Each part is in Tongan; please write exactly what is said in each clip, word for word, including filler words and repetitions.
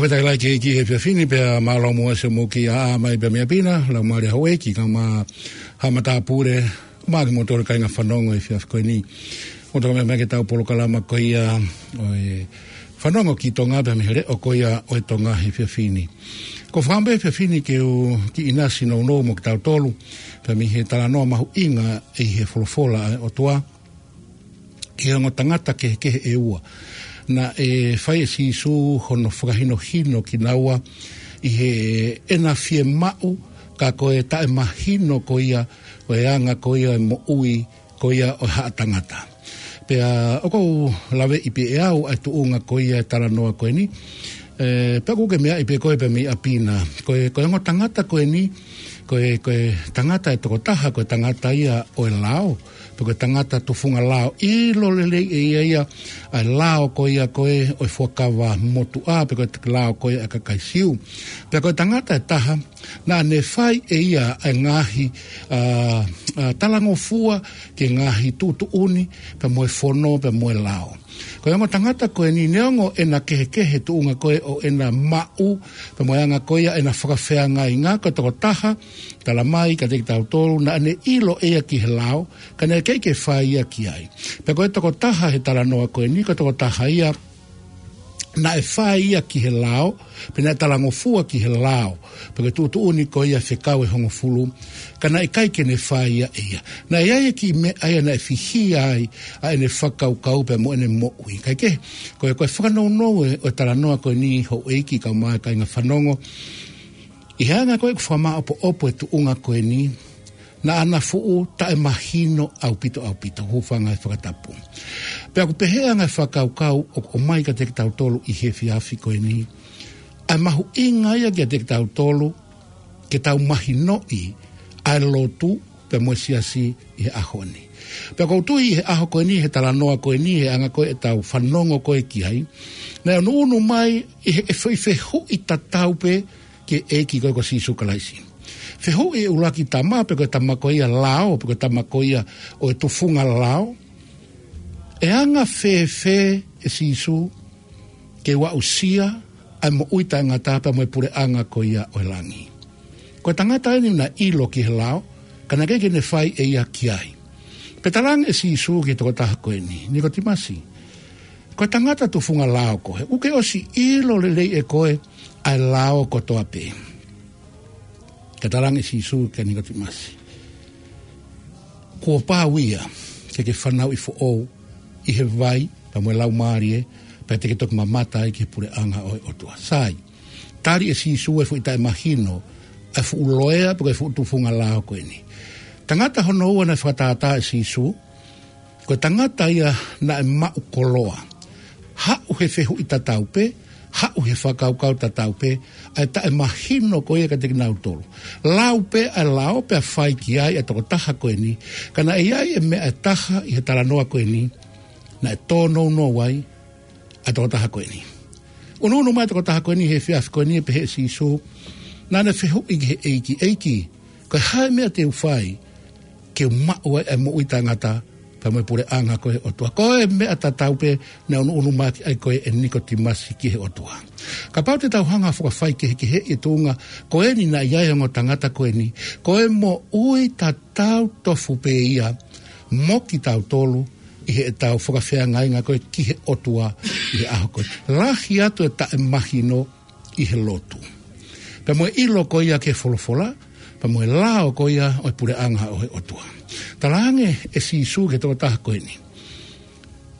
Tau ʻai ke ʻEiki he efiafi ni pea mālō muʻa ʻa e moki ʻa mai pea mei ʻapi na, Laumālie Houʻeiki, kae ʻumaʻā Haʻa Matāpule, ʻumaʻā kimoutolu kāinga fanongo he efiafi ko eni. ʻOku tau meʻa mai ki heʻetau polokalama ko ia ʻo e fanongo ki Tonga pea mei he leʻo ko ia ʻo e Tonga he efiafi ni. ʻOku ou fakaʻamu he efiafi ni ke u kiʻi ʻinasi nounou mo kitautolu, pea mei he talanoa mahuʻinga ʻi he folofola ʻa e ʻOtua, ki he ongo tangata kehekehe ʻe ua. Naʻe fai ʻe Sīsū hono fakahinohino kinaua ʻi heʻena fiemaʻu, ka ko e taʻemahino ko ia ʻo e anga ko ia e moʻui ko ia ʻo e haʻa tangata. Pea ʻoku ou laveʻi pē ʻe au ʻa e tuʻunga ko ia e talanoa ko eni. ʻE, pea ʻoku ke meaʻi pē koe pea mei ʻapi na. Ko e, ko e ongo tangata ko eni, ko e, ko e tangata ʻe tokotaha, ko e tangata ia ʻo e lao, pe ko e tangata tufunga lao. ʻIlo lelei ʻe ia ia ʻa e lao ko ia ko ē ʻo e fuakava motuʻa, pe ko e lao ko ia ʻa e kakai Siu. Pea ko e tangata ʻe taha, naʻa ne fai ʻe ia ʻa e ngaahi, ʻa, ʻa, talangofua ki he ngaahi tuʻutuʻuni, pea mo e fono, pea mo e lao. Ko e ongo tangata ko eni, neongo ʻena kehekehe tuʻunga ko ē ʻo ʻena maʻu, pea mo e anga ko ia ʻena fakafeangai, ka ko e tokotaha, talamai kiate kitautolu, naʻa ne ʻilo ʻe ia ki he lao, ka naʻe ʻikai ke fai ia ki ai. Pea ko e tokotaha he talanoa ko eni, ko e tokotaha ia naʻe fai ia ki he lao, pe naʻe talangofua ki he lao, pe ko e tuʻutuʻuni ko ia fekau ʻe hongofulu, ka naʻe ʻikai ke ne fai ia ʻe ia. Naʻe ʻi ai e kiʻi meʻa ia naʻe fihia ai ʻa ʻene fakakaukau pea mo ʻene moʻui. Kae kehe, ko e, ko e fakanounou ē ʻo e talanoa ko eni Houʻeiki kae ʻumaʻā kāinga fanongo, ʻi he anga ko ē ʻeku fakamāʻopoʻopo e tuʻunga ko eni, naʻa na fuʻu taʻemahino ʻaupito, ʻaupito, hūfanga he fakatapu. Pea ʻoku pehē ʻa e ngaahi fakakaukau ʻoku ʻomai kiate kitautolu ʻi he efiafi ko eni, ʻa e mahuʻinga ia kiate kitautolu, ke tau mahinoʻi ʻa e lotu pea mo e siasi ʻi he ʻaho ni. Pea ʻoku ou tui ʻi he ʻaho ko eni, he talanoa ko eni, he anga ko ē ʻetau fanongo ko ē ki ai, naʻe ʻunuʻunu mai ʻi he, ʻe fe-, fehuʻi tatau pē ki he ʻEiki ko ē ko Sīsū Kalaisi. Fehuʻi ʻe he ʻuluaki tama, pe ko e tama ko ia lao, pe ko e tama ko ia ʻo e tufunga lao, ʻe anga fēfē ʻe Sīsū ke u aʻusia ʻa e moʻui taʻengata pea mo e puleʻanga ko ia ʻo e langi? Ko e tangata eni naʻe ʻilo ki he lao, ka naʻe ʻikai ke ne fai ʻe ia ki ai. Pea talaange ʻe Sīsū ki he tokotaha ko eni, Nikotimasi, ko e tangata tufunga lao koe, ʻoku ke ʻosi ʻilo lelei ʻe koe ʻa e lao kotoa pē. Ka talaange ʻe Sīsū kia Nikotimasi, kuo pau ia ke ke fanauʻi foʻou ʻi he vai pea mo e Laumālie, pea te ke toki mamata ai ki he puleʻanga ʻo e ʻOtua. Sai, tali ʻe Sīsū e fuʻu taʻemahino ʻa e fuʻu loea pe ko e fuʻu tufunga lao ko eni. Tangata hono ua naʻe fakatātā ʻe Sīsū, ko e tangata ia naʻe maʻu koloa. Haʻu he fehuʻi tatau pē, haʻu he fakakaukau tatau pē, ʻa e taʻemahino ko ia kiate kinautolu. Lau pē ʻa e lao pea fai ki ai ʻa e tokotaha ko eni, ka naʻe ʻi ai e meʻa ʻe taha ʻi he talanoa ko eni, naʻe tōnounou ai ʻa e tokotaha ko eni. ʻUnuʻunu mai e tokotaha ko eni he efiafi ko eni, ʻe pehē ʻe Sīsū, naʻa ne fehuʻi ki he ʻEiki, ʻEiki, ko e hā e meʻa te u fai ke u maʻu ai ʻa e moʻui taʻengata pea mo e puleʻanga ko ē ʻo e ʻOtua? Ko e meʻa tatau pē naʻe ʻunuʻunu mai ki ai ko ē ʻe Nikotimasi ki he ʻOtua. Kapau te tau hanga ʻo fakafaikehekeheʻi e tuʻunga ko eni naʻe ʻi ai e ongo tangata ko eni, ko e moʻui tatau tofu pē ia mo kitautolu ʻi heʻetau fakafeangainga ko ē ki he ʻOtua ʻi he ʻaho ko ē. Lahi atu e taʻemahino ʻi he lotu, pea mo e ʻilo ko ia ki he folofola, pea mo e lao ko ia ʻo e puleʻanga ʻo e ʻOtua. Talaange ʻe Sīsū ki he tokotaha ko eni,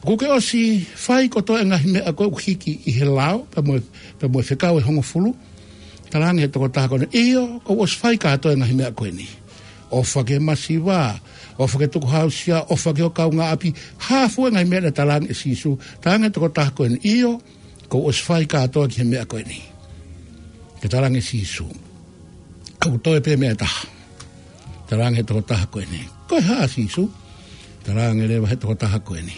ʻoku ke ʻosi fai kotoa e ngaahi meʻa ko ē ʻoku hiki ʻi he lao, pea mo e, pea mo e fekau ʻe hongofulu? Talaange ʻe he tokotaha ko eni, ʻio, kuo u ʻosi fai kātoa e ngaahi meʻa ko eni. ʻOfa ki he masiva, ʻofa ki he tukuhāusia, ʻofa ki ho kaungāʻapi, hā fua e ngaahi meʻa naʻe talaange ʻe Sīsū? Talaange ʻe he tokotaha ko eni, ʻio, kuo u ʻosi fai kātoa ki he meʻa ko eni. Pea talaange ʻe Sīsū, ʻoku toe pē meʻa ʻe taha. Talaange ʻe he tokotaha ko eni, ko e hā, Sīsū? Talaange leva ʻe he tokotaha ko eni,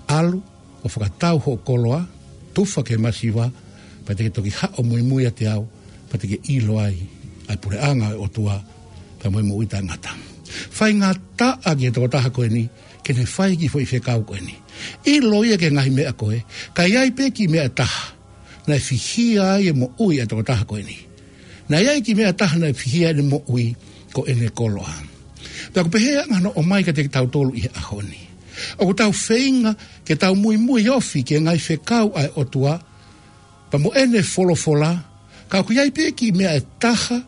ʻalu ʻo fakatau hoʻo koloa, tufa ki he masiva, pea te ke toki haʻu ʻo muimui ʻiate au, pea te ke ʻilo ai ʻa e puleʻanga ʻo e ʻOtua, pea mo e moʻui taʻengata. Faingataʻa ki he tokotaha ko eni ke ne fai e kiʻi foʻi fekau ko eni. ʻIlo ia ki he ngaahi meʻa ko ē, ka ʻi ai pē kiʻi meʻa ʻe taha Naʻe fihia ai e moʻui ʻa e tokotaha ko eni. Naʻe ʻi ai e kiʻi meʻa ʻe taha naʻe fihia ai ʻene moʻui, ko ʻene koloa. Pea ʻoku pehē ʻa e anga hono ʻomai kiate kitautolu ʻi he ʻaho ni. ʻOku tau feinga ke tau muimui ofi ki he ngaahi fekau ʻa e ʻOtua, pea mo ʻene folofola, ka ʻoku ʻi ai pē kiʻi meʻa ʻe taha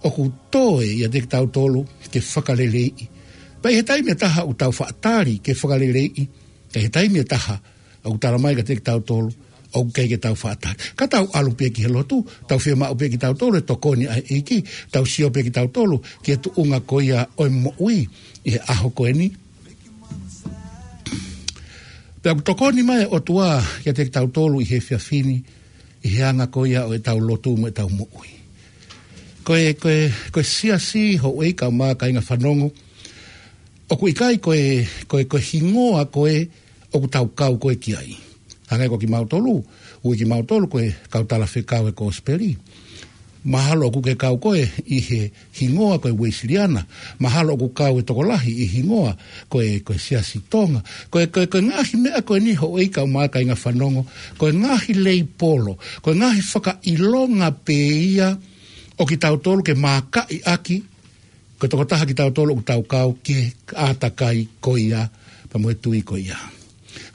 ʻoku toe ʻiate kitautolu ke fakaleleiʻi. Pea ʻi he taimi ʻe taha ʻoku tau faʻa tali ke fakaleleiʻi, ka ʻi he taimi ʻe taha ʻoku tala mai kiate kitautolu ʻoku ʻikai ke tau faʻa tali. Ka tau ʻalu pē ki he lotu, tau fiemaʻu pē kitautolu e tokoni ʻa e ʻEiki, tau sio pē kitautolu ki he tuʻunga ko ia ʻo e moʻui ʻi he ʻaho ko eni. Pea ʻoku tokoni mai e ʻOtua kiate kitautolu ʻi he efiafi ni, ʻi he anga ko ia ʻo ʻetau lotu mo ʻetau moʻui. Ko e, ko e, ko e siasi, houʻeiki kaeʻumaʻā kāinga fanongo, ʻoku ʻikai ko e, ko e, ko e hingoa ko ē ʻoku tau kau ko ē ki ai. Hangē ko kimautolu, ui kimautolu ko e kau talafekau e Kosipeli. Mahalo ʻoku ke kau koe ʻi he hingoa ko e Uēsiliana. Mahalo ʻoku kau e tokolahi ʻi he hingoa ko e, ko e Siasi Tonga. Ko e, ko e, ko e ngaahi meʻa ko eni, houʻeiki kaeʻumaʻā kāinga fanongo, ko e ngaahi leipolo, ko e ngaahi fakaʻilonga pē ia ʻo kitautolu ke mākaʻi ʻaki ko e tokotaha kitautolu ʻoku tau kau ki he ʻātakai ko ia, pea mo e tui ko ia.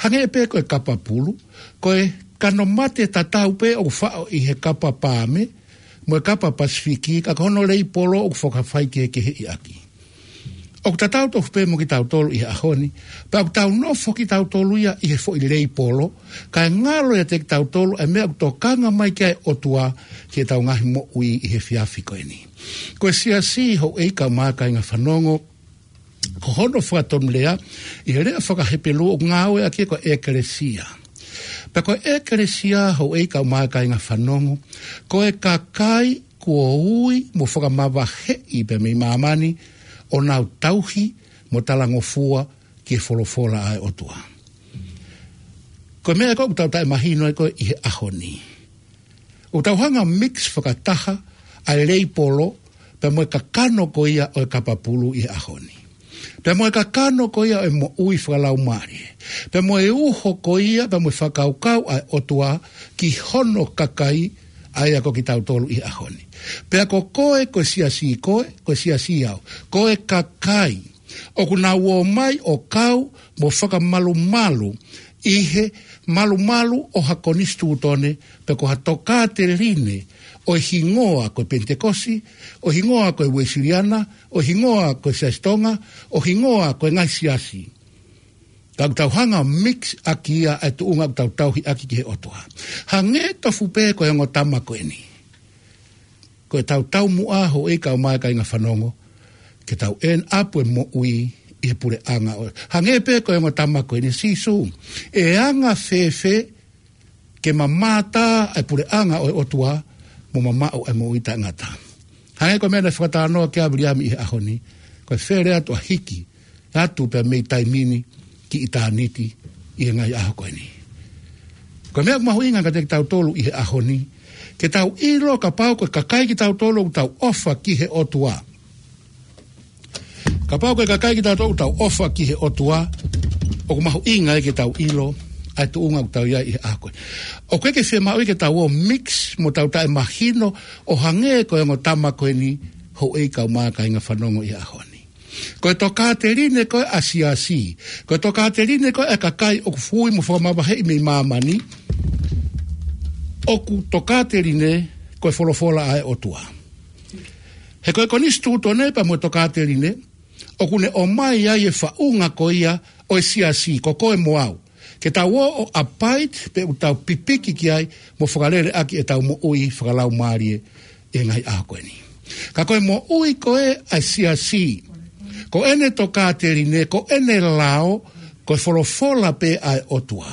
Hangē pē ko e kapa pulu, ko e kano mate tatau pē ʻoku faʻo ʻi he kapa Paame mo e kapa Pasifiki, ka ko hono leipolo ʻoku fakafaikehekeheʻi ʻaki. ʻOku tatau tofu pē mo kitautolu ʻi he ʻaho ni, pea ʻoku tau nofo kitautolu ia ʻi he foʻi leipolo, kae ngalo ʻiate kitautolu e meʻa ʻoku tokanga mai ki ai e ʻOtua ki heʻetau ngaahi moʻui ʻi he efiafi ko eni. Ko e siasi, houʻeiki kaeʻumaʻā kāinga fanongo, ko hono fakatonulea, ʻi he lea faka-Hepelū ʻoku ngāueʻaki ko e ʻekelesia. Pea ko e ʻekelesia, houʻeiki kaeʻumaʻā kāinga fanongo, ko e kakai kuo ui mo fakamavaheʻi pē mei māmani ʻo nau tauhi mo talangofua ki he folofola ʻa e ʻOtua. Ko e meʻa ko ē ʻoku tau taʻemahino ai ko ē ʻi he ʻaho ni. ʻOku tau hanga mix fakataha ʻa e leipolo, pea mo e kakano ko ia ʻo e kapa pulu ʻi he ʻaho ni. Pea mo e kakano ko ia ʻo e moʻui fakalaumālie. Pea mo e uho ko ia, pea mo e fakakaukau ʻa e ʻOtua ki hono kakai, ʻa ia ko kitautolu ʻi he ʻaho ni. Pea ko koe, ko e siasi koe, ko e siasi au. Ko e kakai ʻoku nau ō mai ʻo kau mo fakamalumalu ʻi he malumalu ʻo ha konisitūtone, pe ko ha tokāteline ʻo e hingoa ko e Penitekosi, ʻo e hingoa ko e Uēsiliana, ʻo e hingoa ko e Siasi Tonga, ʻo e hingoa ko e ngaahi siasi. Ka ʻoku tau hanga mix ʻaki ia ʻa e tuʻunga ʻoku tau tauhi ʻaki ki he ʻOtua. Hangē tofu pē ko e ongo tama ko eni. Ko ʻetau taumuʻa, houʻeiki kaeʻumaʻā kāinga fanongo, ke tau end up e moʻui ʻi he puleʻanga ʻo, hangē pē ko e ongo tama ko eni, Sīsū, ʻe anga fēfē ke mamata e puleʻanga ʻo e ʻOtua mo mamaʻo e moʻui taʻengata. Hangē ko e meʻa naʻe fakatalanoa ki ai ʻa Viliami ʻi he ʻaho ni, ko e fele atu ʻa e hiki atu pē mei taimi ni ki ʻitāniti ʻi he ngaahi ʻaho ko eni. Ko e meʻa ʻoku mahuʻinga kiate kitautolu ʻi he ʻaho ni, ke tau ʻilo kapau ko e kakai kitautolu ʻoku tau ʻofa ki he ʻOtua. Kapau ko e kakai kitautolu ʻoku tau ʻofa ki he ʻOtua, ʻoku mahuʻinga ai ke tau ʻilo ʻa e tuʻunga ʻoku tau ʻi ai ʻi he ʻaho ko eni. ʻOku ʻikai ke fiemaʻu ia ke tau ō mix mo tau taʻemahino ʻo hangē ko e ongo tama ko eni, houʻeiki kaeʻumaʻā kāinga fanongo ʻi he ʻaho ni. Ko e tokāteline ko ē ʻa e siasi, ko e tokāteline ko ē ʻa e kakai ʻoku ui mo fakamavaheʻi mei māmani, ʻoku tokāteline ko e folofola ʻa e ʻOtua. He ko e konisitūtone pea mo e tokāteline, ʻoku ne ʻomai ai e faʻunga ko ia ʻo e siasi, ko koe mo au. Ke tau ō ʻo abide, pe ʻoku tau pipiki ki ai, mo fakalele ʻaki ʻetau moʻui fakalaumālie ʻi he ngaahi ʻaho ko eni. Ka ko e moʻui ko ē ʻa e siasi, ko ʻene tokāteline, ko ʻene lao, ko e folofola pē ʻa e ʻOtua.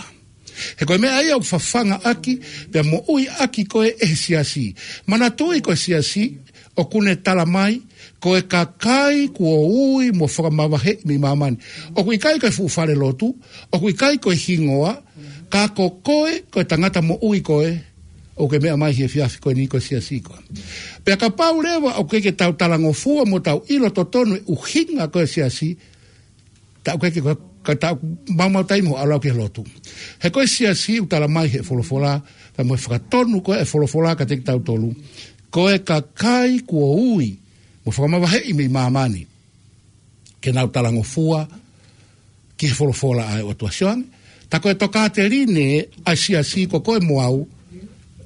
He ko e meʻa ia ʻoku fafanga ʻaki, pea moʻui ʻaki ko ē ʻe he siasi. Manatuʻi ko e siasi, ʻoku ne tala mai, ko e kakai kuo ui mo fakamavaheʻi mei māmani. ʻOku ʻikai ko e fuʻu falelotu, ʻoku ʻikai ko e hingoa, ka ko koe, ko e tangata moʻui koe, ʻoku ke meʻa mai he efiafi ko eni ko e siasi koe. Pea kapau leva ʻoku ʻikai ke tau talangofua mo tau ʻilo totonu e ʻuhinga ko e siasi, tā ʻoku ʻikai ke ko e Ka tau maumau taimi ʻo ʻalu ki he lotu. He ko e siasi ʻoku tala mai he folofola, ka mo e fakatonu ko e folofola kiate kitautolu. Ko e kakai kuo ui, mo fakamavaheʻi mei māmani. Ke nau talangofua, ki he folofola ʻa e ʻOtua. Sio ange, tā ko e tokāteline ʻa e siasi ko koe mo au,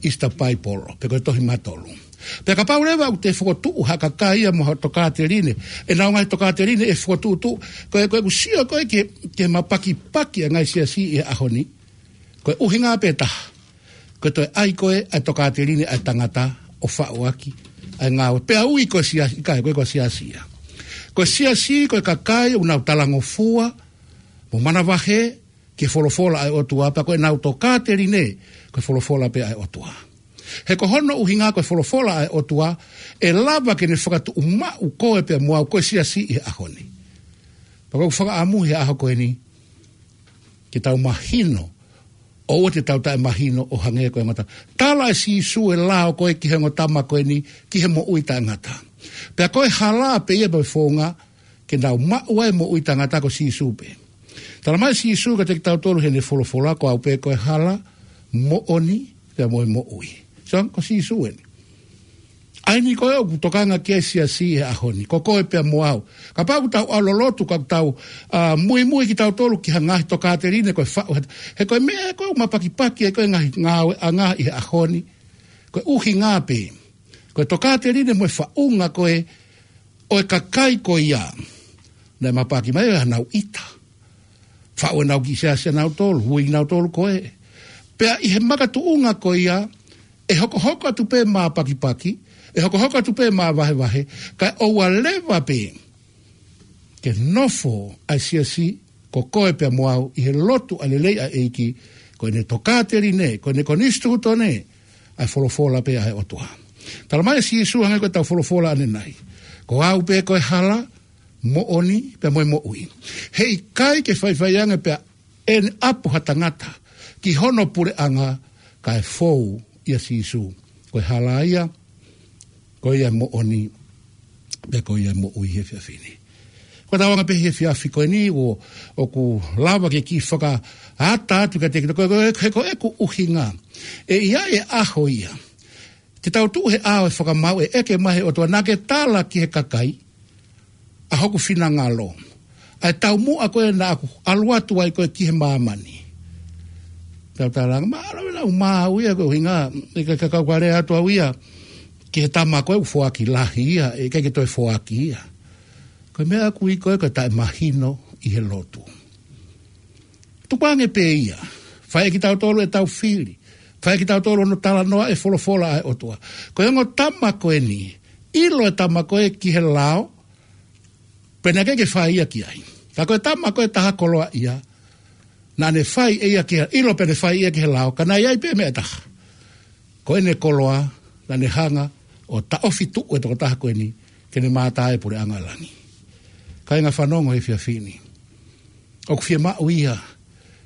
is the Bible, pe ko e tohi mātolu. Pea kapau leva ʻoku te fokotuʻu ha kakai ia mo ha tokāteline, ʻenau ngaahi tokāteline ʻe fokotuʻutuʻu, ko e, ko e ʻoku sio ko e ke, ke mapakipaki ʻa e ngaahi siasi ʻi he ʻaho ni, ko e ʻuhinga pē taha, ko e toe ʻai ko e ʻa e tokāteline ʻa e tangata ʻo faʻu ʻaki ʻa e ngāue. Pea ui ko e siasi, ʻikai ko e ko e siasi ia. Ko e siasi, ko e kakai ʻoku nau talangofua, mo manavahē, ki he folofola ʻa e ʻOtua, pea ko ʻenau tokāteline, ko e folofola pē ʻa e ʻOtua. He ko hono ʻuhinga ko e folofola ʻa e ʻOtua, ʻe lava ke ne fakatuʻumaʻu koe pea mo au ko e siasi ʻi he ʻaho ni. Pea ko e fakaʻamu he ʻaho ko eni, ke tau mahino, ʻoua te tau taʻemahino ʻo hangē ko e ongo tama. Tala ʻe Sīsū e lao ko e ki he ongo tama ko eni, ki he moʻui taʻengata. Pea ko e hala pē ia pea founga, ke nau maʻu ai moʻui taʻengata ko Sīsū pē. Tala mai Sīsū kiate kitautolu heʻene folofola ko au pē ko e hala, moʻoni, pea mo e moʻui. So, ko Sīsū eni. ʻA eni ko e ʻoku tokanga ki ai e siasi he ʻaho ni, ko koe pea mo au. Kapau ʻoku tau ʻalu lotu, ka ʻoku tau, ʻa, muimui kitautolu ki ha ngaahi tokāteline ko e faʻu, he ko e meʻa ko e ʻoku mapakipaki ai ko e ngaahi ngāueʻanga ʻi he ʻaho ni. Ko e ʻuhinga pē. Ko e tokāteline mo e faʻunga ko e ʻo e kakai ko ia. Naʻe mapaki mai ʻa ʻenau ʻita. Faʻu ʻenau kiʻi siasi ʻanautolu, ui kinautolu ko e. Pea ʻi he makatuʻunga ko ia, ʻe hokohoko atu pē mapakipaki, ʻe hokohoko atu pē mavahevahe, kae ʻoua leva pē ke nofo ʻa e siasi ko koe pea mo au ʻi he lotu ʻa e lelei ʻa e ʻEiki, ko ʻene tokāteline, ko ʻene konisitūtone, ʻa e folofola pē ʻa e ʻOtua. Tala mai ʻe Sīsū hangē ko ʻetau folofola ʻanenai. Ko au pē ko e hala, moʻoni, pea mo e moʻui. Heʻikai ke faifai ange pea ʻene ʻapo ha tangata, ki hono puleʻanga kae fou ʻia Sīsū. Ko e hala ia, ko ia moʻoni, pea ko ia moʻui he efiafi ni. Ko ʻetau anga pē he efiafi ko eni ʻo, ʻoku lava ke kiʻi fakaʻata atu kiate kitautolu, ko, ko, ko, ko ʻeku ʻuhinga. ʻE ʻi ai e ʻaho ia. Te tau tuʻu he ʻao e fakamaau ʻe ʻeke mai he ʻOtua naʻa ke tala ki he kakai. ʻA hoku finangalo. ʻA e taumuʻa ko ē naʻa ku ʻalu atu ai ko ē ki he māmani. Tau tala ange, mālō e lau mau ia ko e ʻuhinga, ʻe ka, ka, ka, ka lea atu au ia, ki he tama ko ē ʻoku foaki lahi ia, ʻe ʻikai ke toe foaki ia. Ko e meʻa ʻoku ui ko ē ko e taʻemahino ʻi he lotu. Tukuange pē ia, fai ʻe kitautolu ʻetau fili, fai ʻe kitautolu hono talanoa e folofola ʻa e ʻOtua. Ko e ongo tama ko eni, ʻilo e tama ko ē ki he lao, pea naʻe ʻikai ke fai ia ki ai. Ka ko e tama ko ē taha koloaʻia, naʻa ne fai ʻe ia ki he, ʻilo pea ne fai ia ki he lao, ka naʻe ʻi ai pē meʻa ʻe taha. Ko ʻene koloa, naʻa ne hanga ʻo taʻofi tuʻu e tokotaha ko eni, ke ne mātā e puleʻanga ʻo langi. Kāinga fanongo he efiafi ni. ʻOku fiemaʻu ia,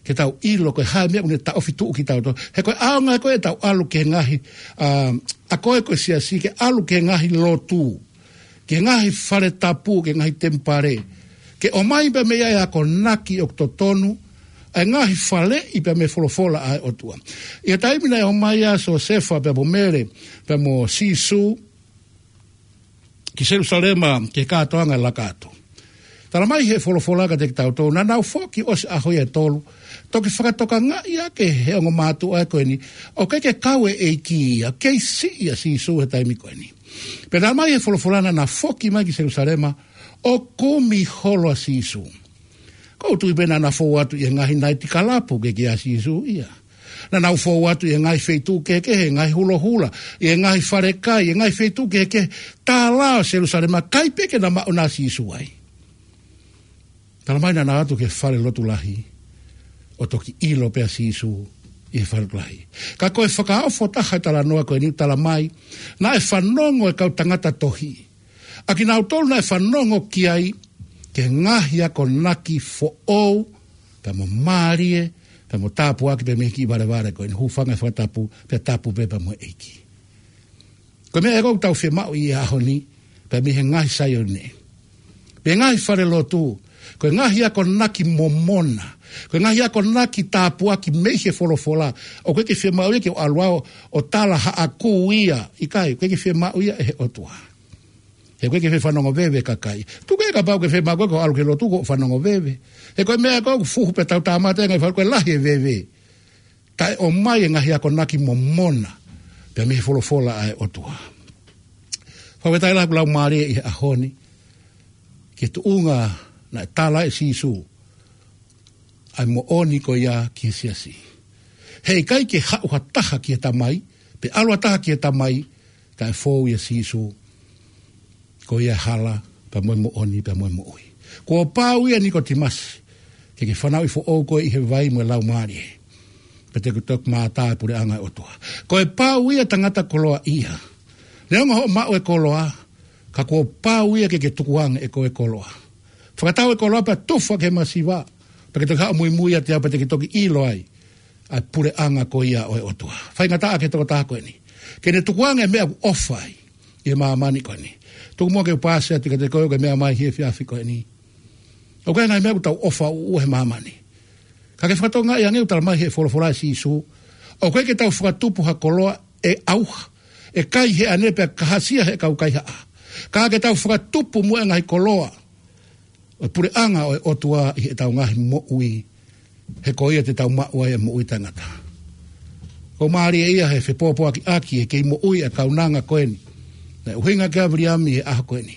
ke tau ʻilo ko e hā e meʻa ʻoku ne taʻofi tuʻu kitautolu. He ko e ʻaonga ko ē ʻetau ʻalu ki he ngaahi, ʻa, ʻa ko ē ko e siasi ke ʻalu ki he ngaahi lotu. Ki he ngaahi fale tapu, ki he ngaahi temipale. Ke ʻomai pē mei ai e akonaki ʻoku totonu, ʻa e ngaahi faleʻi pē mei he folofola ʻa e ʻOtua. ʻI he taimi naʻe ʻomai ai ʻa Siosefa pea mo Mele, pea mo Sīsū, ki Selusalema, ki he kātoanga e laka atu. Tala mai he folofola kiate kitautolu, naʻa nau foki ʻosi ʻaho ia ʻe tolu, toki fakatokangaʻi ʻaki ʻe he ongo mātuʻa ko eni, ʻoku ʻikai ke kau e ʻEiki ia, kei siʻi ʻa Sīsū he taimi ko eni. Pea tala mai he folofola naʻa na foki mai ki Selusalema, ʻo kumi holo ʻa Sīsū. ʻOku ou tui pē naʻa na fou atu ʻi he ngaahi naitikalapu ke ʻikai ke ʻi ai ʻa Sīsū ia. Naʻa nau fou atu ʻi he ngaahi feituʻu kehekehe, ngaahi hulohula, ʻi he ngaahi fale kai, ʻi he ngaahi feituʻu kehekehe, tālā ʻo Selusalema, ʻikai pē ke na maʻu ʻa Sīsū ai. Tala mai naʻa nau ō atu ki he fale lotu lahi, ʻo toki ʻilo pē ʻa Sīsū ʻi he fale lotu lahi. Ka ko e fakaofo taha e talanoa ko eni ʻoku tala mai, naʻe fanongo e kau tangata tohi. ʻA kinautolu naʻe fanongo ki ai, ki he ngaahi akonaki foʻou, pea mo mālie, pea mo tāpuaki, pea mei he kiʻi valevale ko eni, hūfanga he fakatapu, pea tapu pē pea mo e ʻEiki. Ko e meʻa ē ʻoku tau fiemaʻu ʻi he ʻaho ni, pea mei he ngaahi Saione. Pea ngaahi fale lotu, Ko e ngaahi akonaki momona, ko e ngaahi akonaki tāpuaki mei he folofola, ʻoku ʻikai ke fiemaʻu ia ke u ʻalu au ʻo tala haʻaku ia, ʻikai, ʻoku ʻikai ke fiemaʻu ia ʻe he ʻOtua. He ʻoku ʻikai ke fanongo veve kakai. Tuku ē kapau ʻoku ke fiemaʻu koe ke ʻalu ki he lotu ʻo fanongo veve. He ko e meʻa ko ē ʻoku fuhu pē tau tāmate ngaahi fal ko e lahi e veve. Kae ʻomai e ngaahi akonaki momona pea mei he folofola ʻa e ʻOtua. Fakafetaʻi lahi ʻoku laumālie ʻi he ʻaho ni ki he tuʻunga naʻe tala ʻe Sīsū ʻa e moʻoni ko ia ki he siasi. He ʻikai ke haʻu ha taha ki he Tamai, pe ʻalu ha taha ki he Tamai, kae fou ʻia Sīsū. Ko ia e hala, pea mo e moʻoni, pea mo e moʻui. Kuo pau ia Nikotīmasi, ke ke fanauʻi foʻou koe ʻi he vai mo e laumālie, pea te ke toki mātā e puleʻanga ʻo e ʻOtua. Ko e pau ia tangata koloaʻia. Neongo hoʻo maʻu e koloa, ka kuo pau ia ke ke tukuange ʻe koe e koloa. Fakatau e koloa pea tufa ki he masiva, pea ke toki haʻu muimui ʻiate au pea te ke toki ʻilo ai ʻa e puleʻanga ko ia ʻo e ʻOtua. Faingataʻa ki he tokotaha ko eni ke ne tukuange e meʻa ʻoku ʻofa ai ʻi he māmani ko eni. Tuku muʻa ke u paasi atu kiate koe ʻoku ke meʻa mai he efiafi ko eni. ʻOku ʻi ai e ngaahi meʻa ʻoku tau ʻofa ʻuʻua he māmani. Ka ke fakatokangaʻi ange ʻoku tala mai he folofola ʻa Sīsū, ʻoku ʻikai ke tau fakatupu ha koloa ʻe ʻauha, ʻe kai he ʻane pea kahasia he kau kaihaʻa. Ka ke tau fakatupu muʻa e ngaahi koloa ʻo e puleʻanga ʻo e ʻOtua ʻi heʻetau ngaahi moʻui, he ko ia te tau maʻu ai e moʻui taʻengata. ʻOku mālie ia he fepōpoakiʻaki e kei moʻui e kaunanga ko eni, naʻe ʻuhinga ki ai ʻa Viliami he ʻaho ko eni.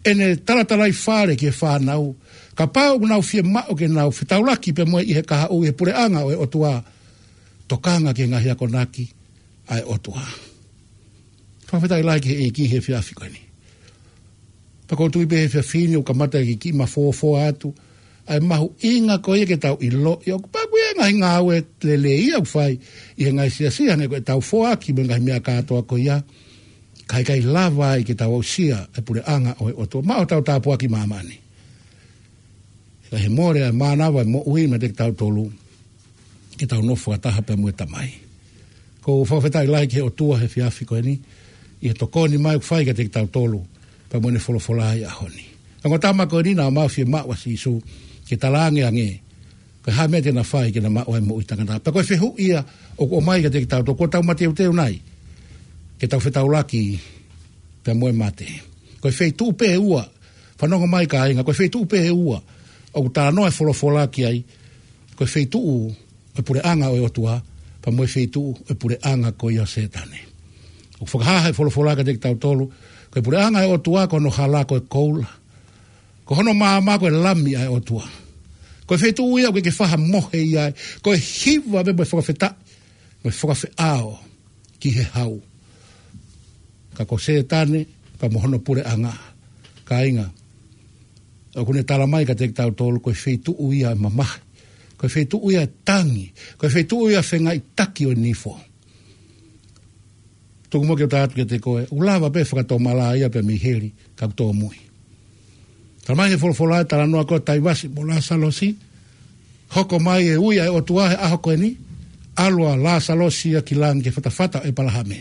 ʻEne talatalaifale ki he fānau, kapau ʻoku nau fiemaʻu ke nau fetaulaki pea mo ia ʻi he kahaʻu ʻi he puleʻanga ʻo e ʻOtua, tokanga ki he ngaahi akonaki ʻa e ʻOtua. Fakafetaʻi lahi ki he ʻEiki he efiafi ko eni. Pea ʻoku ou tui pē he efiafi ni ʻoku kamata ke kiʻi mafōfoa atu ʻa e mahuʻinga ko ia ke tau ʻiloʻi ʻoku pau ko e ngaahi ngāue lelei ia ʻoku fai ʻi he ngaahi siasi, hangē ko ʻetau foaki mo e ngaahi meʻa kātoa ko ia, ka ʻikai lava ai ke tau aʻusia e puleʻanga ʻo e ʻOtua maʻa hotau tāpuaki māmani. Ka ʻi he mole ʻa e mānava e moʻui maʻa kitautolu, ke tau nofo fakataha pea mo e Tamai. ʻOku ou fakafetaʻi lahi ki he ʻOtua he efiafi ko eni ʻi he tokoni mai ʻoku fai kiate kitautolu pea mo ʻene folofola ʻi he ʻaho ni. Ongo tama ko eni naʻa mau fiemaʻu ʻa Sīsū ke talaange ange ko e hā e meʻa te na fai ke na maʻu ai e moʻui taʻengata. Pea ko e fehuʻi ia ʻoku ʻomai kiate kitautolu, kuo tau mateuteu nai ke tau fetaulaki pea mo e mate? Ko e feituʻu pē ʻe ua, fanongo mai kāinga, ko e feituʻu pē ʻe ua ʻoku talanoa e folofola ki ai, ko e feituʻu ʻo e puleʻanga ʻo e ʻOtua, pea mo e feituʻu ʻo e puleʻanga ko ia ʻo Sētane. ʻOku fakahā he folofola kiate kitautolu, ko e puleʻanga ʻo e ʻOtua ko hono hala ko e koula, ko hono maama ko e Lami ʻa e ʻOtua. Ko e feituʻu ia ʻoku ʻikai ke faʻa mohe ia ai, ko e hiva pē mo e fakafetaʻi mo e fakafeʻao ki he hau. Ka ko Sētane pea mo hono puleʻanga, kāinga, ʻoku ne tala mai kiate kitautolu ko e feituʻu ia ʻo e mamahi, ko e feituʻu ia ʻo e tangi, ko e feituʻu ia ʻo e fengaiʻitaki ʻo e nifo. Tuku muʻa ke u tala atu kiate koe, ʻoku lava pē fakatomala ia pea mei heli, ka ʻoku tōmui. Tala mai he folofola e talanoa ko ē ʻo Taivasi mo Lāsalosi, hoko mai e ui ʻa e ʻOtua he ʻaho ko eni, ʻalu ʻa Lāsalosi ia ki langi ki he fatafata ʻo ʻEpalahame,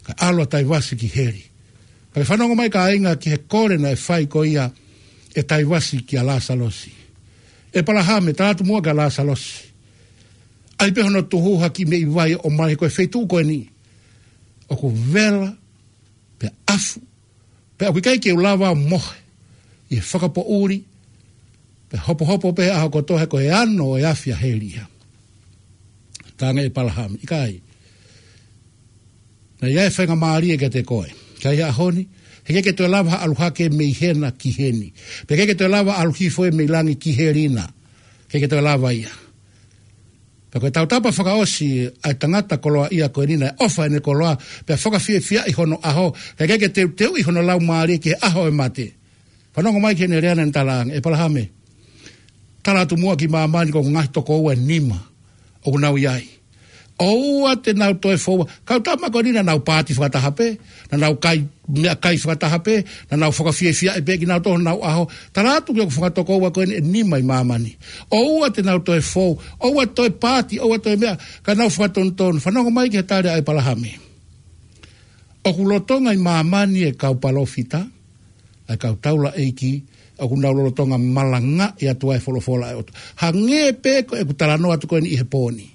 kae ʻalu ʻa Taivasi ki heli. Pea ke fanongo mai kāinga ki he kole naʻe fai ko ia ʻe Taivasi kia Lāsalosi. ʻEpalahame, tala atu muʻa kia Lāsalosi, ʻai pē hono tuhu ha kiʻi meʻi vai ʻo ʻomai, ko e feituʻu ko eni ʻoku vela pea ʻafu, pea ʻoku ʻikai ke u lava ʻo mohe ʻi he fakapoʻuli, pea hopohopo pē he ʻaho kotoa he ko e ano ʻo e afi ʻa heli ia. Talaange ʻe ʻEpalahame, ʻikai. Naʻe ʻi ai e faingamālie kiate koe. Ka ʻi he ʻaho ni, he ʻikai ke toe lava ha ʻalu hake mei hena ki heni. Pea ʻikai ke toe lava ʻalu hifo ia mei langi ki heli na. ʻIkai ke toe lava ia. Pea ko e tautapa fakaʻosi ʻa e tangata koloaʻia ko eni naʻe ʻofa ʻene koloa, pea fakafiefiaʻi hono ʻaho, kae ʻikai ke teuteuʻi hono laumālie ki he ʻaho ʻo e mate. Fanongo mai ki heʻene lea naʻa ne talaange, ʻEpalahame, tala atu muʻa ki māmani ko hoku ngaahi tokoua ʻe nima ʻoku nau ʻi ai. ʻOua te nau toe foua. Kau tama ko eni naʻa nau paati fakataha pē, naʻa nau kai meʻakai fakataha pē, naʻa nau fakafiefiaʻi pē kinautolu honau ʻaho. Tala atu ki hoku fanga tokoua ko eni ʻe nima ʻi māmani, ʻoua te nau toe fou, ʻoua toe paati, ʻoua toe meʻa, ka nau fakatonutonu. Fanongo mai ki he tali ʻa ʻEpalahame. ʻOku lolotonga ʻi māmani e kau palōfita, ʻa e kau taulaʻeiki, ʻoku nau lolotonga malangaʻi atu ʻa e folofola ʻa e ʻOtua. Hangē pē ko ʻeku talanoa atu ko eni ʻi he pō ni.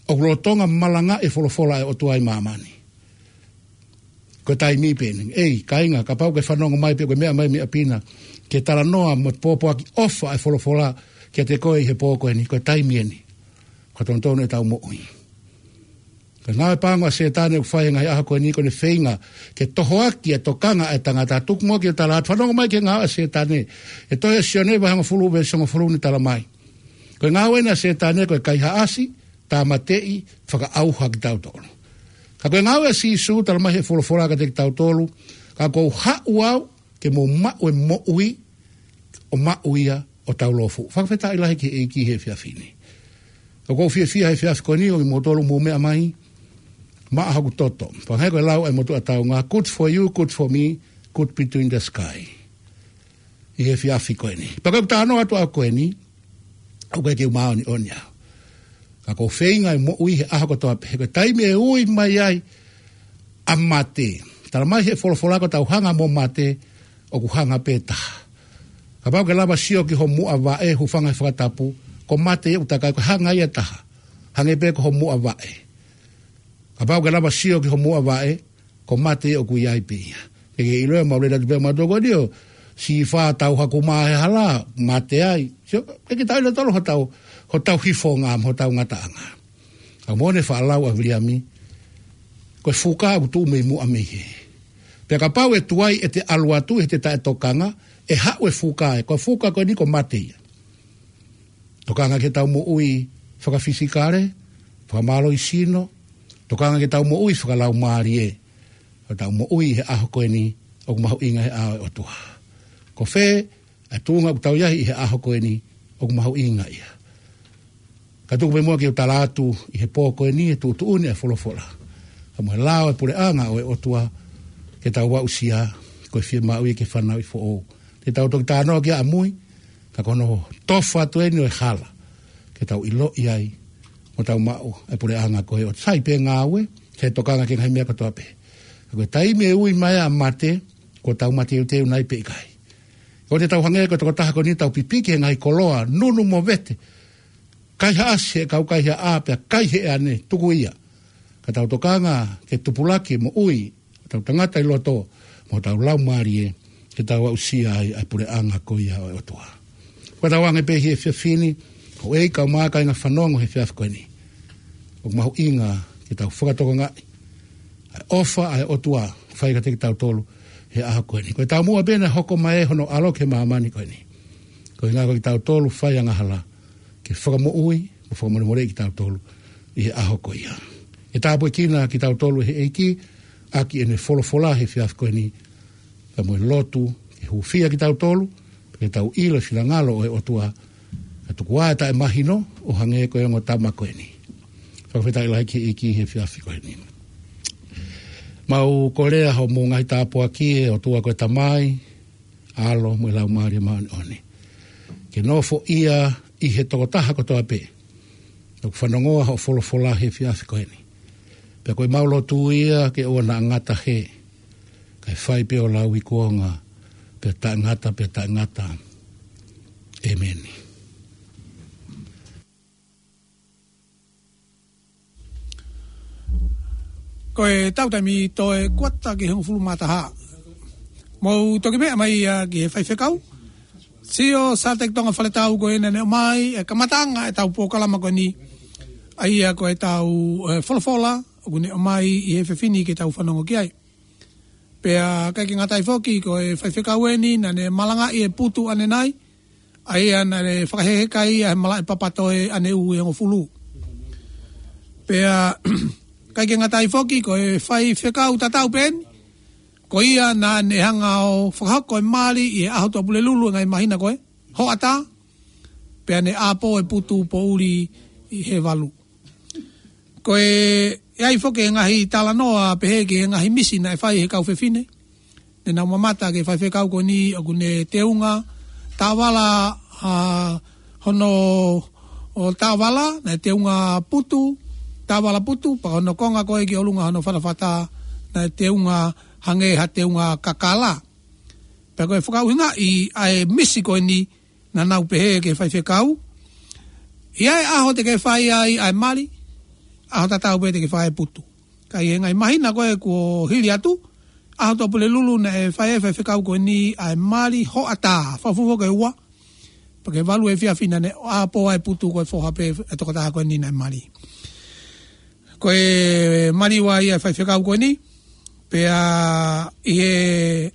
ʻOku lolotonga malangaʻi e folofola ʻa e ʻOtua ʻi māmani. Ko e taimi pē eni. ʻEi, kāinga, kapau ke fanongo mai pē ko e meʻa mai meʻa pina, ke talanoa mo pōpoaki ʻofa ʻa e folofola kiate koe ʻi he pō ko eni, ko e taimi eni. Ko e tonutonu ʻetau moʻui. Ko e ngāue pango ʻa Sētane ʻoku fai he ngaahi ʻaho ko eni ko ʻene feinga ke tohoaki e tokanga ʻa e tangata. Tuku muʻa ke u tala atu, fanongo mai ki he ngāue ʻa Sētane. ʻI he tohi ʻa Sione vahe hongofulu veesi hongofulu ne tala mai. Ko e ngāue eni ʻa Sētane ko e kaihaʻasi, tāmateʻi, fakaʻauha kitautolu. Ka ko e ngāue ʻa Sīsū, tala mai he folofola kiate kitautolu, ka ʻoku ou haʻu au ke mou maʻu e moʻui, ʻo maʻu ia ʻo taulōfuʻu. Fakafetaʻi lahi ki he ʻEiki he efiafi ni. ʻOku ou fiefia he efiafi ko eni ʻo kimoutolu mou meʻa mai maʻa hoku toto. Fakahā ko e lau ʻa e motuʻa taunga, good for you, good for me, good between the sky. ʻI he efiafi ko eni. Pea ko ʻeku talanoa atu ʻaʻaku ko eni, ʻoku ʻikai ke u māʻoniʻoni au. Ka ʻoku ou feinga e moʻui he ʻaho kotoa pē, he ko e taimi ʻe ui mai ai ʻa mate. Tala mai he folofola ko ʻetau hanga mo mate, ʻoku hanga pē taha. Kapau ke lava sio ki ho muʻa vaʻe, hūfanga he fakatapu, ko mate ia ʻoku takai, ko e hanga ia taha. Hangē pē ko ho muʻa vaʻe. Kapau ke lava sio ki ho muʻa vaʻe, ko mate ia ʻoku ʻi ai pē ia. Ke ke ʻilo ia, mau lele atu pē mautolu ko eni ʻo sīfā tau haku mā he hala, mate ai. Sio, ke ke tau ʻilo tolo hotau, hotau hifonga mo hotau ngataʻanga. Ka mo ne faʻa lau ʻa Viliami, ko e fuka ʻoku tuʻu mei muʻa mei hē. Pea kapau ʻe tuai ʻete ʻalu atu, ʻete taʻetokanga, ʻe haʻu e fuka ē. Ko e fuka ko eni ko mate ia. Tokanga ke tau moʻui fakafisikale, fakamālohisino, tokanga ke tau moʻui fakalaumālie, ke tau moʻui he ʻaho ko eni ʻoku mahuʻinga he ʻao ʻo e ʻOtua. Ko fē ʻa e tuʻunga ʻoku tau ʻi ai ʻi he ʻaho ko eni ʻoku mahuʻinga ia. Ka tuku pē muʻa ke u tala atu ʻi he pō ko eni e tuʻutuʻuni ʻa e folofola. Ka mo e lao e puleʻanga ʻo e ʻOtua ke tau aʻusia, ko e fiemaʻu ia ke fanauʻi foʻou. Te tau toki talanoa ki ai ʻamui, ka ko hono tofa atu eni ʻo e hala, ke tau ʻiloʻi ai, mo tau maʻu e puleʻanga ko ē ʻo sai pē ngāue, ke tokanga ki he ngaahi meʻa kotoa pē. Ka ko e taimi ʻe ui mai ai ʻa mate, ko ʻetau mateuteu nai pe ʻikai. Ko ʻete tau hangē ko e tokotaha ko eni tau pipiki he ngaahi koloa, nunu mo vete, kaihaʻasi he kau kaihaʻa pea kai he ʻane, tuku ia. Ka tau tokanga ke tupulaki e moʻui ʻo hotau tangata ʻi loto, mo hotau laumālie, ke tau aʻusia ai ʻa e puleʻanga ko ia ʻo e ʻOtua. Ko ʻetau ange pē he efiafi ni, houʻeiki kaeʻumaʻā kāinga fanongo he efiafi ko eni. ʻOku mahuʻinga ke tau fakatokangaʻi ʻa e ʻofa ʻa e ʻOtua, fai kiate kitautolu he ʻaho ko eni. Ko e taumuʻa pē naʻe hoko mai ai hono ʻAlo ki he māmani ko eni. Ko e ʻuhinga ko kitautolu fai angahala, ke fakamoʻui, mo fakamolemoleʻi kitautolu ʻi he ʻaho ko ia. Ke tāpuekina kitautolu ʻe he ʻEiki, ʻaki ʻene folofola he efiafi ko eni, ka mo e lotu, ke hūfia kitautolu, ke tau ʻilo e finangalo ʻo e ʻOtua, ka tuku ā e taʻemahino, ʻo hangē ko e ongo tama ko eni. Fakafetaʻi lahi ki he ʻEiki he efiafi ko eni. Mau kole ʻa hoʻomou ngaahi tāpuaki ʻe ʻOtua ko e Tamai, ʻAlo mo e Laumālie Māʻoniʻoni. Ke nofoʻia ʻi he tokotaha kotoa pē ʻoku fanongoa hoʻo folofola he efiafi ko eni. Pea ko ʻemau lotu ia ke ʻoua naʻa ngata hē, kae fai pē ʻo lauikuonga, pea taʻengata, pea taʻengata. ʻĒmeni. Ko ʻetau taimi toe kuata ki he hongofulu mā taha. Mou toki meʻa mai ia ki he faifekau. Sio Sateki Tonga Faletau ko ena ne ʻomai e kamataʻanga ʻetau polokalama ko eni. ʻA ia ko ʻetau, e, folofola, ʻoku ne ʻomai ʻi he efiafi ni ke tau fanongo ki ai. Pea ʻikai ke ngata ai foki ko e faifekau eni, naʻa ne malangaʻi e putu ʻanenai, ʻa ia naʻa ne fakaheka ia he malaʻe papatoe ʻaneʻu ʻe hongofulu. Pea ʻikai ke ngata ai foki ko e faifekau tatau pē eni, ko ia naʻa ne hanga ʻo fakahoko e mali ʻi he ʻaho Tuʻapulelulu e ngaahi māhina ko ē, hoʻatā, pea ne ʻāpō e putu poʻuli ʻi he valu. Ko e, ʻe ʻi ai foki e ngaahi talanoa pehē ki he ngaahi misi naʻe fai he kau fefine. Ne nau mamata ki he faifekau ko eni ʻoku ne teunga taʻovala, ʻa, hono, ʻo taʻovala, naʻe teunga putu, taʻovala putu, pea hono konga ko ē ki ʻolunga hono fatafata, naʻe teunga hangē ha teunga kakala. Pea ko e fakaʻuhingaʻi ʻa e misi ko eni, naʻa nau pehē ki he faifekau, ʻi ai e ʻaho te ke fai ai ʻa e mali, ʻaho tatau pē te ke fai e putu. Ka ʻi he ngaahi māhina ko ē kuo hili atu, ʻaho Tuʻapulelulu naʻe fai ai e faifekau ko eni ʻa e mali hoʻatā, fakafuofua ki he ua, pea ki he valu efiafi naʻa ne ʻāpō ai e putu ko e foha pē e tokotaha ko eni naʻe mali. Ko e mali ua ia e faifekau ko eni, pea ʻi he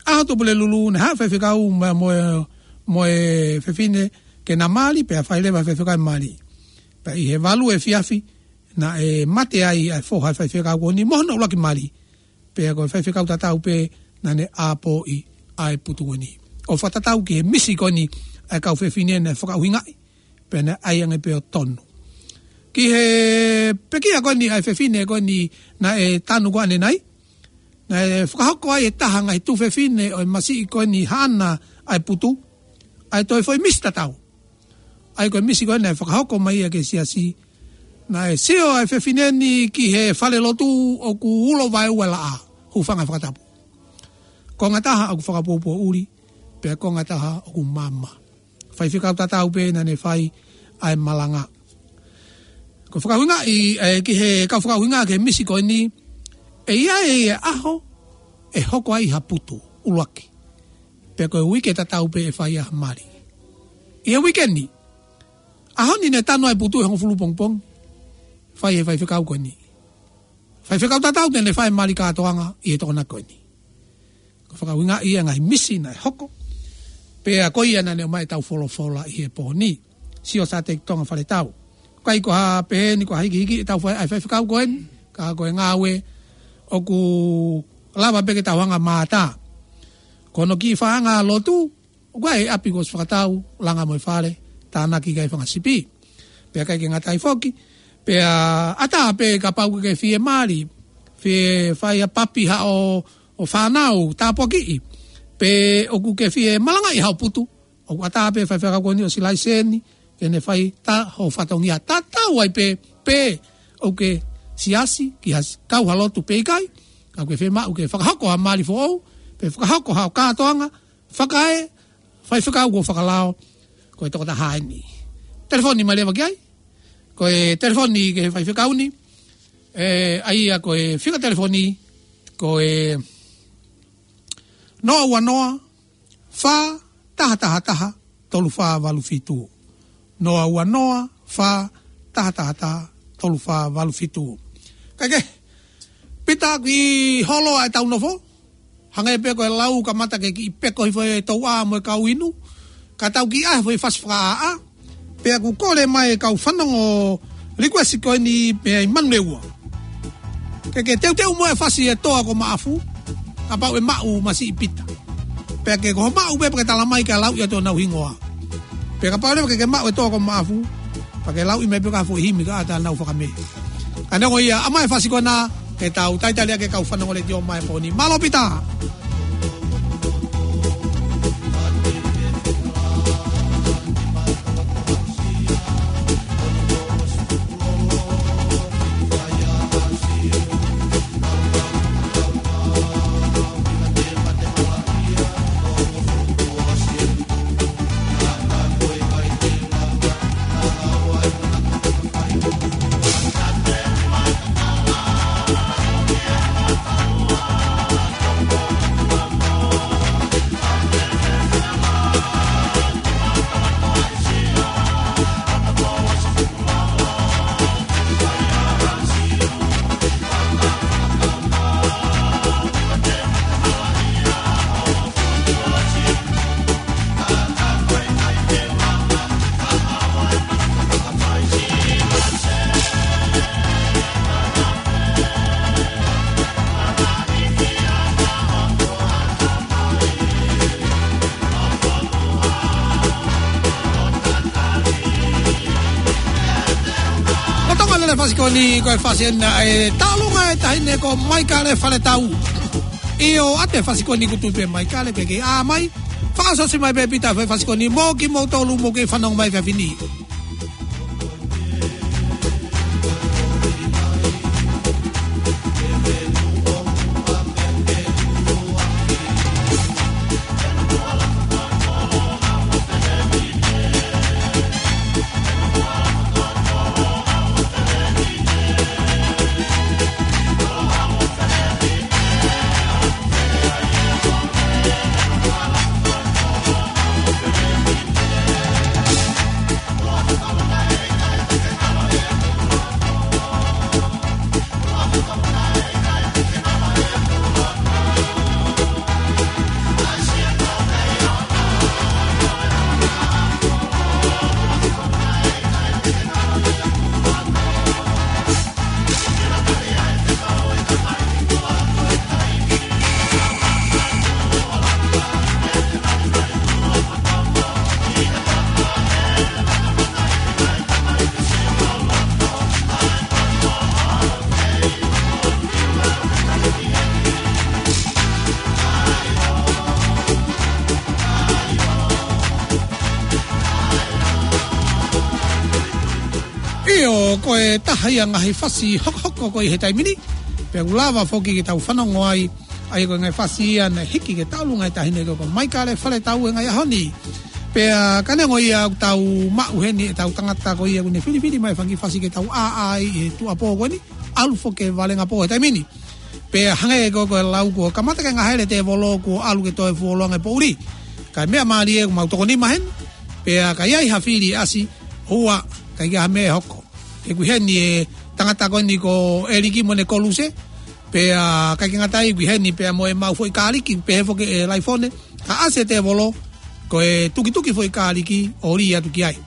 ʻaho Tuʻapulelulu naʻe haʻu e faifekau mo, mo, mo e fefine ke na mali, pea fai leva e faifekau e mali. Pea ʻi he valu efiafi naʻe mate ai ʻa e foha e faifekau ko eni mo hono ʻuluaki mali. Pea ko e faifekau tatau pē naʻa ne ʻāpōʻi ʻa e putu ko eni. ʻO fakatatau ki he misi ko eni ʻa e kau fefine naʻe fakaʻuhingaʻi, pea naʻe ʻai ange pē ʻo tonu. Ki he pekia ko eni ʻa e fefine ko eni naʻe tanu ko ʻanenai, naʻe fakahoko ai e taha ngaahi tuofefine ʻo e masiʻi ko eni haʻana ʻa e putu, ʻa e toe foʻi misi tatau. ʻA ia ko e misi ko ē naʻe fakahoko mai ia ki he siasi, naʻe sio ʻa e fefine ni ki he falelotu ʻoku ulo vaeua e laʻā, hūfanga he fakatapu. Konga taha ʻoku fakapuopuo ʻuli, pea konga taha ʻoku maama. Faifekau tatau pē naʻa ne fai ʻa e malanga. Ko e fakaʻuhingaʻi, ē, ki he kau fakaʻuhinga ki he misi ko eni, ʻe ʻi ai e ʻaho ʻe hoko ai ha putu ʻuluaki. Pea ko e uike tatau pē ʻe fai ai ha mali. ʻI he uike ni, ʻaho ni naʻe tanu ai e putu ʻe hongofulu pongipongi, fai ʻe he faifekau ko eni. Faifekau tatau te ne fai e mali kātoanga ʻi he Tokonaki ko eni. Ko e fakaʻuhingaʻi ia e ngaahi misi naʻe hoko. Pea ko ia naʻa ne ʻomai ʻetau folofola ʻi he pō ni. Sio Sāteki Tonga Faletau. ʻIkai ko ha pehē ni ko ha hikihiki ʻetau fai ʻa e faifekau ko eni, ka ko e ngāue ʻoku lava pē ke tau hanga ʻo mātā. Ko hono kiʻi faʻahinga lotu, ʻoku ʻi ai e ʻapi kuo ʻosi fakatau, langa mo e fale, tānaki ki ai e fanga sipi. Pea ʻikai ke ngata ai foki, pea ʻatā pē kapau ʻoku ke fie mali, fie fai ha papi haʻo, ʻo fānau, tāpuakiʻi. Pe ʻoku ke fie malangaʻi haʻo putu, ʻoku ʻatā pē faifekau ko eni ʻosi laiseni, ke ne fai ʻa hoʻo fatongia, tatau ai pē, pe ʻoku ke siasi, ki ha s-, kau ha lotu pe ʻikai, ka ʻoku ke fiemaʻu ke fakahoko ha mali foʻou, pe fakahoko haʻo kātoanga, fakae, faifekau kuo fakalao, ko e tokotaha eni. Telefoni mai leva ki ai, ko e telefoni ki he faifekau ni, ē, ʻa ia ko e fika telefoni, ko e noa ua noa, fā, taha taha taha, tolu fā valu fitu. Noa ua noa, fā, taha taha taha, tolu fā valu fitu. Kae kehe, Pita, kiʻi holo ʻa ʻetau nofo. Hangē pē ko e lau kamata ke kiʻi peko hifo e touʻa mo e kau inu. Ka tau kiʻi ʻai ha foʻi fasi fakaʻāʻā. Pea ʻoku kole mai e kau fanongo request ko eni pea ʻi Manurewa. Ke ke teuteu mo e fasi e Toa ko Maʻafu, kapau ʻe maʻu masiʻi Pita. Pea ke ko hoʻo maʻu pē pea ke tala mai ke lauʻi atu honau hingoa. Pea kapau leva ke ke maʻu e Toa ko Maʻafu, pea ke lauʻi mai pē ha foʻi himi ka ʻatā nau fakamē. Ka neongo ia, ʻomai e fasi ko ena, ke tau talitali ʻaki e kau fanongo letiō mai pō ni. Mālō Pita. Lolotonga lele e fasi ko eni, ko e fasi ena ʻa e taʻolunga e taʻahine ko Maikale Faletau. ʻIo, ʻoatu e fasi ko eni, kuo tuʻu pē Maikale, ke ke ʻā mai. Fakaʻosiʻosi mai pē Pita e fasi ko eni, mo kimoutolu ʻoku mou kei fanongo mai he efiafi ni. ʻO ko e taha ia ngaahi fasi hokohoko ko ē he taimi ni. Pea ʻoku lava foki ke tau fanongo ai, ʻa ia ko e ngaahi fasi ia naʻe hiki ke talu ngaahi taʻahine ko ē ko Maikale Faletau he ngaahi ʻaho ni. Pea ka neongo ia ʻoku tau maʻu heni ʻetau tangata ko ia ʻoku ne filifili mai fanga kiʻi fasi ke tau ʻāʻā ai he tuʻuapō ko eni, ʻalu foki ki he valenga pō he taimi ni. Pea hangē ko ē ko e lau kuo kamata ke ngahele tēvolo kuo ʻalu ke toe fuoloa ngaahi poʻuli. Ka e meʻa mālie ʻoku mau toko nima heni. Pea ka ʻi ai ha fili ʻasi, ʻoua, ʻikai ke ʻi ai ha meʻa ʻe hoko. He ʻoku ʻi heni e tangata ko eni ko ʻEliki mo ʻene koluse. Pea ʻikai ke ngata ai ʻoku ʻi heni pea mo ʻemau foʻi kāliki, pehē foki ʻe Laifone. Ka ʻasi e tēvolo, ko e tukituki foʻi kāliki ʻo lī atu ki ai.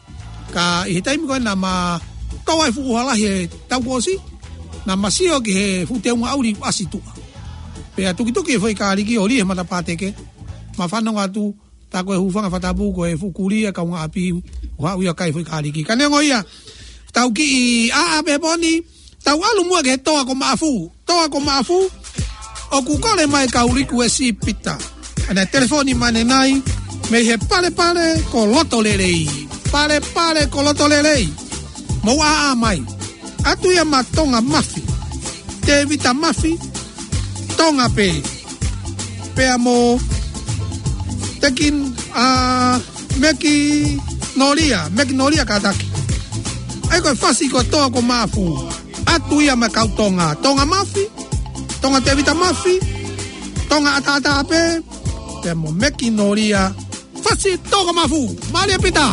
Ka ʻi he taimi ko ē naʻa ma tō ai fuʻu hala he taʻu kuo ʻosi, naʻa ma sio ki he fuʻu teunga ʻuli ʻasi tuʻa. Pea tukituki e foʻi kāliki ʻo lī he matapā teke, ma fanongo atu, tā ko e hūfanga he fakatapu ko e fuʻu kulia kaungāʻapi ʻoku haʻu ia ʻo kai foʻi kāliki. Ka neongo ia, tau kiʻi ʻāʻā pē he pō ni, tau ʻalu muʻa ki he toa ko Maʻafu. Toa ko Maʻafu, ʻoku kole mai kau likuesi Pita. ʻA ena telefoni mai ʻanenai, mei he Palepale ko Lotolelei. Palepale ko Lotolelei. Mou ʻāʻā mai. ʻAtu ia ma Tonga Mafi. Tēvita Mafi. Tonga pē. Pea mo Tekin, ʻa, Meki Nolia, Meki Nolia kātaki. ʻA ia ko e fasi ko e toa ko Maʻafu. ʻAtu ia ma kau Tonga. Tonga Mafi, Tonga Tēvita Mafi, Tonga ʻataʻatā pē, pea mo Meki Nolia, fasi toa ko Maʻafu. Mālie Pita.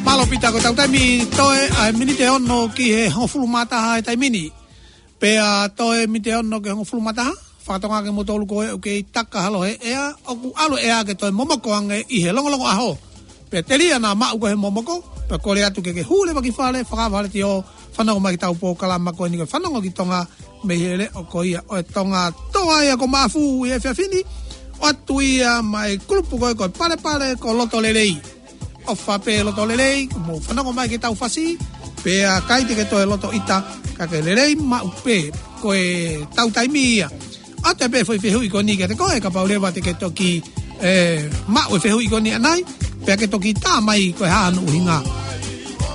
Mālō Pita, ko ʻetau taimi toe ʻa e miniti ʻe ono ki he hongofulu mā taha he taimi ni. Pea toe miniti ʻe ono ki he hongofulu mā taha, fakatonga ke mou tolu ko ē ʻoku kei taka holo he ʻea, ʻoku ʻalu ʻea ke toe momoko ange ʻi he longolongo ʻaho. Pea telia naʻa maʻu ko ē he momoko, pea kole atu ke ke hū leva ki fale, fakaava e letiō, fanongo mai ki heʻetau polokalama ko eni ko e Fanongo ki Tonga, mei he leʻo ko ia ʻo e Tonga, toa ia ko Maʻafu ʻi he efiafi ni, ʻoatu ia maʻa e kulupu ko ē ko e Palepale ko Lotolelei. ʻOfa pē Lotolelei, mou fanongo mai ki heʻetau fasi, pea ʻikai te ke toe loto ʻita, ka ke lelei maʻu pē, ko ʻetau taimi ia. ʻOatu pē foʻi fehuʻi ko eni kiate koe, kapau leva te ke toki, ē, maʻu e fehuʻi ko eni ʻanenai, pea ke toki tā mai ko e hā hono ʻuhinga.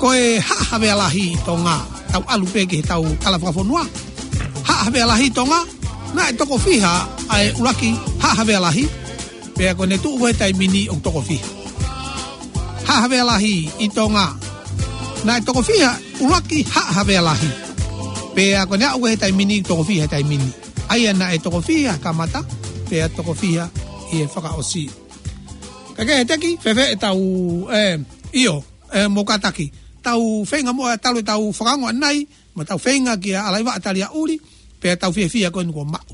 Ko e Haʻa Havea Lahi ʻi Tonga, tau ʻalu pē ki heʻetau tala fakafonua. Haʻa Havea Lahi ʻi Tonga, naʻe toko fiha ʻa e ʻuluaki Haʻa Havea Lahi, pea ko ʻene tuʻu ko ē he taimi ni ʻoku toko fiha. Haʻa Havea Lahi ʻi Tonga, naʻe toko fiha ʻuluaki Haʻa Havea Lahi. Pea ko ʻene aʻu ko ē he taimi ni, toko fiha he taimi ni. ʻA ia naʻe toko fiha he kamata, pea toko fiha ʻi he fakaʻosi. Ka ke he teki, fēfē ʻetau, ē, ʻio, ē, mou kātaki. Tau feinga muʻa talu ʻetau fakaongo ʻanenai, mo ʻetau feinga kia Alaivaʻa Taliaʻuli, pea tau fiefia ko eni kuo maʻu.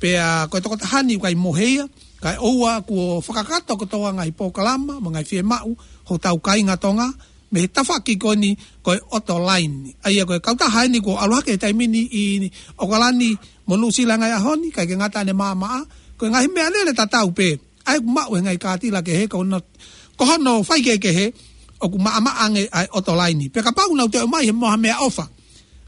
Pea ko e tokotaha ni ʻoku ʻikai mohe ia, kae ʻoua kuo fakakakato kotoa ngaahi polokalama, mo e ngaahi fiemaʻu, hotau kāinga Tonga, mei he tafaʻaki ko eni ko e ʻoto laini. ʻA ia ko e kautaha eni kuo ʻalu hake he taimi ni ʻi ʻOkalani mo Nuʻusila he ngaahi ʻaho ni, ʻikai ke ngata ʻene maʻamaʻa, ko e ngaahi meʻalele tatau pē, ʻa ia ʻoku maʻu he ngaahi kātila kehe, ko hono, ko hono faikehekehe, ʻoku maʻamaʻa ange ʻa e ʻoto laini. Pea kapau naʻa nau toe ʻomai he mo ha meʻaʻofa,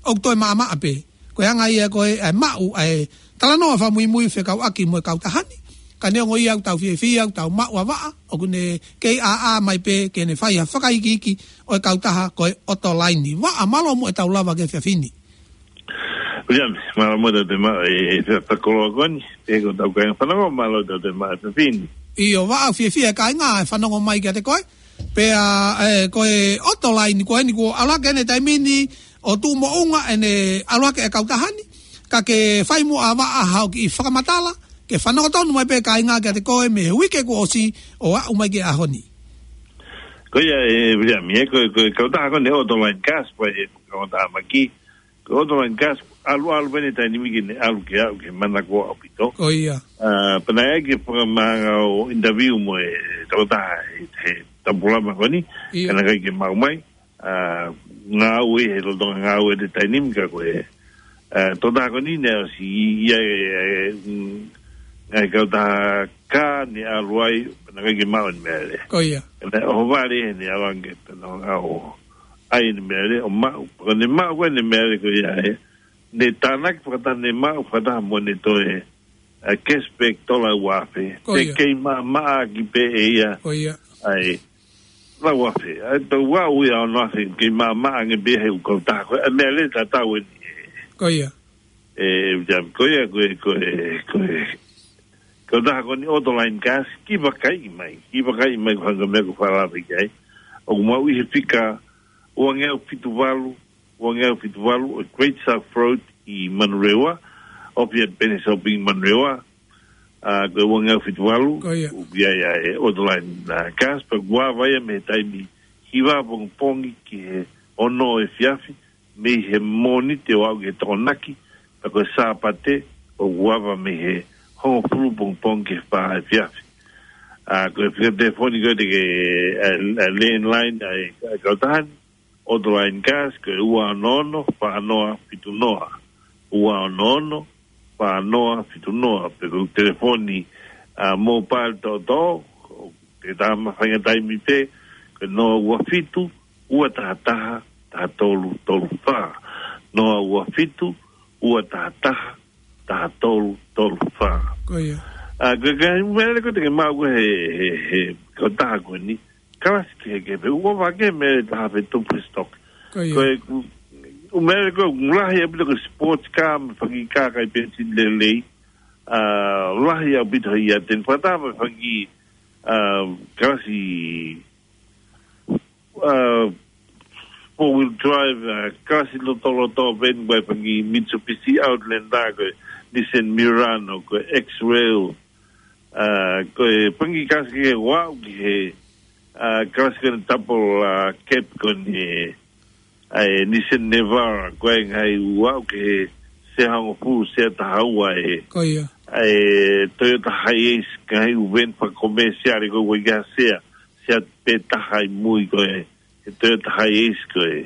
ʻoku toe maʻamaʻa pē. Ko e anga ia ko ē ʻa e maʻu ʻa e talanoa fakamuimui fekauʻaki mo e kautaha ni. Ka neongo ia ʻoku tau fiefia ʻoku tau maʻu ʻa Vaʻa, ʻoku ne kei ʻāʻā mai pē ke ne fai ha fakaikiiki ʻo e kautaha ko e Otolaini. Vaʻa, mālō muʻa ʻetau lava ki he efiafi ni. Uliami, mālō muʻa ʻetau toe maʻu e, e, e fakakoloa ko eni, pea ko ʻetau kāinga fanongo, mālō ʻetau toe maʻu e efiafi ni. ʻIo, Vaʻa, fiefia e kāinga ʻe fanongo mai kiate koe. Pea, e, ko e Otolaini ko eni kuo ʻalu hake ʻene taimi ni ʻo tuʻu moʻunga ʻene ʻalu hake e kautaha ni, ka ke fai muʻa ʻa Vaʻa haʻo kiʻi fakamatala, ke fanongo tonu mai pē kāinga kiate koe mei he uike kuo ʻosi ʻo aʻu mai ki he ʻaho ni. Ko ia, e, Uliami, e, ko, ko e kautaha ko eni Otolaini Gas, ko e kautaha maki, ko e Otolaini Gas, ʻalu, ʻalu pē ʻene taimi ni ke ne ʻalu ke aʻu ki he manako ʻaupito. Ko ia. ʻA, pea naʻe ʻai ke fakamahanga ʻo interview mo e tokotaha he, he tapulama ko eni, ʻIo. ka naʻe ʻikai ke maʻu mai, ʻa, ngāue he lolotonga ngāue ʻene taimi ni ka ko e, ʻa, tokotaha ko eni naʻe ʻosi ʻi ai, e, e, mm, ngaahi kautaha kā ne ʻalu ai, pea naʻe ʻikai ke maʻu ʻene meʻalele. Ko ia. Naʻe ʻohovale ʻene ʻalu ange pea naʻe ngāue ai ʻene meʻalele, ʻo maʻu, ko ʻene maʻu ko ē ʻene meʻalele ko ia ē, ne tānaki fakataha ne maʻu fakataha mo ʻene toe, ʻa, cashback tola ua afe. Ko ia. Pea kei maʻamaʻa ʻaki pē ʻe ia. Ko ia. ʻAi, lau afe. ʻAi, tau ua ui a ono afe, kei maʻamaʻa ange pē he ʻū kautaha. Ko e meʻalele tatau eni. Ko ia. E, e, ko ia, ko e, ko e, ko e, kautaha ko eni Otolaini Gas, kiʻi vakaiʻi mai. Kiʻi vakaiʻi mai ko e hā e meʻa ʻoku fakalave ki ai. ʻOku maʻu ʻi he fika uangeau fitu valu, uangeau fitu valu, ʻo e Great South Road ʻi Manurewa, ʻoku ʻi ai pē ʻene shopping ʻi Manurewa, ʻa, ko e uangeau fitu valu, Ko ia. ʻoku ʻi ai ʻa e Otolaini, ʻa, Gas, pea kuo ava ia mei he taimi hiva pongipongi ki he ono efiafi, mei he Mōnite ʻo aʻu ki he Tokonaki, pea ko e Sāpate, ʻoku ava mei he hongofulu pongipongi ki he fā efiafi. ʻA, ko e fika telefoni ko ē te ke, ʻa, ʻa, landline, ʻa, ʻa e kautaha ni, Otolaini Gas, ko e ua ono ono, fā noa fitu noa. Ua ono ono, fā noa fitu noa. Pe ko e telefoni, ʻa, mobile toʻotoʻo, ʻoku tau mafainga taimi pē, ko e noa ua fitu, ua taha taha, taha tolu tolu fā. Noa ua fitu, ua taha taha, taha tolu tolu fā. Ko ia. ʻA, ko e, ko e meʻalele ko ē te ke maʻu ko ē he, he, he kautaha ko eni, kalasi kehekehe pē, ʻoku ʻohovale e meʻalele taha pē tupu he stock. Ko ia. Ko e, ʻū meʻalele ko ē ʻoku lahi ʻaupito ko e sports car, mo e fanga kiʻi kā ʻikai penisini lelei, ʻa, lahi ʻaupito ia, te ne fakataha mo e fanga kiʻi, ʻa, kalasi, ʻa, four wheel drive, ʻa, kalasi lotoloto, pehē ni ko e fanga kiʻi Mitsubishi Outlander, ko e Nissan Murano, ko e X-Trail, ʻa, ko e fanga kiʻi kalasi kehe ʻoku aʻu ki he, ʻa, kalasi ko eni double, ʻa, cab ko eni, ʻa, e Nissan Navara, ko e ngaahi ʻoku aʻu ki he sea hongofulu, sea taha ua e, Ko ia. ʻa, e Toyota Hiace, ngaahi ʻū van fakakomēsiale ko ē ʻoku ʻikai ha sea, sea pē taha ʻi mui ko ē, he Toyota Hiace ko ē.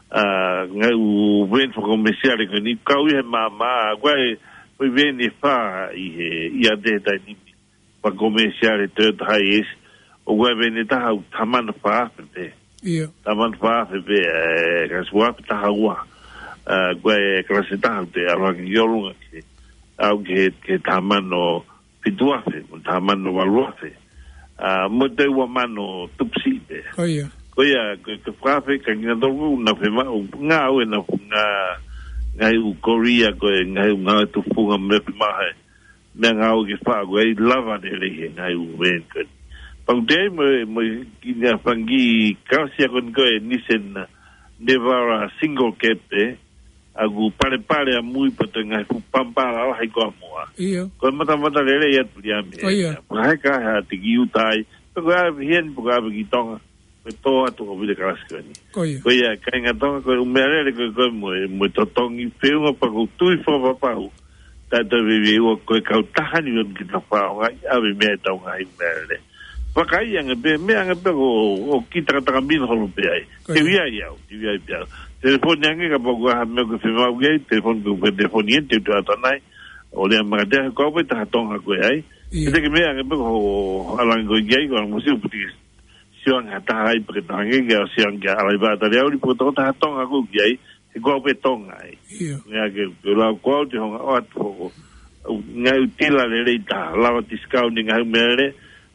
ʻA, ngaahi ʻū van fakakomēsiale ko eni, kau ia he maama, ko e, ko e van ʻe fā ʻi he, ʻi ʻAte he taimi ni. Fakakomēsiale Toyota Hiace, ʻoku ʻi ai e van ʻe taha ʻoku taha mano fā afe pē. ʻIo. Taha mano fā afe pē, e, kalasi ua afe taha ua. ʻA, ko e kalasi ʻe taha ʻoku te ʻalu ange ki ʻolunga ki, aʻu ki he, ki he taha mano fitu afe, mo e taha mano valu afe. ʻA, mo e toe ua mano tupu siʻi pē. Ko ia. Ko ia, ko e, ko e fā afe ka nginga tolu ʻoku nau fiemaʻu, ngāue naʻa nau, ngaahi ʻū kolia ko e, ngaahi ʻū ngāue tufunga mo e meʻa fiemaʻu he meʻangāue ke faʻa ko e lava lelei he ngaahi ʻū van ko eni. Pea ʻoku te ʻi ai mo, mo e kiʻi fanga kiʻi kalasi ko eni ko e Nissan Navara single cab ē, ʻoku palepale ʻa mui pea toe ngaahi fuʻu pampa lalahi ko ē ʻa muʻa. ʻIo. Ko e matamata lelei atu ia mei. Ko ia. Pea he ka ha te ki ʻuta ai, pe ko e ʻave heni, pe ko e ʻave ki Tonga. Ko e tō atu ʻo vile kalasi ko eni. Ko ia. Ko ia, kāinga Tonga, ko e ʻū meʻalele ko ē, ko e mo e, mo e totongi feʻunga pea ʻoku ou tui fakapapau. Taʻe toe veiveiua ko e kautaha ni ʻoku ʻikai ke ta faʻa ʻaonga ʻi ʻave mei ai ʻetau ngaahi meʻalele. Vakai ange pē, meʻa ange pē ko, ʻoku kiʻi takataka mino holo pē ai. Ko ia. Te u ʻi ai au, te u ʻi ai pē au. Telefoni ange kapau ko ha meʻa ʻoku ke fiemaʻu ki ai, telefoni ko e telefoni eni, te u toe ʻatu ʻanai. ʻO lea mai kiate au, ko au pē taha Tonga ko ē ai. ʻIo. Te ke meʻa ange pē ko ʻalu ange ko ē ki ai, ko ʻalu mo siu puti ke sio ange ha taha ai pea ke tangi ke ʻosi ange ke ʻalu ai pē ʻa Taliauli pe ko e tokotaha Tonga ko ē ki ai, he ko au pē Tonga ai. ʻIo. Meʻa ke, ke lau ko au te u hanga ʻo ʻatu hoko. ʻOku ngaahi ʻū tila lelei taha, lava discount ʻi he ngaahi ʻū meʻalele,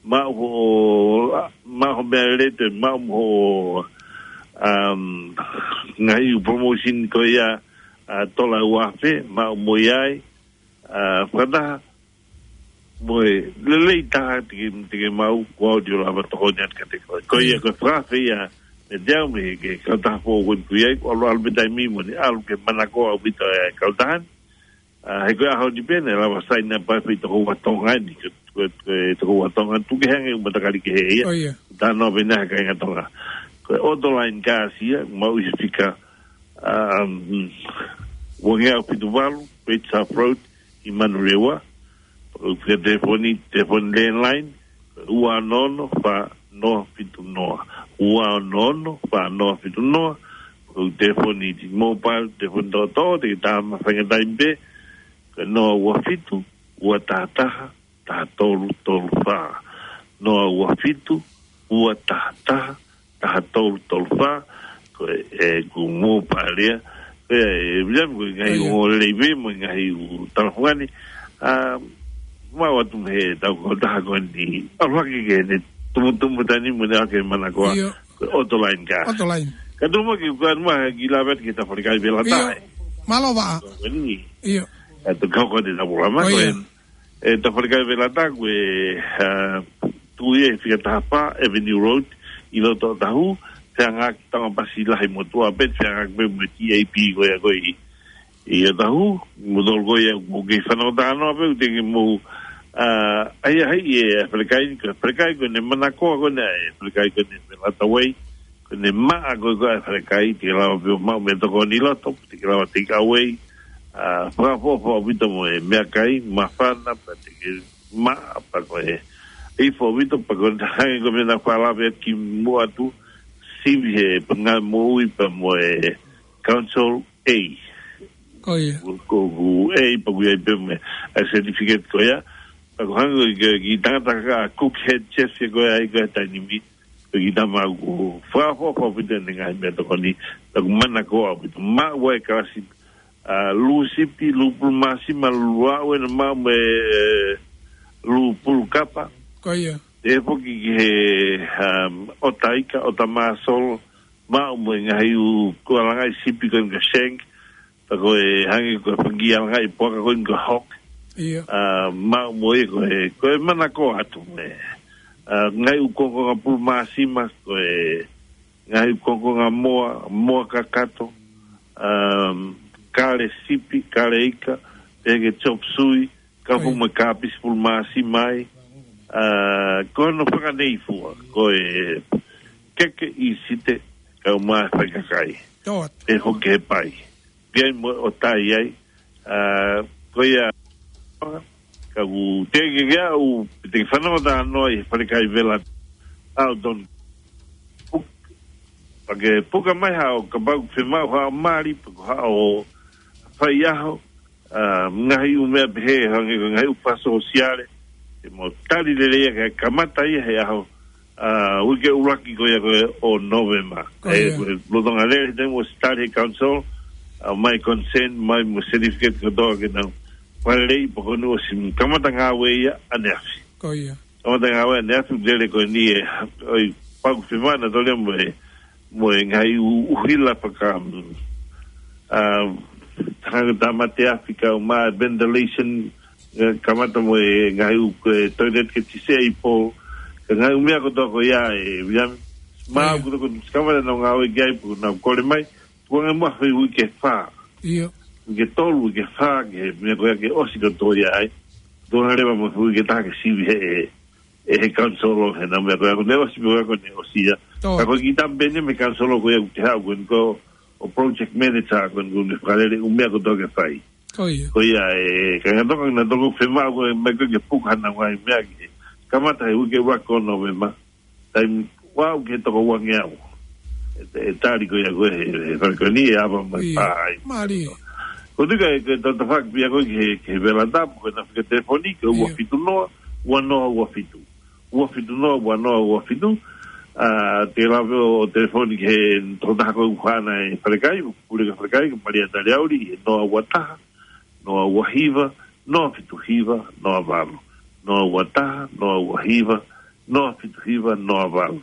maʻu hoʻo, maʻu hoʻo meʻalele, toe maʻu hoʻo, um, ngaahi ʻū promotion ko ia, ʻa, tola ua afe, maʻu mo ia ai, ʻa, fakataha, mo e lelei taha te ke, te ke maʻu, ko au te u lava tokoni atu kiate koe. Ko ia, ko e fakaafe ia, mei he tau mei he kautaha foʻou ko eni ʻoku ʻi ai, ko e ʻalu ʻalu pē taimi mo ʻene ʻalu ke manakoa ʻaupito e kautaha ni. ʻA, he ko e ʻaho ni pē naʻe lava saini ʻa e pā fei toko ua Tonga ni, ko e, ko e, ko e toko ua Tonga, tuku kehe ange ʻū matakali kehe ia. Ko ia. Talanoa pē naʻe he kāinga Tonga. Ko e Autoline Cars ia, maʻu ʻi he fika, um, ua ngeau fitu valu, Great South Road, ʻi Manurewa. Ko e fika telefoni, telefoni landline, ua ono ono fā noa fitu noa. Ua ono ono fā noa fitu noa. Ko e telefoni T-Mobile, telefoni toʻotoʻo, te ke tā mai faingataʻa pē. Ko e noa ua fitu, ua taha taha, taha tolu tolu fā. Noa ua fitu, ua taha taha, taha tolu tolu fā. Ko e, e, ko e Mobile ia. Ko e, e, William, ko e ngaahi ʻū lelei pē mo e ngaahi ʻū talafungani. ʻA, maʻu atu mei he tau kautaha ko eni. ʻAlu hake ke ne tumutumu taimi mo ʻene ʻalu ke manakoa. Ko e Autoline Cars. Autoline. Ka tuku mai ke u kau mai ke lave atu ki he tau falekai velataʻa. Mālō Vaʻa. Ko eni. ʻA, tau kau ko eni tau pula mai ko eni. E tau falekai velataʻa ko e, ʻa, tuʻu ia he fika taha fā Avenue Road, ʻi loto ʻOtahuhu, feangaʻaki Tongapasi Lahi mo Tuʻapē, feangaʻaki pē mo e T A P ko ia ko ē ʻi, ʻi ʻOtahuhu, mo tolu ko ia ʻoku kei fanongo talanoa pē, ʻoku teʻeki ke mou, ʻa, ʻai ʻai e falekai ni, ko e falekai ko eni manakoa ko eni, e falekai ko eni Velataway, ko eni maʻa ko ē ko e falekai, te ke lava pē ʻo maʻu meʻatokoni ʻi loto, te ke lava take away, ʻa, fakaʻofoʻofa ʻaupito mo e meʻakai, māfana, pea te ke maʻa, pea ko e ifo ʻaupito, pea ko e hangē ko e meʻa naʻa ku lave ki muʻa atu, sivi he pangā moʻui pea mo e Council A. Ko ia. Ko, ko, ko A, pea ʻoku ʻi ai pē mo e certificate ko ia, pea ko e hangē ko e kiʻi tangata ka Cook Head Chef ko ia ʻi he taimi ni, ko e kiʻi tama ʻoku fakaʻofoʻofa ʻaupito ʻene ngaahi meʻatokoni, pea ʻoku manakoa ʻaupito. Maʻu ʻa e kalasi, ʻa, lū sipi, lū pulu māsima, lū aʻu ʻena maʻu mo e, e, lū pulu kapa. Ko ia. Te foki ki he, um, ʻota ika, ʻota māsolo, maʻu mo e ngaahi ʻū kualangaʻi sipi ko eni ko e shank, pea ko e hangē ko e fanga kiʻi alangaʻi puaka ko eni ko e hock. Ia. ʻA, maʻu mo ia ko e, ko e manakoa atu mo e, ʻa, ngaahi ʻū kongokonga pulu māsima, ko e ngaahi ʻū kongokonga moa, moa kakato, um, kale sipi, kale ika, pehē ki he chop suey, kau mo e kāpisi pulu māsima ai, ʻa, ko hono fakaneifua, ko e keke ʻi site, kau mai fai kakai. Pea hoki he pai. Pea mo e ʻota ai, ʻa, ko ia, ka ʻoku teʻeki ke aʻu, te ke fanongo talanoa ʻi he falekai vela, ʻa, ʻo tonu. Puk-, pea ke puka mai haʻo, kapau ʻoku fiemaʻu haʻo mali, pe ko haʻo faiʻaho, ʻa, ngaahi ʻū meʻa pehē, hangē ko e ngaahi ʻū fakasōsiale, te mou tali lelei ia ke kamata ia he ʻaho, ʻa, uike ʻuluaki ko ia ko ē ʻo Nōvema. Ko ia. He ko e lolotonga lele, te mou ʻosi tali he council, ʻa, mai consent, mai mo certificate kotoa ke nau fakalelei, pea ko eni ʻosi kamata ngāue ia ʻaneafi. Ko ia. Kamata ngāue ʻaneafi, lele ko eni e, ʻoi, pea ʻoku fiemaʻu naʻa tau lea mo e, mo e ngaahi ʻū, ʻuhila faka, ʻa, hangē tāmate afi kau mai, ventilation, ʻe, kamata mo e ngaahi ʻū, ko e toilet ke disabled, ka ngaahi ʻū meʻa kotoa ko ia ē, William. Maʻu ko e, ko e, kamata nau ngāue ki ai, pea nau kole mai, tuku ange muʻa he uike fā. Ia. Uike tolu, uike fā, ke meʻa ko ia ke ʻosi kotoa ia ai. Tuku ange leva mo e uike taha ke sivi he, ʻe, ʻe he council ʻo he nau meʻa ko ia, ko ʻene ʻosi meʻa ko ʻene ʻosi ia. Ka ko e kiʻi tama pē eni mei he council ko ia ʻoku te haʻu ko eni ko e project manager ko eni ʻoku ne fakalele ʻū meʻa kotoa ke fai. Ko ia. Ko ia ē, ka ngata ko ena toko fiemaʻu ko e mai ko e ke puka hana ngaahi meʻa ke kamata he uike ua ko Nōvema. Taimi ua ʻoku ke toko ua ngeau. ʻE, ʻe tali ko ia ko e, he, he fale ko eni ʻe ava mai pā ai. Mālie. Ko e tuʻu ka ʻe, ke tau tafaʻaki pē ia ko e ki he, ki he vela tapu, ko ʻena fika telefoni, ko e ua fitu noa, ua noa ua fitu. Ua fitu noa, ua noa ua fitu. ʻA, te lave ʻo telefoni ki he tokotaha ko ē ʻoku ʻi hena e falekai, ʻoku pule ki he falekai, ko Malia Taliauli, he noa ua taha, noa ua hiva, noa fitu hiva, noa valu, noa ua taha, noa ua hiva, noa fitu hiva, noa valu.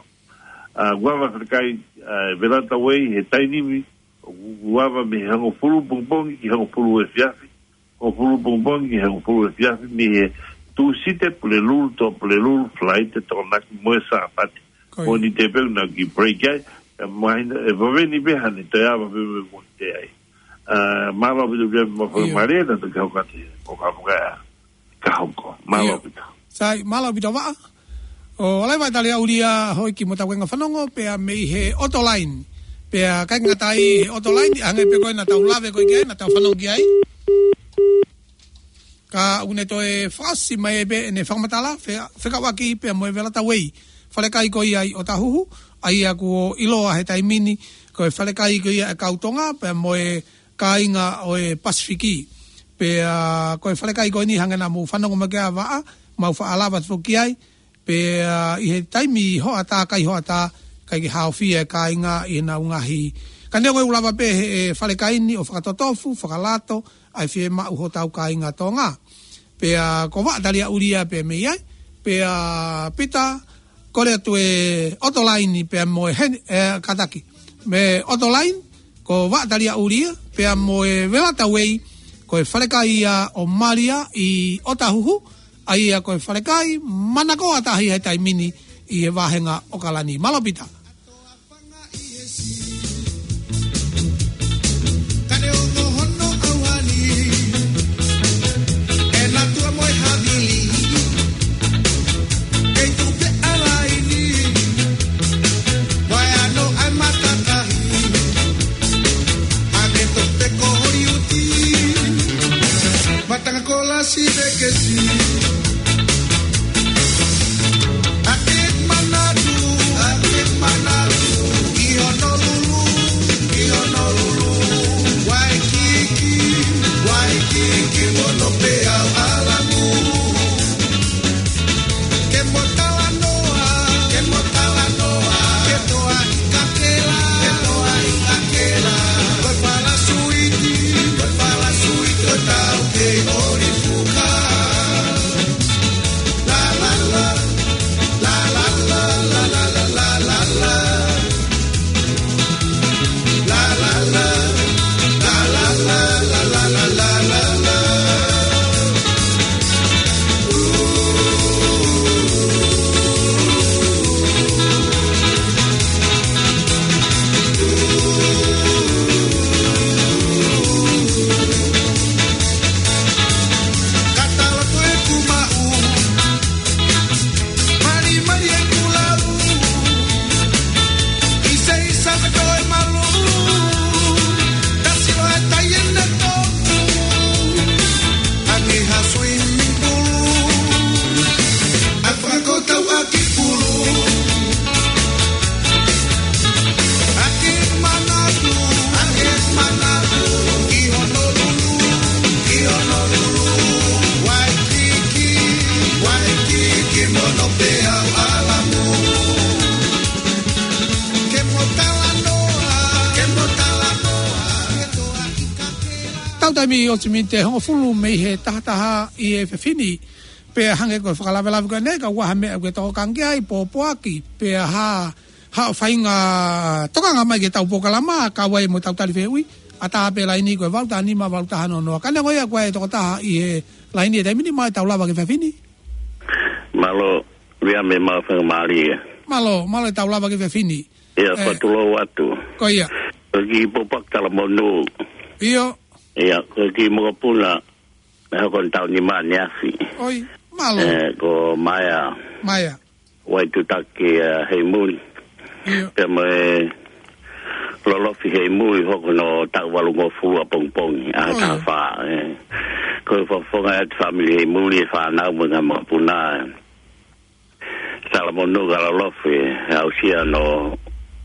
ʻA, ʻoku ava e falekai, ʻa, Velata Way he taimi ni, ʻoku ava mei he hongofulu pongipongi ki he hongofulu efiafi, hongofulu pongipongi ki he hongofulu efiafi, mei he Tūsite Pulelulu, tō Pulelulu, Falaite Tokonaki mo e Sāpate. Ko ia. Mōnite pē ʻoku nau kiʻi break ai, ʻe mahino, ʻe vave ni pē hane, toe ava pē mo e Mōnite ai. ʻA, mālō ʻaupito pē mo e fakamālō atu ki he kau kate, ʻo ka puka ʻa e ka hoko. Mālō ʻaupito. Sai, mālō ʻaupito Vaʻa. ʻO ʻalai Vaʻa, tali ʻuli ā hoi ki mo tau kainga fanongo, pea mei he Autoline. Pea ʻikai ngata ai he Autoline, ʻi he anga pē ko ē naʻa tau lave ko ē ki ai, naʻa tau fanongo ki ai. Ka ʻoku ne toe fasi mai pē ʻene fakamatala, fe-, fekauʻaki pea mo e Velata Way. Falekai ko ia ʻi ʻŌtāhuhu, ʻa ia kuo ʻiloa he taimi ni, ko e falekai ko ia ʻa e kau Tonga, pea mo e kāinga ʻo e Pasifiki. Pea ko e falekai ko eni hangē naʻa mou fanongo mai ki ai Vaʻa, mau faʻa lava atu foki ai, pea ʻi he taimi hoʻatā, kai hoʻatā, ʻikai ke haofia e kāinga ʻi heʻenau ngaahi. Ka neongo ʻoku lava pē he, e falekai ni ʻo fakatotofu, fakalato, ʻa e fiemaʻu hotau kāinga Tonga. Pea ko Vaʻa, tali ʻuli ā pē mei ai, pea Pita, kole atu e Autoline pea mo e Hen-, e, kātaki. Mei he Autoline, ko Vaʻa, tali ʻuli ā, pea mo e Velata Way, ko e falekai ia ʻo Malia ʻi ʻŌtāhuhu, ʻa ia ko e falekai manakoa taha ia he taimi ni ʻi he vāhenga ʻAokalani. Mālō Pita. Matanga kola si vekesi. Ake manatu, ake manatu. Ki Honolulu, ki Honolulu. Waikiki, Waikiki, mono pē au ʻalamu. Ke mo talanoa, ke mo talanoa. Ke toa ʻi kakela, ke toa ʻi kakela. Ko e fala suiti, ko e fala suiti, ko e tau kei ʻoli fuka. Mali, mali e kulau. Ise, isa, ka toe malu. Kasi o e tai ʻene toku. Angi ha swimming pool. A fakakotau ʻaki pulu. Ake manatu, ake manatu. Ki Honolulu, ki Honolulu. Waikiki, Waikiki, mono pē au ʻalamu. Ke mo talanoa, ke mo talanoa. Tau taimi ʻosi miniti ʻe hongofulu mei he taha taha ʻi he efiafi ni. Pea hangē ko e fakalavelave ko eni, ka ʻoku ʻi ai ha meʻa ʻoku ke tokanga ki ai, pōpoaki, pea ha, ha faʻahinga tokanga mai ki heʻetau polokalama, kau ai mo ʻetau tali fehuʻi, ʻatā pē laini ko e valu taha nima, valu taha noa noa. Ka neongo ia ko e tokotaha ʻi he laini he taimi ni, mālō e tau lava ki he efiafi ni. Mālō, Vea, mo e faingamālie. Mālō, mālō e tau lava ki he efiafi ni. ʻIo, ʻe, fakatulou atu. Ko ia. Ko e kiʻi pōpoaki talamonū. ʻIo. ʻIo, ko e kiʻi mokopuna, ʻe hoko ʻene taʻu nima ʻaneafi. ʻOi, mālō. ʻE, ko Maea. Maea. Waitutaki, ʻa, Heimuli. ʻIo. Pea mo e Lolofi Heimuli, hoko hono taʻu valungofulu ʻapongipongi, ʻaho ʻe taha fā, ʻe. Ko e fakafofonga atu fāmili Heimuli, e fānau mo e ngaahi makapuna, ʻe. Talamonū kia Lolofi, ʻe aʻusia hono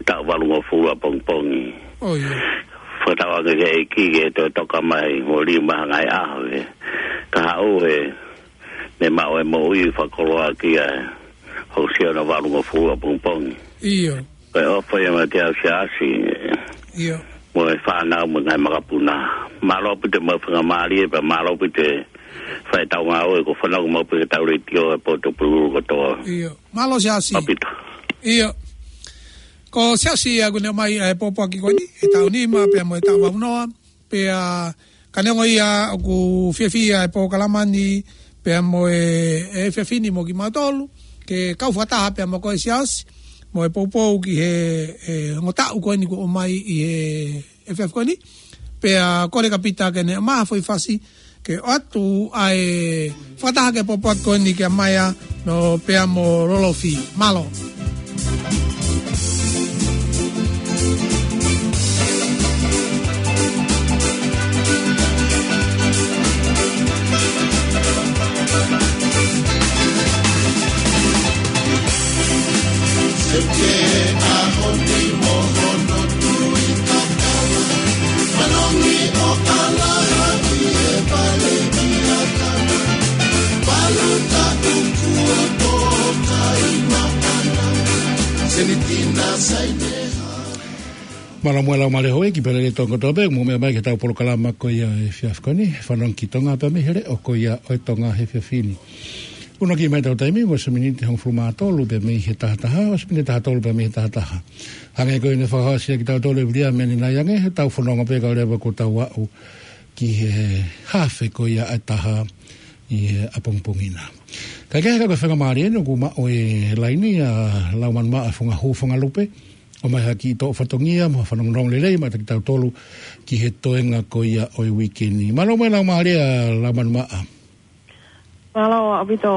taʻu valungofulu ʻapongipongi. Fakatauange ki he ʻEiki ke toe toka mai, mo liu mai ha ngaahi ʻaho, ʻe. Ka haʻu he, ne maʻu e moʻui fakakoloa ki ai, ʻo aʻusia hono valungofulu ʻapongipongi. ʻIo. Ko e ʻofa ia mei he Siasi, ʻe. ʻIo. Mo e fānau mo e ngaahi makapuna. Mālō ʻaupito mo e faingamālie, pea mālō ʻaupito fai tau ngāue, ko e fanongo maʻu pē ki he tau letiō ʻa e potu pululu kotoa. ʻIo. Mālō Siaosi. ʻAupito. ʻIo. Ko Siaosi ia ʻoku ne ʻomai ʻa e pōpoaki ko eni, ʻi he taʻu nima pea mo e taʻu valu noa, pea ka neongo ia ʻoku fiefia e polokalama ni pea mo e, e efiafi ni mo kimautolu, ke kau fakataha pea mo koe Siaosi, mo e poupou ki he, e, ongo taʻu ko eni kuo ʻomai ʻi he efiafi ko eni. Pea kole kia Pita ke ne ʻomai ha foʻi fasi ke ʻoatu ʻa e fakataha ki he pōpoaki ko eni kia Maia, no pea mo Lolofi. Mālō. Mālō mo e laumālie houʻeiki pea lelei tonu kotoa pē, mou meʻa mai ki he tau polokalama ko ia he efiafi ko eni, Fanongo ki Tonga pea mei he leʻo ko ia ʻo e Tonga he efiafi ni. ʻUluaki mai ʻetau taimi, ua miniti hongofulu mā tolu pea mei he taha taha, ua miniti taha tolu pea mei he taha taha. Hangē ko ia ne fakahohaʻa kiate kitautolu ʻe Viliami ʻanenai ange, he tau fononga pē kae ʻoua leva kuo tau aʻu ki he hafe ko ia ʻa e taha ʻi he ʻapongipongi na. Kae kehe, ka ko e faingamālie eni ʻoku maʻu e laini ʻa Laumanu Maʻa Fungahū Fungalupe, ʻomai ha kiʻi toʻo fatongia mo ha fanongonongo lelei maʻa kitautolu ki he toenga ko ia ʻo e uike ni. Mālō mo e laumālie ʻa Laumanu Maʻa. Mālō ʻaupito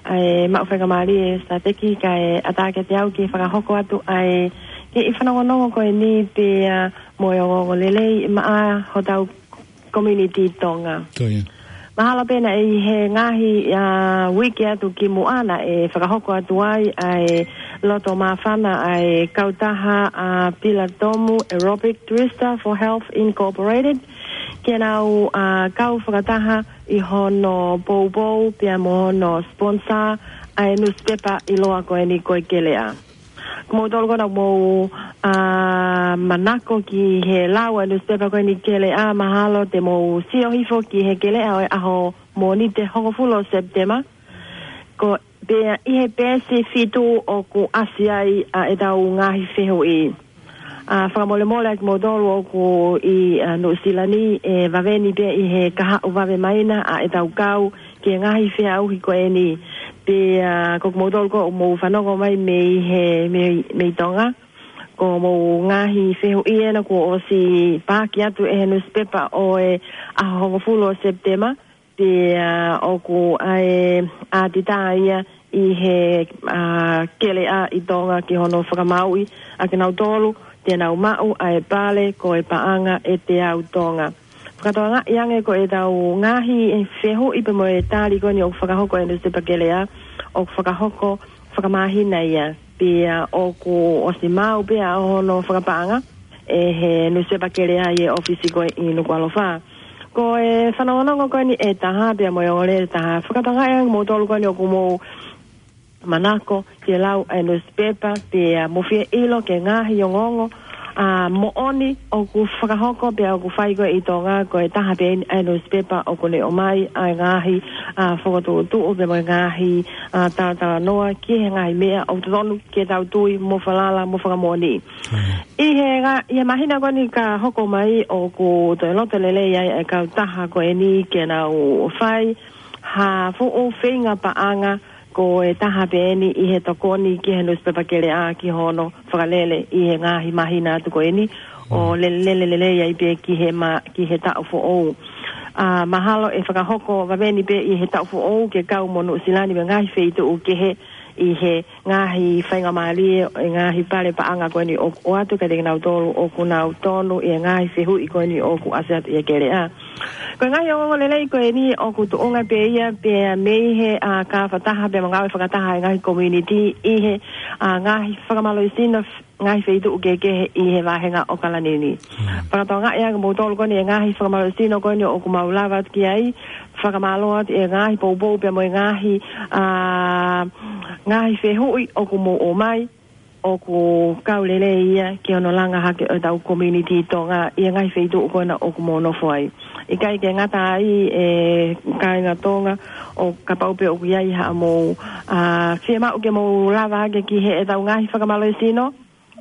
ʻa e maʻu faingamālie Sateki kae ʻatā kiate au ke fakahoko atu ʻa e kiʻi fanongonongo ko eni pea mo e ongoongo lelei maʻa hotau community Tonga. Ko ia. Mahalo pē naʻe ʻi he ngaahi, ʻa, uike atu kimuʻa naʻe fakahoko atu ai ʻa e loto māfana ʻa e kautaha ʻa Pilatomu Aerobic Twister for Health Incorporated, ke nau, ʻa, kau fakataha ʻi hono poupou pea mo hono sponsor ʻa e newspaper ʻiloa ko eni ko e Keleʻa. Ko moutolu ko ena ʻoku mou, ʻa, manako ki he lau ʻa e newspaper ko eni Keleʻa, mahalo te mou sio hifo ki he Keleʻa ʻo e ʻaho Mōnite hongofulu ʻo Sepitema. Ko pea ʻi he peesi fitu ʻoku ʻasi ai ʻa ʻetau ngaahi fehuʻi. ʻA, fakamolemole ʻa kimoutolu ʻoku ʻi, ʻa, Nuʻusila ni, ʻe vave ni pē ʻi he kahaʻu vave mai na ʻa ʻetau kau ki he ngaahi feʻauhi ko eni. Pea, ʻa, ko kimoutolu ko ʻoku mou fanongo mai mei he, mei, mei Tonga, ko hoʻomou ngaahi fehuʻi ena kuo ʻosi paaki atu ʻe he newspaper ʻo e ʻaho hongofulu ʻo Sepitema, pea ʻoku ʻi ai ʻa e ʻātita ia ʻi he, ʻa, Keleʻa ʻi Tonga ki hono fakamaauʻi ʻa kinautolu te nau maʻu ʻa e pale ko e paʻanga ʻe teau Tonga. Fakatokangaʻi ange ko ʻetau ngaahi fehuʻi pea mo e tali ko eni ʻoku fakahoko ʻe he newspaper Keleʻa, ʻoku fakahoko fakamāhina ia. Pea ʻoku ʻosi maʻu pē ʻa hono fakapaʻanga ʻe he newspaper Keleʻa ʻi he ʻōfisi ko ē ʻi Nukuʻalofa. Ko e fanongonongo ko eni ʻe taha pea mo e ongoongolelei ʻe taha. Fakatokangaʻi ange kimoutolu ko eni ʻoku mou manako ke lau ʻa e newspaper pea mou fie ʻilo ki he ngaahi ongoongo, ʻa, moʻoni ʻoku fakahoko pea ʻoku fai ko ē ʻi Tonga, ko e taha pē eni ʻa e newspaper ʻoku ne ʻomai ʻa e ngaahi, ʻa, fokotuʻutuʻu pea mo e ngaahi, ʻa, talatalanoa ki he ngaahi meʻa ʻoku totonu ke tau tui mo falala mo fakamoʻoni. ʻI he ngā-, ʻi he māhina ko eni ka hoko mai ʻoku toe loto lelei ai ʻa e kautaha ko eni ke nau fai ha fuʻu feinga paʻanga ko e taha pē eni ʻi he tokoni ki he newspaper Keleʻa ki hono fakalele ʻi he ngaahi māhina atu ko eni ʻo lele, lele lelei ai pē ki he ma-, ki he taʻu foʻou. ʻA, mahalo ʻe fakahoko vave ni pē ʻi he taʻu foʻou ke kau mo Nuʻusila ni mo e ngaahi feituʻu kehe ʻi he ngaahi faingamālie ʻo e ngaahi pale paʻanga ko eni ʻoku ʻoatu kiate kinautolu ʻoku nau tonu ʻi he ngaahi fehuʻi ko eni ʻoku ʻasi atu ʻi he Keleʻa. Ko e ngaahi ongoongolelei ko eni ʻoku tuʻunga pē ia pea mei he, ʻa, kau fakataha pea mo e ngāue fakataha ʻa e ngaahi community ʻi he, ʻa, ngaahi fakamālohisino, ngaahi feituʻu kehekehe ʻi he vāhenga ʻo ʻAokalani ni. Fakatokangaʻi ange kimoutolu ko eni ʻa e ngaahi fakamālohisino ko eni ʻoku mau lava atu ki ai, fakamālō atu ʻi he ngaahi poupou pea mo e ngaahi, ʻa, ngaahi fehuʻi ʻoku mou ʻomai. ʻoku kau lelei ia ki hono langa hake ʻo ʻetau community Tonga ʻi he ngaahi feituʻu ko ena ʻoku mou nofo ai. ʻIkai ke ngata ai, ʻe kāinga Tonga, ʻo kapau pē ʻoku ʻi ai haʻamou, ʻa, fiemaʻu ke mou lava hake ki heʻetau ngaahi fakamālohisino,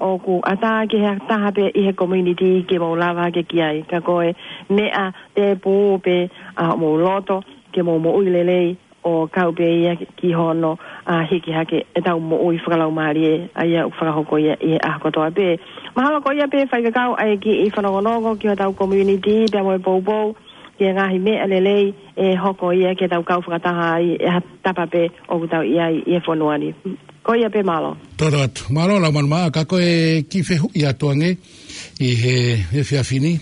ʻoku ʻatā ki he taha pē ʻi he community ke mou lava hake ki ai. Ka ko e meʻa tēpū pē, ʻa, mou loto ke mou moʻui lelei ʻo kau pē ia ki hono, ʻa, hiki hake ʻetau moʻui fakalaumālie, ʻa ia ʻoku fakahoko ia ʻi he ʻaho kotoa pē. Mahalo ko ia pē faifekau ʻa e kiʻi fanongonongo ki hotau community pea mo e poupou ki he ngaahi meʻa lelei ʻe hoko ia ke tau kau fakataha ai ʻi ha tapa pē ʻoku tau ʻi ai ʻi he fonua ni. Ko ia pē, mālō. Toto atu. Mālō Laumanu Maʻa, ka ko e kiʻi fehuʻi atu ange ʻi he, he efiafi ni.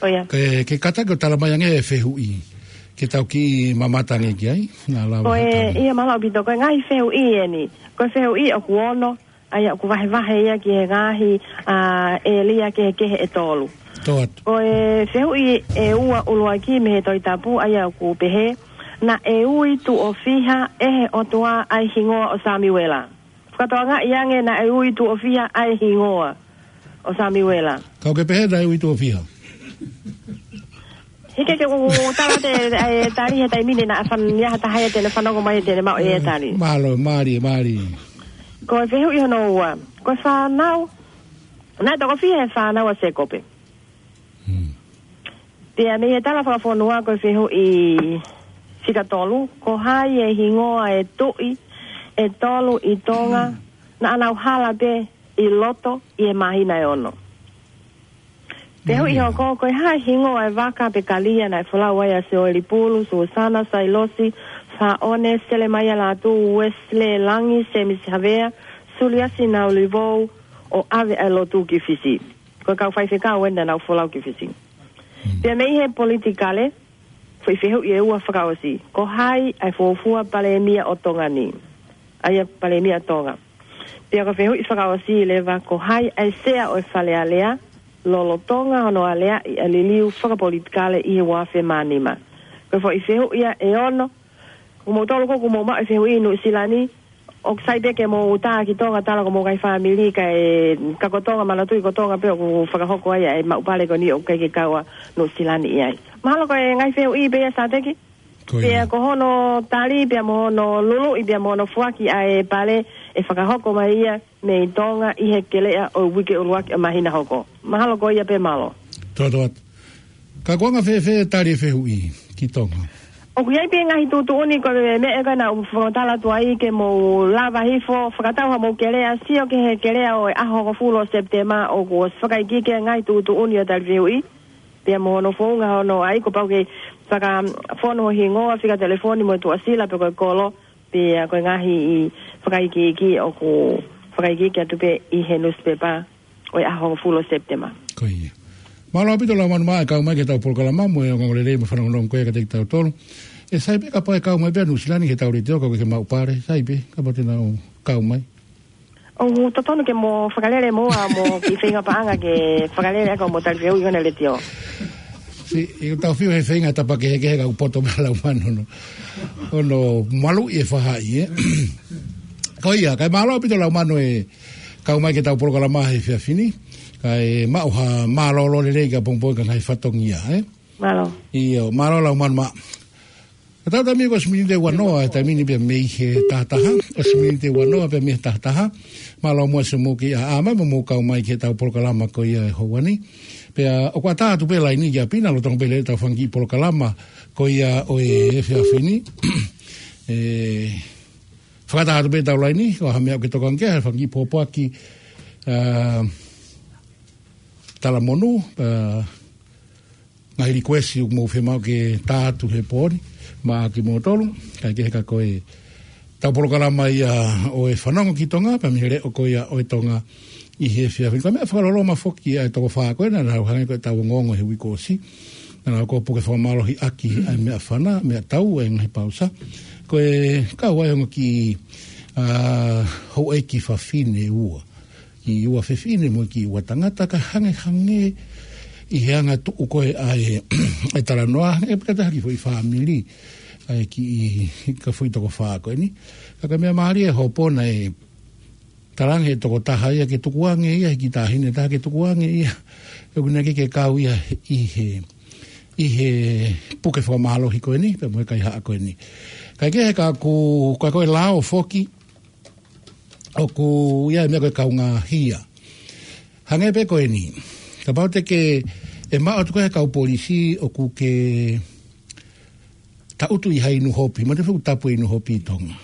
Ko ia. Ke, ke kātaki ʻo tala mai ange e fehuʻi ke tau kiʻi mamata ange ki ai. Naʻa lava Ko e, hata. Ia mālō ʻaupito, ko e ngaahi fehuʻi eni. Ko e fehuʻi ʻoku ono, ʻa ia ʻoku vahevahe ia ki he ngaahi, ʻa, ʻēlia kehekehe ʻe tolu. Toto atu. Ko e fehuʻi ʻe ua ʻuluaki mei he Tohi Tapu, ʻa ia ʻoku pehē, naʻe ui tuʻo fiha ʻe he ʻOtua ʻa e hingoa ʻo Samiuela. Fakatokangaʻi ange, naʻe ui tuʻo fiha ʻa e hingoa ʻo Samiuela. Kau ke pehē naʻe ui tuʻo fiha. Hiki ke u tala atu e tali he taimi ni naʻa fan ia ha taha ia te ne fanongo mai te ne maʻu e tali. Mālō, mālie, mālie. Ko e fehuʻi hono ua. Ko e fānau, naʻe toko fiha e fānau ʻa Sēkope? Hmm. Pea mei he tala fakafonua ko e fehuʻi fika tolu, ko hai e hingoa e tuʻi ʻe tolu ʻi Tonga naʻa nau hala pē ʻi loto ʻi he māhina ʻe ono? Fehuʻi Mālie. Hoko, ko e hā e hingoa e vaka pe kalia naʻe folau ai ʻa Sioeli Pulu, Susana, Sailosi, Faʻone, Selemaia Lātū, Uesilē Langi, Semisi Havea, Suliasi Naulivou, ʻo ʻave ʻa e lotu ki Fisi? Ko e kau faifekau eni naʻa nau folau ki Fisi. Hmm. Pea mei he politikale, foʻi fehuʻi ʻe ua fakaʻosi. Ko hai ʻa e fuofua palēmia ʻo Tonga ni? ʻA ia palēmia Tonga. Pea ko e fehuʻi fakaʻosi leva, ko hai ʻa e sea ʻo e Fale Alea lolotonga hono aleaʻi ʻa e liliu fakapolitikale ʻi he ua afe mā nima? Ko e foʻi fehuʻi ia ʻe ono. Ko moutolu ko ē ʻoku mou maʻu e fehuʻi ʻi Nuʻusila ni, ʻoku sai pē ke mou tā ki Tonga, tala ko homou ngaahi fāmili, kae, ka ko Tonga, manatuʻi ko Tonga pē ʻoku fakahoko ai ʻa e maʻu pale ko eni, ʻoku ʻikai ke kau ʻa Nuʻusila ni ʻi ai. Mahalo ko e ngaahi fehuʻi pē ia, Sāteki? Ko ia. Pea ko hono tali, pea mo hono luluʻi, pea mo hono foaki ʻa e pale ʻe fakahoko mai ia mei Tonga ʻi he kelea ʻo e uike ʻuluaki ʻo e māhina hoko. Mahalo ko ia pē, mālō. Toto atu. Ka ko e anga fēfē e tali e fehuʻi ki Tonga? ʻOku ʻi ai pē ngaahi tuʻutuʻuni, ko e meʻa ko ena ʻoku fakatala atu ai ke mou lava hifo, fakatau haʻamou kelea, sio ki he kelea ʻo e ʻaho hongofulu ʻo Sepitema, ʻoku ʻosi fakaikiiki e ngaahi tuʻutuʻuni ʻo e tali fehuʻi. Pea mo hono founga hono ʻai, kuo pau ke fakafonu ho hingoa, fika telefoni mo e tuʻasila pe ko e kolo, pea ko e ngaahi fakaikiiki ʻoku fakaikiiki atu pē ʻi he nusipepa ʻo e ʻaho hongofulu ʻo Sepitema. Ko ia. Mālō ʻaupito Laumanu Maʻa e kau mai ki heʻetau polokalama mo e ongoongolelei mo e fanongonongo ko ia kiate kitautolu. ʻE sai pē kapau ʻe kau mai pē ʻa Nuʻusila ni ki heʻetau letiō, kau ke ke maʻu pale, sai pē kapau te nau kau mai. ʻOku totonu ke mo fakalele mo ua mo kiʻi feinga paʻanga ke fakalele ʻaki hoʻomo tali fehuʻi ʻi hona letiō. Siʻi, ʻi heʻetau fiu he feinga tapa kehekehe ka ʻoku poto mai Laumanu hono, hono maluʻi e fahaʻi, ē. Ko ia, kae mālō ʻaupito Laumanu e kau mai ki heʻetau polokalama he efiafi ni, kae maʻu ha mālōlō lelei kae pongipongi ki he ngaahi fatongia, ē? Mālō. ʻIo, mālō Laumanu Maʻa. Ka tau taimi ko e ʻosi miniti ʻe uanoa, taimi ni pea mei he taha taha, ʻosi miniti ʻe uanoa pea mei he taha taha, mālō muʻa siʻomou kiʻi ʻaʻā mai mo mou kau mai ki heʻetau polokalama ko ia he houa ni. Pea ʻoku ʻatā atu pē laini ki ʻapi na, lolotonga pē lelei ʻetau fanga kiʻi polokalama ko ia ʻo e efiafi ni. ʻE, fakatau atu pē ʻetau laini, ʻo ha meʻa ʻoku ke tokanga ki ai, ha fanga kiʻi pōpoaki, ā, talamonū, ā, ngaahi likuesi ʻoku mou fiemaʻu ke tā atu he pō ni maʻa kimoutolu, kae kehe ka ko ʻetau polokalama ia ʻo e fanongo ki Tonga, pea mei he leʻo ko ia ʻo e Tonga ʻi he efiafi ni. Ko e meʻa fakaloloma foki ʻa e toko fā ko ena, naʻa nau hangē ko ʻetau ongoongo he uike kuo ʻosi. Naʻa nau kau puke fakamālohiʻaki ʻa e meʻafana, meʻatau, ʻa e ngaahi pausa. Ko e kau ai ongo kiʻi, ā, houʻeiki fafine ua. Kiʻi ua fefine mo e kiʻi ua tangata, ka hangehangē ʻi he anga tuʻu ko ē ʻa e, ʻa e talanoa, hangē pē ka taha kiʻi foʻi fāmili, ʻa e kiʻi, ka foʻi toko fā ko eni. Ka ko e meʻa mālie hopo naʻe Talaange he tokotaha ia ke tukuange ia, he kiʻi taʻahine taha ke tukuange ia. ʻOku ʻikai ke kau ia ʻi he, ʻi he puke fakamālohi ko eni, pea mo e kaihaʻa ko eni. Kae kehe ka ʻoku, ka ko e lao foki, ʻoku ʻi ai e meʻa ko e kaungāhia. Hangē pē ko eni. Kapau te ke, ʻe maʻu atu ko e kau polisi ʻoku ke tangutu ʻi ha inu hopi, mo te fuʻu tapu e inu hopi ʻi Tonga.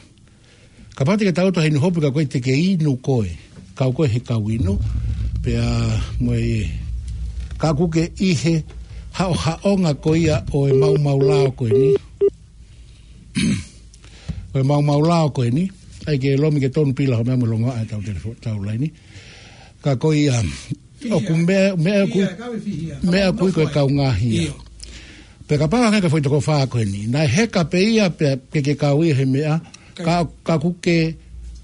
Kapau te ke tangutu ha inu hopi ka ko e te ke inu koe, kau koe he kau inu, pea mo e ka ʻoku ke ʻi he haʻohaʻonga ko ia ʻo e maumau lao ko eni. ʻO e maumau lao ko eni, ʻai ke lomi ke tonu pila ho meʻa mo longoaʻa e tau telefo-, tau laini. Ka ko ia, ʻoku meʻa, meʻa ʻoku, meʻa ʻoku ʻi ko e kaungāhia. Pea kapau hangē ko e foʻi toko fā ko eni. Naʻe heka pē ia pea ke ke kau ia he meʻa, ka, ka ʻoku ke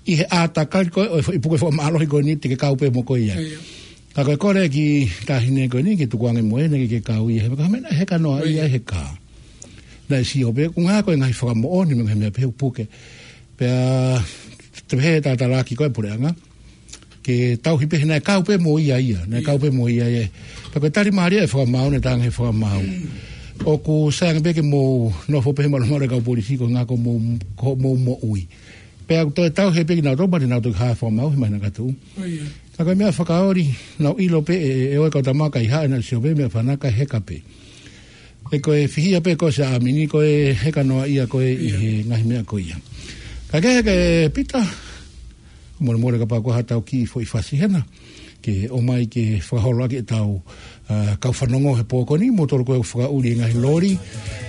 ʻi he ʻātakali ko e, ʻo e foʻi puke fakamālohi ko eni, te ke kau pē mo koe ia. Ka ko e kole ki taʻahine ko eni, ke tukuange mo ʻene ke ke kau ia he meʻa, ka meʻa naʻe heka noa ia he ka. Naʻe sio pē, ʻoku ngā ko e ngaahi fakamoʻoni mo e ngaahi meʻa pē ʻoku puke. Pea, te pehē tatalaaki ko e puleʻanga. Ke tauhi pē he naʻe kau pē mo ia ia, naʻe kau pē mo ia ia. Pea ko e tali mālie e fakamaau, naʻe tange he fakamaau. ʻOku sai ange pē ke mou nofo pē he malumalu e kau polisi ko e ngā ko mou, ko mou moʻui. Pea ʻoku toe tauhi pē kinautolu, pea te nau toki hā fakamaau he māhina ka tuʻu. Ka ko e meʻa fakaoli, nau ʻilo pē ʻe, ʻe, ʻe ʻoe kau tama kaihaʻa naʻe sio pē meʻa fanaka heka pē. ʻE ko e fihia pē ko e se amini ko e heka noa ia ko e ʻi he ngaahi meʻa ko ia. Ka ke, ke Pita, mole mole kapau ko ha tau kiʻi foʻi fasi hena, ke ʻomai ke fakaholo ake e tau, ʻa, kau fanongo he pō ko eni, moutolu ko e fakaʻuli e ngaahi loli,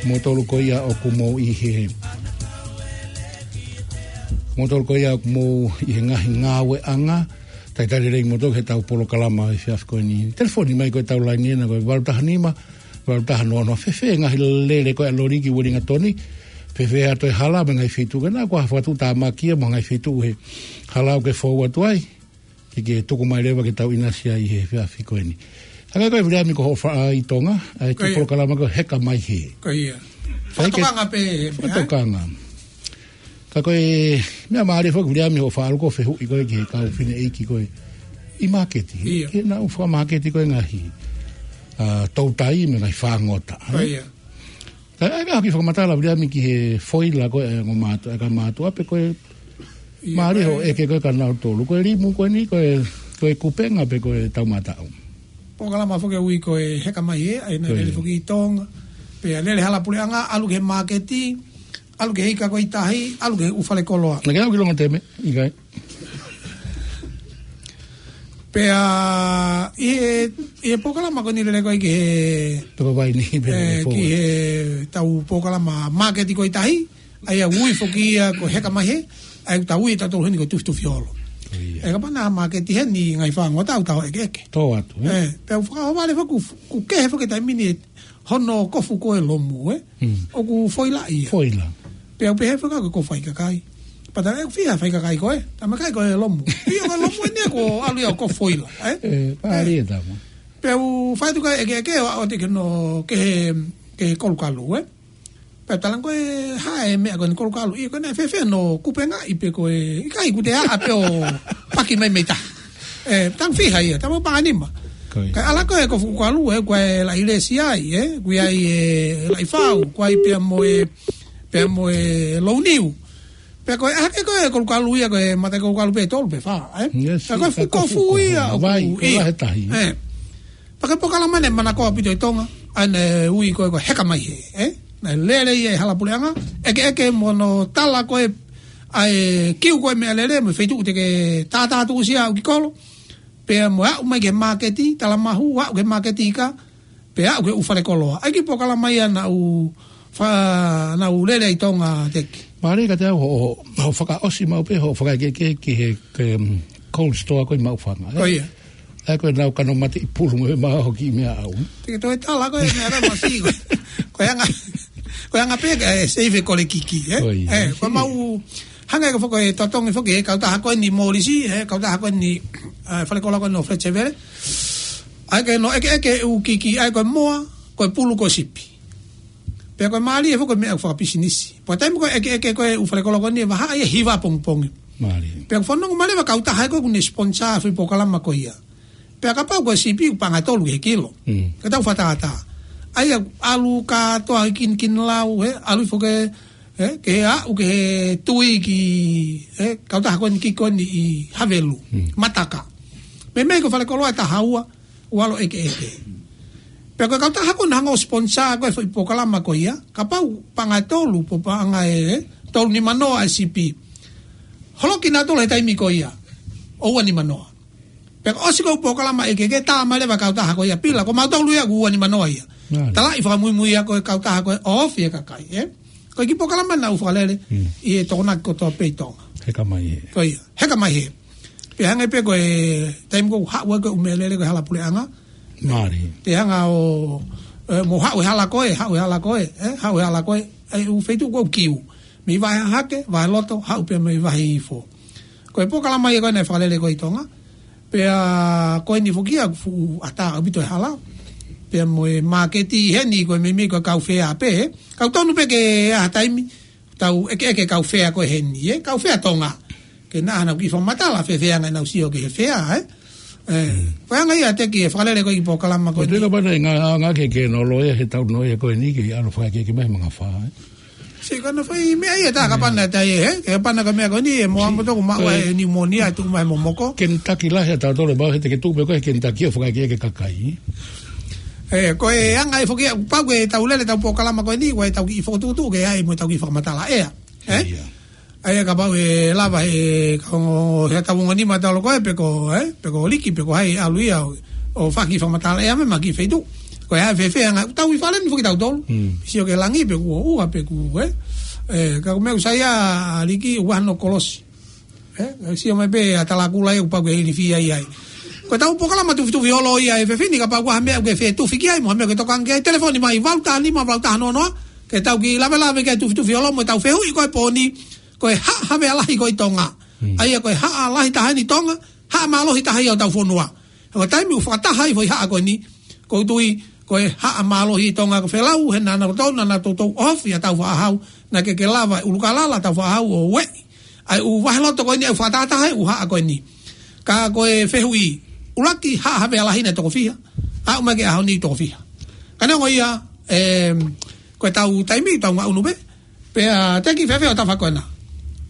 moutolu ko ia ʻoku mou ʻi he, moutolu ko ia ʻoku mou ʻi he ngaahi ngāueʻanga, talitali lelei moutolu he tau polokalama he efiafi ko eni. Telefoni mai ko e tau laini ena ko e valu taha nima, valu taha noa noa, fēfē ngaahi lele ko e loli ki Uelingatoni, fēfē atu e hala mo e ngaahi feituʻu, ke na ko ha fakatuʻutāmaki ia mo e ngaahi feituʻu he hala ʻoku ke fou atu ai, ke ke tuku mai leva ke tau ʻinasi ai he efiafi ko eni. Hangē ko e Viliami ko hoʻo faʻa ʻi Tonga, ʻa e kiʻi polokalama ko e Heka Mai Hē. Ko ia. Fakatokanga pē, ē? Fakatokanga. Ka ko e meʻa mālie foki Viliami hoʻo faʻa ʻalu ko e fehuʻi ko e ki he kau fineʻeiki ko e ʻi māketi. Ia. Ke nau fakamāketi ko e ngaahi, ʻa, toutai mo e ngaahi fāngota. Ko ia. Ka ʻai meʻa hoki fakamatala Viliami ki he foila ko e ongo mātuʻa, e kau mātuʻa pē ko e mālie hoʻo ʻeke ko e kia nautolu. Ko e limu ko eni, ko e, ko e kupenga pē ko e tau mataʻu. Polokalama foki ʻoku ui ko e Heka Mai Hē, ʻa ia naʻe lele foki ʻi Tonga. Pea lele hala puleʻanga, ʻalu ki he māketi, ʻalu ki he ika ko e ʻi tahi, ʻalu ki he ʻū fale koloa. Naʻa ke ʻalu ki Longotemea, ʻikai. Pea, ʻi he, ʻi he polokalama ko eni lele ko e ki he, Toko Vaini, pea ʻe, ki he tau polokalama māketi ko e ʻi tahi, ʻa ia ʻoku ui foki ia ko e Heka Mai Hē, ʻa ia ʻoku tau ui ʻe tautolu heni ko e Tufitufi Holo. Ko ia. ʻE kapau naʻe māketi heni ngaahi fāngota ʻoku tau ʻekeʻeke. Tō atu, ē? Ē, pea u fakaʻohovale foki ʻoku, ʻoku kehe foki taimi ni hono kofu ko e lomu, ē? Mm. ʻOku foila ia. Foila. Pea u pehē foki ko e kofu faikakai. Pea tala ʻe ʻoku fiha faikakai ko e, tama kai ko e lomu. ʻIo ko e lomu eni ko e ʻalu ia ʻo kofu foila, ē? Ē, mālie tama. Pea u fai atu ko e ʻekeʻeke ʻo, ʻo te ke no ke he, ke he kolukalu, ē? Pea tala ko e hā e meʻa ko eni kolukalu. ʻIo ko e naʻe fēfē hono kupengaʻi pē ko e, ʻikai ʻoku te aʻa pē ʻo paki mai mei tahi. Ē, tau fiha ia, tau paʻanga nima. Ko ia. Kae ʻalu ko e kofu kolukalu, ē, ko e laʻi lesi ai, ē, ko e ʻai e laʻi fau, ko e ʻai pea mo e, pea mo e louniu. Pea ko e ʻai hake ko e kolukalu ia, ko e mata kolukalu pē tolu pē fā, ē? Yes, pea ko e fuʻu kofu ia, ʻoku, ʻio. Pea ko e polokalama eni manakoa ʻaupito ʻi Tonga, ʻa ia naʻe ui ko e, ko e Heka Mai Hē, ē? Naʻe lele ia ʻi hala puleʻanga, ʻekeʻeke mo hono tala ko e, ʻa e kiu ko e meʻalele, mo e feituʻu te ke tātā tuʻusi ʻo aʻu ki kolo, pea mo e aʻu mai ki he māketi, tala mahu, aʻu ki he māketi ika, pea aʻu ki he ʻū fale koloa. ʻA ia ko e polokalama ia naʻa ku fa-, naʻa ku lele ʻi Tonga teki. Mālie ka te au hoʻo, hoʻo fakaʻosi maʻu pē, hoʻo fakaʻekeʻeke ki he, ke, mm, cold store ko e maʻufanga, ē? Ko ia. ʻA ia ko e nau kano mate ʻi pulu mo e maʻu hoki meʻa au. Te ke toe tala ko e meʻa rā masi ko e. Ko e anga, ko e anga pē, ē, save ko e kiki, ē? Ko ia. Ē, ko e maʻu, hangē ko e foʻi totongi foki, ē, kautaha ko eni Molisi, ē, kautaha ko eni, ē, fale koloa ko eni ʻo Fletcher Valley. ʻA ia ke no ʻekeʻeke ʻū kiki, ʻa ia ko e moa, ko e pulu ko e sipi. Pea ko e mālie foki ko e meʻa fakapisinisi. Pea taimi ko e ʻekeʻeke ko e ʻū fale koloa ko eni ʻe vahaʻa ia ʻi he hiva pongipongi. Mālie. Pea ʻoku fanongo mai leva kautaha ko ē ʻoku ne sponsor foʻi polokalama ko ia. Pea kapau ko e sipi ʻoku paʻanga ʻe tolu he kilo. Mm. Ka tau fakatātā. ʻA ia ʻalu kātoa ʻi Kinilau, he, ʻalu foki, he, ke aʻu ki he tui ki, he, kautaha ko eni ki ko eni ʻi Havelu. Mm. Mataka. Meimei ko e falekoloa ʻe taha ua, ʻoku ʻalu ʻekeʻeke. Pea ko e kautaha ko ē naʻe hanga ʻo sponsor ko ē foʻi polokalama ko ia, kapau paʻanga ʻe tolu, pe paʻanga ʻe tolu nima noa e sipi. Holoki nautolu he taimi ko ia, ʻo ua nima noa. Pea ko e ʻosi ko ē polokalama ʻekeʻeke, tā mai leva kautaha ko ia, pila, ko mautolu ia ʻoku ua nima noa ia. Mālie. Talaʻi fakamuimui ia ko e kautaha ko ē ʻo ofi e kakai, ē? Ko e kiʻi polokalama naʻa ku fakalele, Mm. ʻi he Tokonaki kotoa pē ʻi Tonga. Heka mai he. Ko ia, heka mai he. Pea hangē pē ko e taimi ko ē ʻoku haʻu ai ko ē ʻū meʻalele ko e hala puleʻanga. Mālie. Te hanga ʻo, ē, mo haʻu e hala ko ē, haʻu e hala ko ē, ē, haʻu e hala ko ē, ʻa e ʻū feituʻu ko ē ʻoku kiu. Mei Vahe Hahake, Vahe Loto, haʻu pē mei Vahe Ifo. Ko e polokalama ia ko ē naʻe fakalele ko ē ʻi Tonga. Pea ko eni foki ia ʻoku fuʻu ʻatā ʻaupito e hala. Pea mo e māketi heni ko e meimei ko e kau fea pē, ē. Kau tonu pē ke ʻi ai ha taimi, tau ʻekeʻeke kau fea ko ē heni, ē? Kau fea Tonga. Ke nau hanga ʻo kiʻi fakamatala, fēfē ʻa ʻenau sio ki he fea, ē? Ē, Mm. ko e anga ia ʻa e kiʻi fakalele ko ē ʻi he polokalama ko Ko eni. Te kapana ngā, ngā ke ke no loa he tau no ia ko eni ke ʻalu fakaʻekeʻeke mai manga fā, ē? Sio ko ena fai meʻa ia tā kapana tā ia, ē? Ke kapana ka meʻa ko eni, ē, mo Si. ambo toko maʻu Ko e ai e pneumonia, tuʻu mai momoko. Kentucky lahi ʻa tautolu, mau he te ke tuʻu pē ko ē he Kentucky ʻo fakaʻekeʻeke kakai. Ē, ko e anga ē foki ia, pau ke tau lele tau polokalama ko eni, ko e tau kiʻi fokotuʻutuʻu ke ʻai mo tau kiʻi fakamatala ʻea. Ē? Ia. ʻA ia kapau ʻe lava he, ka ongo, he tau ongo nima talo ko ē, pe ko, ē? Pe ko Liki, pe ko hai ʻalu ia ʻo, ʻo faki fakamatala ʻea mai mei ha kiʻi feituʻu. Ko e hā e fēfē anga, tau ʻi fale ni foki tautolu. Mm. Sio ki langi, pe kuo ua, pe kuo, ē? Ē, ka ko e meʻa ʻoku sai ʻa Liki, ua no kolosi. Ē, sio mai pē ʻa Talakula ia, ʻoku pau ke ilifia ia ai. Ko e tau polokalama tufitufi holo ia ʻe Fefine, kapau ko ha meʻa ʻoku ke fie tufi ki ai, mo ha meʻa ʻoku ke tokanga ki ai, telefoni mai, valu taha nima, valu taha noa noa, ke tau kiʻi lavelave ki ai tufitufi holo, mo e tau fehuʻi ko ē pō ni, ko e haʻa havea lahi ko ē ʻi Tonga. Mm. ʻA ia ko e haʻa lahi taha eni ʻi Tonga, haʻa mālohi taha ia ʻo hotau fonua. He ko e taimi ʻoku fakataha ai foʻi haʻa ko eni, ʻoku ou tui, ko e haʻa mālohi ʻi Tonga ko Felau, he naʻa nau toutou, naʻa nau toutou ofi ʻa Tāufaʻāhau, naʻe ʻikai ke lava ʻe ʻUlukalala Tāufaʻāhau ʻo ueʻi ʻa e ʻū vaheloto ko eni ʻoku fakatahataha ai e ʻū haʻa ko eni. Ka ko e fehuʻi, ʻuluaki haʻa havea lahi naʻe toko fiha, aʻu mai ki he ʻaho ni toko fiha. Ka neongo ia, em, ko e tau taimi, tau ngaʻunu pē, pea te ke fēfē ʻo tafa ko ena.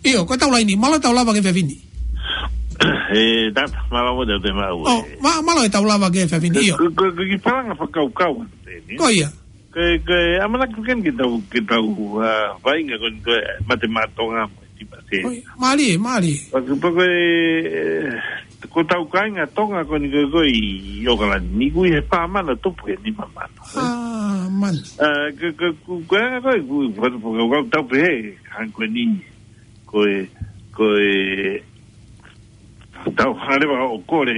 ʻIo, ko e tau laini, mālō e tau lava ki he Fefine. Ē, tata, mālō mo te te mau, Oh, ē. mā-, mālō e tau lava ki he Fefine, ʻio. Ko, ko, ko e kiʻi palanga fakakaukau atu eni. Ko ia. Ko e, ko e, ʻamanaki ken ke tau, ke tau, ā, vaʻinga ko eni ko e Mate Maʻa Tonga mo e Tipa Te. Ko ia, mālie, mālie. Pea ko, pea ko e, ē, ko hotau kāinga Tonga ko eni ko e, ko e ʻi ʻOkalani ni ʻoku ʻi he fā mano tupu ki he nima mano. Ā, mano. Ā, ko, ko, ko, ko e anga ko ē, ko, ko, ko, ko, tau pehē, hangē ko eni, ko e, ko e, tau hanga leva ʻo kole,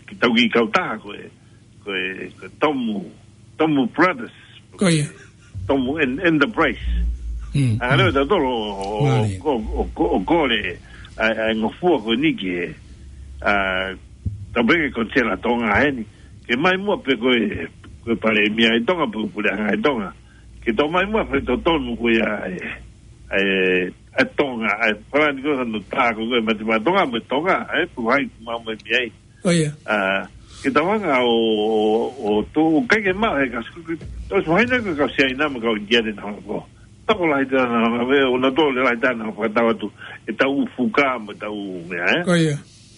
ke tau kiʻi kautaha ko e, ko e, ko e Tomu, Tomu Brothers. Ko ia. Tomu En-, Enterprise. Mm, Hanga leva mm. tautolu ʻo, ʻo, Mālie. ʻo, ʻo, ʻo, ʻo kole, ʻa, ʻa e ngofua ko eni ke, ā, tau pehē ko Tela Tonga heni. Ke mai muʻa pē ko e, ko e palēmia ʻi Tonga, pe ko e puleʻanga ʻi Tonga. Ke tau mai muʻa pē totonu ko ia ʻa e, ʻa e, ʻa e Tonga, ʻa e palani ko ē hano tā ko ē Mate Maʻa Tonga mo e Tonga, ē, pe ko hai ʻoku mau mai mei ai. Ko ia. Ā, ke tau hanga ʻo, ʻo, ʻo tō, ʻikai ke maʻu he ka su-, tau su haina ko e kau Siaina mo e kau ʻInitia te nau hanga ko. Tau ko lahi tā nau hanga, ʻo nau tō le lahi tā nau fakatau atu, ʻetau ʻū fuka mo ʻetau meʻa, ē? Ko ia.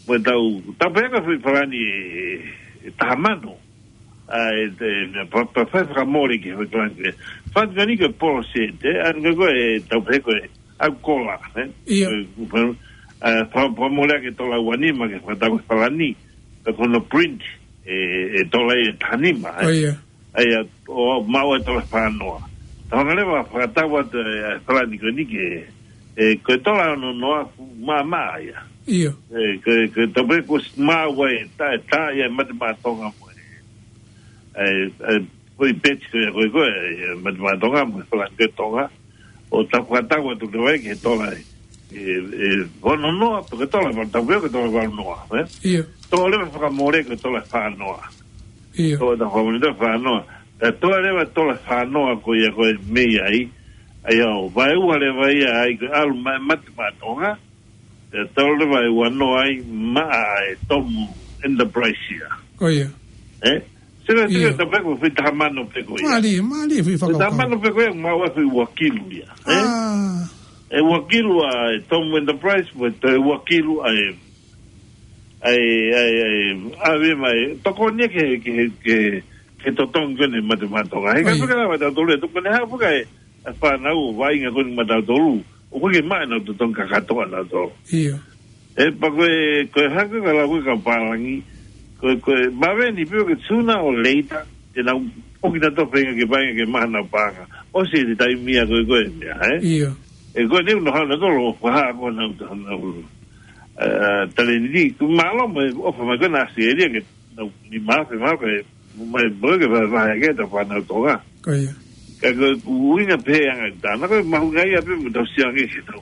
Mo ʻetau, tau pehē ko e foʻi palani ʻe, ʻe taha mano. ʻA e, te, pa, pa, fai fakamole ki he foʻi palani ko ē. Fai ka ni ko e polo se, te, ʻa eni ko e, tau pehē ko e, ʻa e kola, ē? ʻIo. Ko e, ko e, ā, fa-, fakamole ʻaki e tola ua nima ke fakatau ko e palani, pea ko hono print, ē, ʻe tola ʻe taha nima, ē? ʻIo. ʻA ia, ʻo maʻu e tola fā noa. Tau hanga leva fakatau atu e, e palani ko eni ke, ē, ko e tola ono noa fuʻu māmā ia. ʻIo. Ē, ko e, ko e tau pehē ko e maʻu ai, tā, tā ia Mate Maʻa Tonga mo e, ē, ē, ko e peti ko ia ko e, ko e, ē, Mate Maʻa Tonga mo e palani ko ē Tonga. ʻO tau fakatau atu leva ia ki he tola ē, ē, ē, ono noa, pe ko e tola, tau pehē ko e tola valu noa, ē? ʻIo. Tau leva fakamole ko e tola fā noa. ʻIo. Tau, tau fakamole tola fā noa. Tau leva tola fā noa ko ia ko e mei ai, ʻa ia ʻo vaeua leva ia ai ko e ʻalu mai Mate Maʻa Tonga, Pea tau leva e ua noa ai maʻa e Tomu Enterprise ia. Ko ia. Ē? Sila, sila, ʻio, tapaku fai taha mano pē ko ia. Mālie, mālie fai fai taha mano pē ko ia, mau ʻave ua kilu ia. Ē? ʻA. E ua kilu ʻa e Tomu Enterprise, mo e toe ua kilu ʻa e, ʻa e, ʻa e, ʻa e, ʻave mai. Tokoni ia ke, ke, ke, ke totongi ko eni mate maʻa Tonga. He ka, ʻio, fika lava tautolu e tokoni ha fika e, e fānau ʻo vaʻinga ko eni maʻa tautolu. ʻOku ʻikai ke maʻa ʻenau totongi kakato ʻa nautolu. ʻIo. Ē, pea ko e, ko e hake ka lau ko e kau pālangi, ko e, ko e, maveni pio ke sooner or later, te nau ʻoki nautolu feinga ke vaʻinga ke maʻa ʻenau paʻanga. ʻOsi e taimi ia ko e, ko e meʻa, ē? ʻIo. Ē, ko e neu no hana tolo, ko ha, ko nau, nau, ē, taleni, ku mālō mo e ʻofa mai ko ena ʻAositelēlia ke nau ni mafe, mafe, mai, mo ke vahevahe ke ta fānau Tonga. Ko ia. Ka ko e ʻuhinga pē ʻa e anga ʻetau, na ko e mahuʻinga ia pē mo tau sio ange ke tau,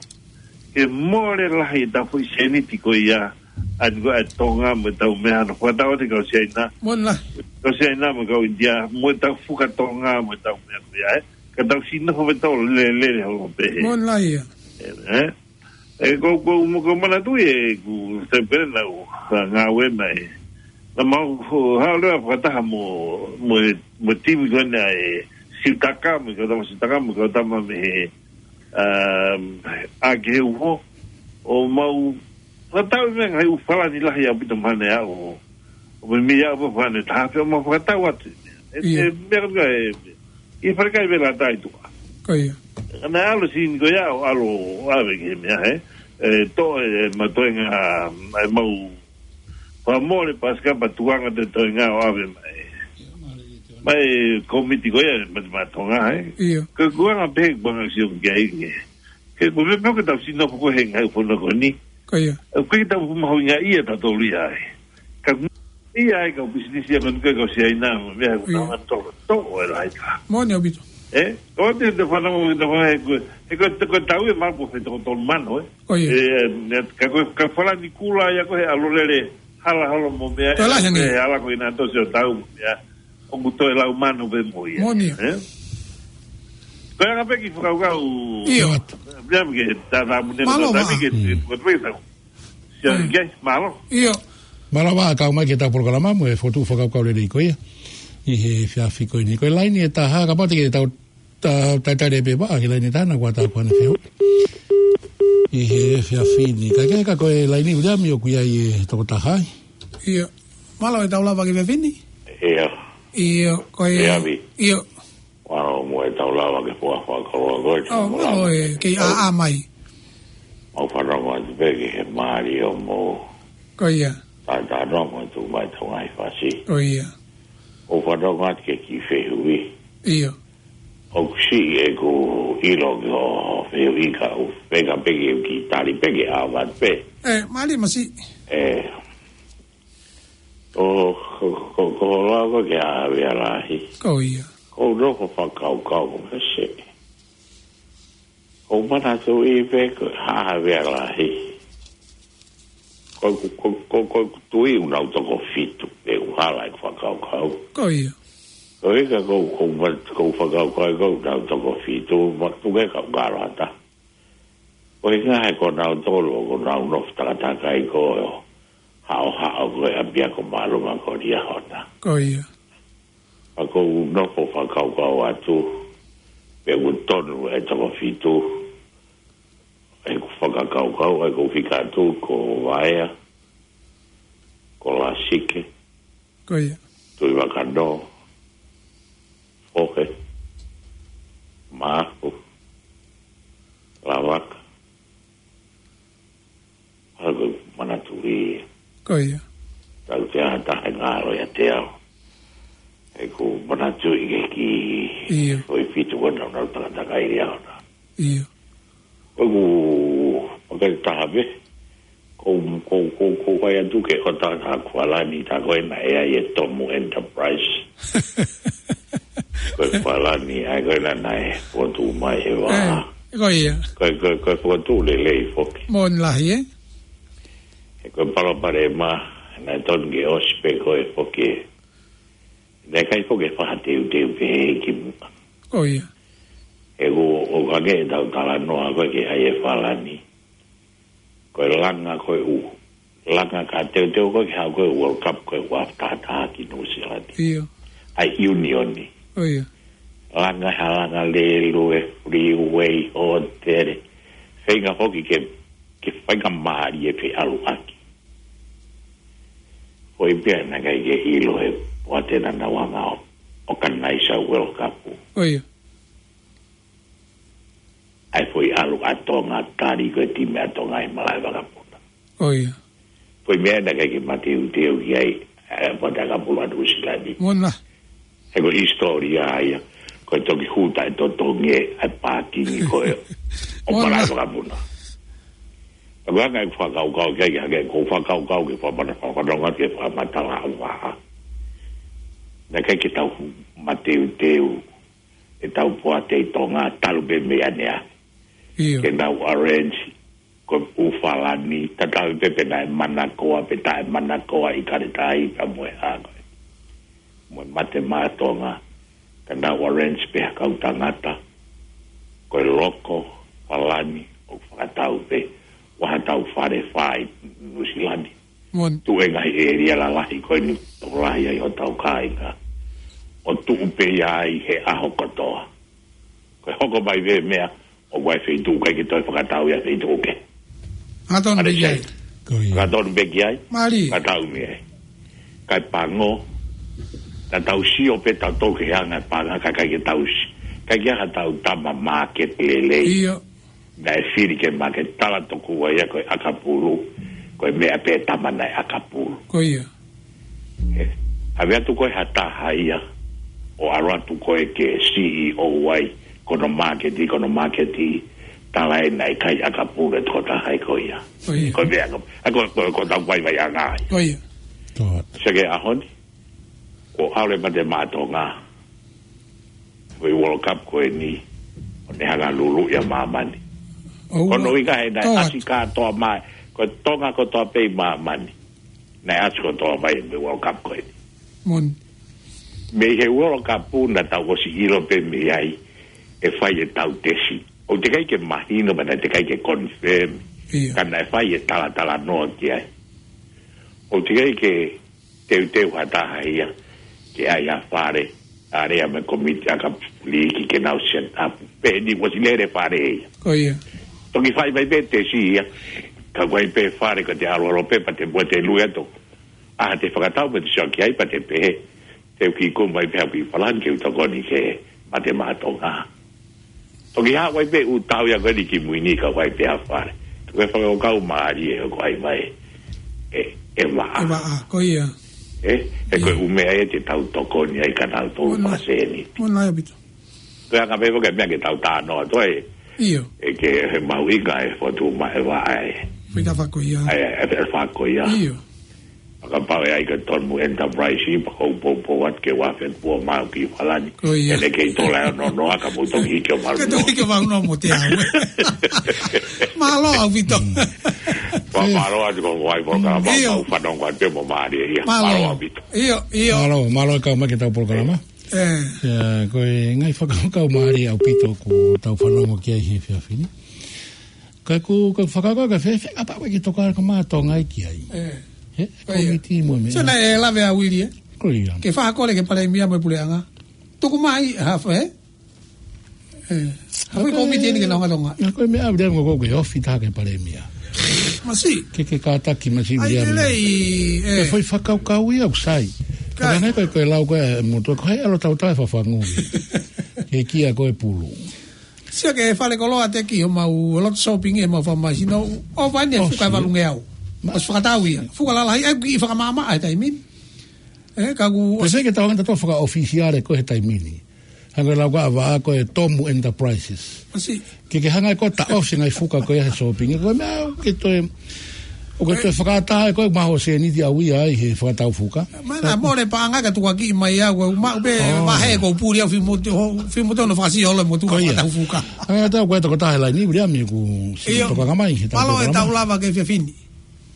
ke mole lahi ʻetau foʻi sēniti ko ia, ʻa eni ko e Tonga mo ʻetau meʻa, na fakatau atu kau Siaina. Mole lahi. Kau Siaina mo kau ʻInitia, mo ʻetau fuka Tonga mo ʻetau meʻa ko ia, ē. Ka tau sino fo tau lele, lele holo pē he. Mole lahi ia. Ē, ē. Ē, ko, ko, mo ko manatu ē, ku te pere na u, ka ngāue mai. Na mau, ko, ha lea fakataha mo, mo, mo timi ko ena e Sitaka, mo kau tama Sitaka, mo kau tama mei he, um, ʻa ke uho, ʻo mau, fakatau mei he ngaahi ʻū falani lahi ʻaupito mahalo ʻo, ʻo meimei ʻa ʻū falani taha pē ʻo mau fakatau atu. Ē, ʻIo. ʻE, meʻa ka e, ʻi he falekai vela tai tuka. Ko ia. Ana ʻalu sini ko ia ʻo ʻalu ʻo ʻave ki he meʻa, ē. Ē, to, ē, ma toenga, ē, mau, pa mole, pa sika, pa tuanga te toenga ʻo ʻave mai. Mai komiti ko ia, mate maʻa Tonga, ē. ʻIo. Ko e kuanga pē, kuanga sio ki ai ke. Ke ko me pau ke tau sino ko he ngaahi fono ko eni. Ko ia. Ē, ko e tau mahuʻinga ia tautolu ia ai. Ka ia ai kau pisinisi ia ko eni ko e kau Siaina, mo e meʻa ko ʻIo. Tau tolo, tolo e lahi ka. Mole ʻaupito. Ē? Ko te, te fana mo, te fana he ko, he ko, te ko tau e mapu he toko tolu mano, ē? Ko ia. Ē, ne, ka ko, ka falani kula ia ko he ʻalu lele, hala holo mo meʻa, Ko e lahi ange. Ē, hala ko ina tosi ʻo tau mo meʻa. ʻOku toe lau mano pē mo ia. Mole ia. Ē? Ko e anga pē ki fakakaukau. ʻIo. Pea ke tātāmune Mālō, ko tāmi ke, mālō. Ko te tau. Sia, Mm. ke, mālō. ʻIo. Mālō ʻaupito kau mai ki heʻetau polokalama mo e fokotuʻu fakakaukau lelei ko ia. ʻI he efiafi ko eni. Ko e laine ʻe taha, kapau te ke tau, ta-, talitali pē pea ke laine ʻe taha na kua ta kuane feo. ʻI he efiafi ni. Ka ke ka ko e laine ʻUliami ʻoku ʻi ai e tokotaha ai. ʻIo. Mālō ʻetau lava ki he efiafi ni? ʻIo. ʻIo, ko e ʻUliami. ʻIo. Mālō mo ʻetau lava ke fua fakakoloa ko e ʻO, mālō e, kei ʻaʻa mai. Mau fanongo atu pē ki he mālie ʻo mo. Ko ia. Tātānaki mo e tuʻu mai ʻetau ngaahi fasi. Ko ia. ʻO fanongo atu ki he kiʻi fehuʻi. ʻIo. ʻOku siʻi ʻeku ʻilo ki hoʻo fehuʻi ka u feka pē ke u kiʻi tali pē ke ʻave atu pē. Ē, mālie masiʻi. Ē. ʻO, ko, ko, ko hoʻo lau ko e ki he Haʻa Havea Lahi. Ko ia. Ko u nofo fakakaukau ko e meʻa se. Ko u manatuʻi pē ko e Haʻa Havea Lahi. Ko, ko, ko, ko, ko e tui ʻoku nau toko fitu. Pea u hala ʻeku fakakaukau. Ko ia. Ko e ka ko, ko, ko u fakakaukau ko ʻoku nau toko fitu. Ma tuke ka u ngalo ata. Ko e ngaahi ko nautolu, ko nau nofo takatakai ko e haʻohaʻo ko e ʻapiako māʻolunga ko Liahona. Ko ia. Pea ko u nofo fakakaukau atu, pea ʻoku tonu e toko fitu, ʻeku fakakaukau, ʻeku fika atu, ko Vaea, ko Lasike, Ko ia. Tuʻivakanō, Fohe, Maʻafu, Lavaka. Hala ko e manatuʻi. Ko ia. Tau te ata he ngalo ia te au. ʻEku manatuʻi ke ki ʻIo. Foʻi fitu ko nau nau takatakai Liahona. ʻIo. Ko ʻeku, ʻo ke taha pē. Ko, ko, ko, ko fai atu ke ʻo tā, tā kualani tā ko ena ʻe ʻi ai e Tomu Enterprise. Ko e kualani, ʻa ia ko ena naʻe fokotuʻu mai he vā. Ē, ko ia. Ko, ko, ko e fokotuʻu lelei foki. Moʻoni lahi, ē? He ko e palopalema, naʻe tonu ke ʻosi pē ko e foki. Naʻe ʻikai foki e faʻa teuteu pē he ki muʻa. Ko ia. He ko, ʻo ka ke tau talanoa ko e ke ʻai e falani. Ko e langa ko ē ʻoku langa ka teuteu ko ē ke haʻu ko ē World Cup ko ē ʻoku after ʻa ki Nuʻusila ni. ʻIo. ʻA e ʻiunioni. ʻIo. Langa ha langa lelu e freeway, hōtele. Feinga foki ke, ke feinga mālie pē ʻalu ʻaki. Ko e pea naʻe ʻikai ke ʻilo ʻe he poate naʻa nau hanga ʻo organize ʻa e World Cup. ʻIo. ʻA e foʻi ʻalu ʻa Tonga tali ko e timi ʻa Tonga ʻi Malaʻe Vakapuna. ʻIo. Foʻi meʻa naʻe ʻikai ke mateuteu ki ai, ʻa e poate ʻakapulu ʻa Nuʻusila ni. Mona. He ko e hisitōlia ia, ko e toki huta e totongi ʻa e pākingi ko ē ʻo Mona. Malaʻe Vakapuna. Ka ko e anga ʻeku fakakaukau ki ai, ki ai, ko e fakakaukau ke fakamata, fakanonga ke fakamatala ʻa Vaʻa. Naʻe ʻikai ke tau mateuteu, ʻetau poate ʻi Tonga, talu pē mei ʻanenai. ʻIo. Ke nau arrange, ko ʻUfalani, tatau pē pe naʻe manakoa, pe taʻe manakoa ʻi Kaletai, ka mo e hā ko ē. Mo e Mate Maʻa Tonga, ka nau arrange pē ha kau tangata, ko e loko, ʻUfalani, ʻo fakatau pē, ʻoku ʻi ai haʻatau fale fai Nuʻusila ni. Mona. Tuʻu e ngaahi ʻēlia lalahi ko eni, tokolahi ai hotau kāinga. ʻO tuʻu pē ia ai he ʻaho kotoa. Ko e hoko mai pē meʻa, ʻoku ʻi ai e feituʻu ʻikai ke toe fakatau ia feituʻu kehe. Hangatonu pē ki ai. Ko ia. Hangatonu pē ki ai. Mālie. Fakatau mei ai. Kae pango. Naʻa tau sio pē tautolu ki he anga e paʻanga ka ʻikai ke tau si-, ʻikai ke ʻi ai haʻatau tama market lelei. ʻIo. Naʻe fili ke market, tala tokua ia ko e ʻakapulu, ko e meʻa pē tama naʻe ʻakapulu. Ko ia. ʻE, ʻave atu ko ē ha taha ia, ʻo ʻalu atu ko ē ke C E O ai, ko hono market, ko hono market, tala ē naʻe ʻikai ʻakapulu e tokotaha ia ko ia. Ko ia. Ko e meʻa ko, ʻa ko, ko, ko ʻetau vaivaiʻanga ia. Ko ia. Ko. Sio ki he ʻaho ni, ko e ʻalu e Mate Maʻa Tonga. Ko e World Cup ko eni, ʻo ne hanga lulu ia māmani. ʻOua. Ko hono ʻuhinga he naʻe Ko ʻasi kātoa mai, ko Tonga kotoa pē ʻi māmani. Naʻe ʻasi kotoa mai he World Cup ko eni. Mona. Mei he World Cup naʻa tau ʻosi ʻilo pē mei ai, ʻe fai ʻetau tesi. ʻOku teʻeki ai ke mahino, pea naʻe teʻeki ai ke confirm. ʻIo. Ka naʻe fai e talatalanoa ki ai. ʻOku teʻeki ai ke teuteu ha taha ia, ke ʻai ha fale, ʻa ia mo e kōmiti ʻakapulu liiki ke nau set up. Pea ʻoku ʻosi lele fale ia. Ko ia. Toki fai mai pē tesi ia, ka ʻoku ʻi ai pē fale ka te ʻalu ʻalu pē pea te muʻa te lue atu. ʻA te fakatau pē te sio ki ai pea te pehē. Te u kiʻi kumi mai pē ʻa ʻUfalani ke u tokoni ki he Mate Maʻa Tonga. Toki haʻu ai pē ʻū tau ia ko eni ki mui ni ka ʻoku ʻi ai pē ha fale. Ko e fakakaukau mālie ʻoku ʻai mai ʻe, ʻe Vaʻa. ʻE Vaʻa, ko ia. ʻE, ʻe ko e ʻū meʻa ia te tau tokoni ai ka nau tō Mona. Paseni. Mona ia pito. Ko e anga pē foki e meʻa ke tau tānoa atu ai. ʻIo. ʻE ke he mahuʻinga e fotu ma e Vaʻa e. Pita fako ia. ʻAi, ʻe, ʻe fako ia. ʻIo. Fakapau ʻe ʻai ko e Tomu Enterprise, pea kou poupou atu ke u afe atu pē ʻo maʻu ki ʻUfalani. Ko ia. ʻEne kei tola e ono noa ka mou toki hiki ʻo malu. Ka toki hiki ʻo malu noa mo te au. Mālō ʻaupito. Pea mālō atu ko e ngaahi polokalama ʻIo. Mau fanongo atu pē mo mālie ia. Mālō. Mālō ʻaupito. ʻIo, ʻio. Mālō, mālō e kau mai ki heʻetau polokalama. ʻE. ʻIa, ko e ngaahi fakakaukau mālie ʻaupito ʻoku tau fanongo ki ai he efiafi ni. Ka ko, ko e fakakaukau ka fēfē, ʻa pau ke toka ka mātou ngai ki ai. ʻE. He, Ko ia. Kōmiti mo e meʻa. Sio naʻe lave ʻa Uili, ē? Ko ia. Ke fakakole ki he palēmia mo e puleʻanga. Tuku mai, half, ē? ʻE. Half e kōmiti eni ke nau ngalo ngai. ʻA ko e meʻa ʻa Uili mo ko ke ofi taha ki he palēmia. Masi. Ke, ke kātaki masi ʻAi Uili. Lelei, ʻE ē. Foʻi fakakaukau ia ʻoku sai. Kai. Ka ngai ko e, ko e lau ko e motu, ko hai ʻalu tau tau e fafangu. Ke kia ko e pulu. Sio ki he fale koloa te ki homau lot shopping ʻi homau famaisi no. ʻO vai ne Oh, fuka e sio. Valungeau. Ma- ʻOsi fakatau ia. Fuka lalahi, ʻe kiʻi fakamaʻamaʻa he taimi ni. ʻE, ka ku Pe se ke tau hanga tatou fakaʻofisiale ko e he taimi ni. Hanga lau ka ava ko e Tomu Enterprises. Masi. Ke ke hanga ko e taʻosi ngai fuka ko e he shopping. Ko e meʻa ke toe ʻOku ke toe fakataha ko e maho seniti au ia ai he fakatau fuka. Mana mole paʻanga ka tukuakiʻi mai au, au maʻu pē Oh. Vahe ko puli au fimoto, ho, fimoto no fakasio le motu Ko ia. Fakatau fuka. ʻA ia tau ko e tokotaha he laini, Viliami, ʻoku si ʻIo. Tokanga mai, he tau Mālō e tokanga tau mai. Lava ke fiafini.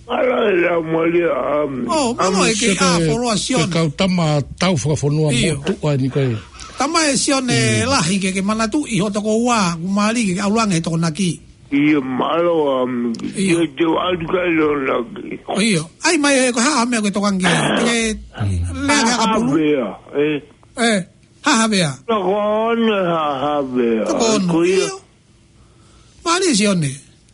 Mālō e lau moli a, um, Oh, mālō um, e ke Sio a ke, foloa ke Sione. Kau tama tau fakafonua ʻIo. Motu ai ni ko e. Tama e Sione Mm. Lahi ke, ke manatuʻi ho toko ua, ʻoku mālie ke, ke ʻalu ange he Tokonaki. ʻIo, mālō ʻaupito. ʻIo. ʻIo, te u ʻalu ki ai lōnaki. ʻIo. ʻAi mai ē, ko e hā ha meʻa ko e tokanga ki ai. Ke lea ki he ʻakapulu. Havea, ē? Ē, hā ha meʻa. Tokoni ha havea. Tokoni. Ko ia. ʻIo. Mālie Sione.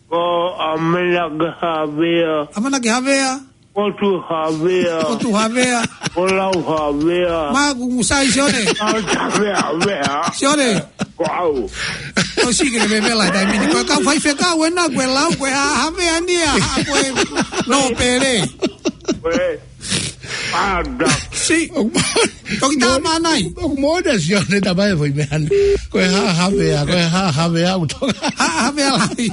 Ko ʻAmanaki Havea. ʻAmanaki Havea. Ko Tuʻu Havea. Ko Tuʻu Havea. Ko Lau Havea. Māku Musai Sione. Ko Havea, Havea. Sione. Ko au. Ko siki le mevela taimi ni. Ko e kau faifekau ena, ko e lau, ko e ha-, Havea ni ʻa, ko e nōpele. Ko e. Panda. Si. Toki tā mānai. ʻOku moʻoni Sione tamai foʻi meʻa ni. Ko e hā ha meʻa, ko e hā ha meʻa ʻoku toka. Hā ha meʻa lahi.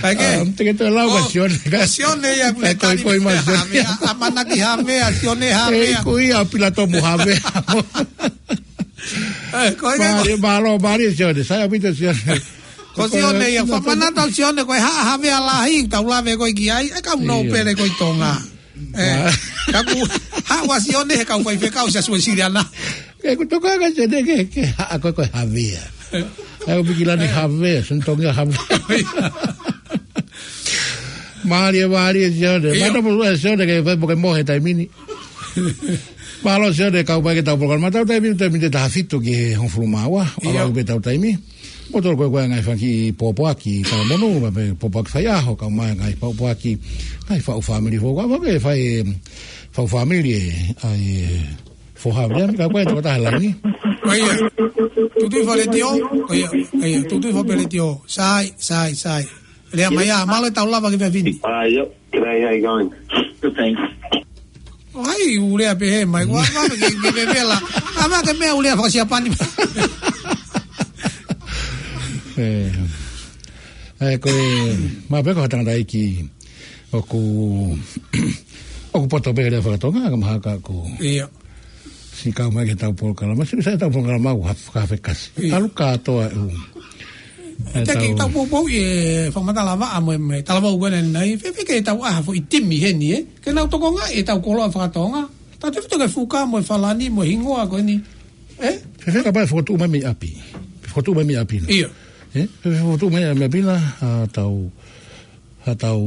Kae kehe. Ah, te ke toe lau ka Sione ka. Sione ia, ʻoku ne tali mai Sione. Havea, ʻAmanaki Havea, Sione Havea. Ko ia Pilatomu Havea. Ē, ko e mālie, mālō, mālie Sione. Sai ʻaupito Sione. Ko Sione ia, fakamanatu Sione, ko e hā ha meʻa lahi, tau lave ko ē ki ai, ʻe kau nōpele ko ē Tonga. Ē, ka ku, hā ua Sione, he kau faifekau, Siaosi Uesiliana. Ke ku toka ka Sione ke, ke hā ko ē ko e Havea. Au piki lani Havea, sen tongia Havea. Mālie, mālie Sione. ʻIo. Mālō mo Sione ke fai poke mo he taimi ni. Mālō Sione kau mai ki heʻetau polokalama. Tau taimi, taimi te taha fitu ki he hongofulu mā ua. ʻIo. ʻAlu pē ʻetau taimi. Mo tolo ko e ko e ngaahi fanga kiʻi pōpoaki talamonū, mo e pē pōpoaki faiʻaho, kau mai ngaahi pōpoaki, ngaahi faʻu fāmili foʻou. Ka ʻoku ke fai, em, faʻu fāmili ē, ʻai, ē, foha, ʻio, ka ko e tokotaha laini. ʻIo. Tuʻu tuʻi fale tio. ʻIo, ʻio, tuʻu tuʻi fale tio. Sai, sai, sai. Lea mai ā, mālō e tau lava ki he efiafi ni. Hi, ʻio. G'day, how you going? Good, thanks. ʻO hai, ʻū lea pehē mai, ʻoua, ʻoua, ke, ke mevela. ʻAma ke meʻa ʻū lea fakasiapani. Ē, ē, ko e, ma pe ko hatanga dai ki, ʻoku, ʻoku poto pē lea fakatonga, ka mahalo ko. ʻIo. Siʻi kau mai ki heʻetau polokalama, siʻi sai ʻetau polokalama ʻoku haf-, hafekasi. ʻIo. ʻAlu kātoa ʻū. Te ke tau poupou ʻi he fakamatala vaʻa mo e, mo e talavou ko ena nai, fēfē ke tau ʻai ha foʻi timi heni, ē? Ke nau tokongaʻi ʻetau koloa fakatonga. Tautefito ki he fuka mo e falani mo e hingoa ko eni. Ē? Fēfē kapau ʻe fokotuʻu mai mei ʻapi. Fokotuʻu mai mei ʻapi na. ʻIo. Ē? Fēfē fokotuʻu mai mei ʻapi na, ʻa tau, ʻa tau